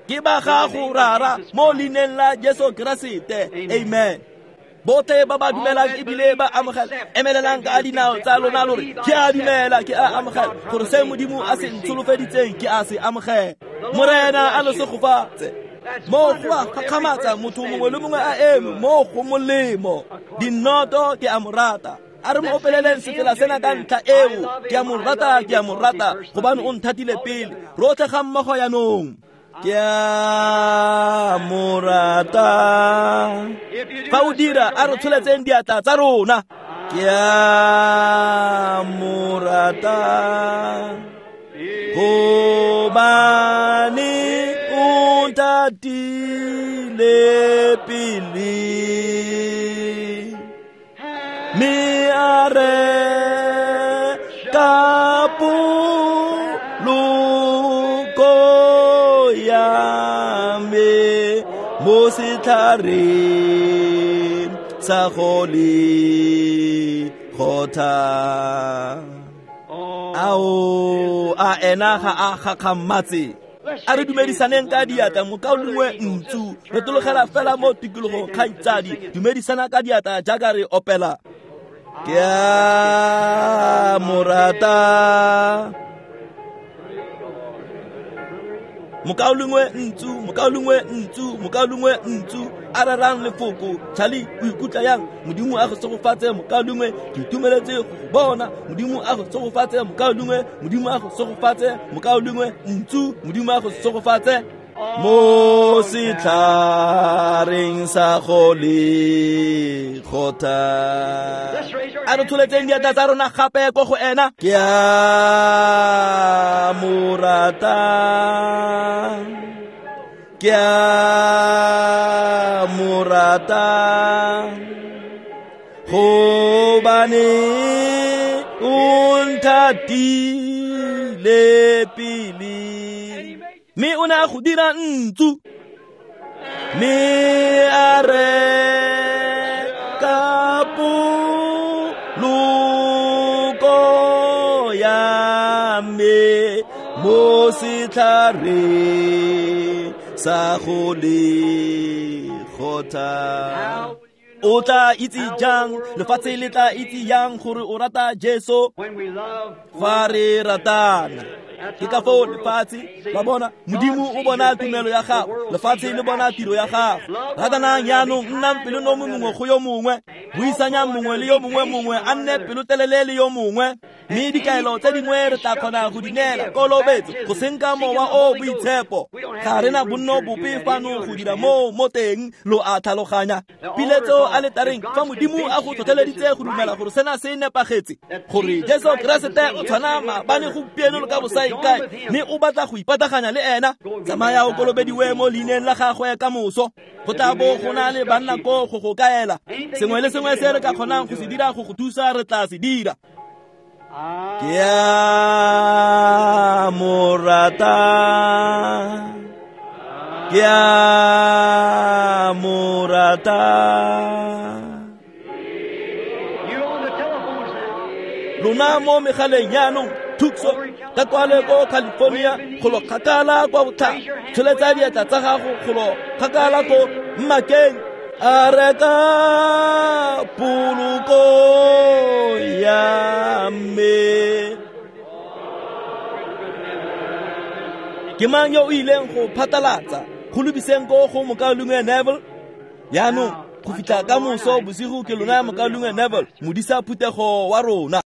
Ke ba gago Rara mo leineng la Jesu Keresete, amen. Botlhe ba ba dumelang ebile ba amogela, emelelang ka dinao tsa lona lo re, ke a dumela, ke a amogela, gore se Modimo a se ntsholofeditseng ke a se amogela. Morena a lo segofatse. Mo go a gakgamatsa motho mongwe le mongwe a eme mo go molemo. Dinnoto ke a mo rata. A re mo opeleleng sefela sena ka ntlha eo, ke a mo rata, ke a mo rata, gobane o nthatile pele. Rotlhe ga mmogo jaanong. Ke a mo rata. Fa o dira, a re tsholetseng diatla tsa rona. Ke a mo rata, gobane o nthatile pele, mme a reka poloko ya me mo setlhareng sa Golegotha. Ao, a ena ga a gakgamatse. A re dumedisaneng ka diatla, mokaulengwe ntsu, re tologela fela mo tikologong kgaitsadi, dumedisana ka diatla jaaka re opela. Ke a mo rata. Mokaulengwe ntsu, mokaulengwe ntsu, mokaulengwe ntsu, a rerang lefoko. Charlie, o ikutlwa yang? Modimo a go segofatse, mokaulengwe, ke itumeletse go go bona. Modimo a go segofatse, mokaulengwe, Modimo a go segofatse, mokaulengwe ntsu, Modimo a go segofatse. Mo setlhareng sa go le kgotha. A re tsholetseng diatla tsa rona gape ko go ena. Ke a mo rata, ke a mo rata, gobane o nthatile pele. Mme o ne a go dira ntsu, mme a reka poloko ya me mo setlhareng sa go le kgotha. O tla itse jang, lefatshe le tla itse yang gore o rata Jesu? Fa re ratana. Ke ka foo lefatshe ba bona Modimo o bona tumelo ya gago, lefatshe le bona tiro ya gago. Ratanang jaanong, nnang pelonomi mongwe go yo mongwe, buisanyang mongwe le yo mongwe, mongwe a nne pelotelele le yo mongwe. Mme dikaelo tse dingwe re tla kgona go di neela, kolobetso, go senka mowa o boitshepo. Ga re na bonno bope fano go dira moo mo teng, lo a tlhaloganya. Piletso a letareng, fa Modimo a go tlhotlheleditse go dumela gore sena se nepagetse, gore Jesu Keresete o tshwana maabane, gompieno le ka bosaengkae, mme o batla go ipataganya le ena, tsamaya o kolobediwe mo leineng la gagwe ka moso. Go tla bo go na le banna ko go go kaela. Sengwe le sengwe se re ka kgonang go se dira go go thusa, re tla se dira. Ke a mo rata, ke a mo rata. Lona mo megaleng jaanong, Tucson, ka kwale ko California, golo kgakala kwa botlhaba, tsholetsa diatla tsa gago golo kgakala ko Mmakeng. A reka poloko ya me. Ke mang yo o ileng go phatlalatsa go lebiseng ko go mokaulengwe Neville? Jaanong go fitlha ka moso bosigo ke lona mokaulengwe Neville, modisa phuthego wa rona.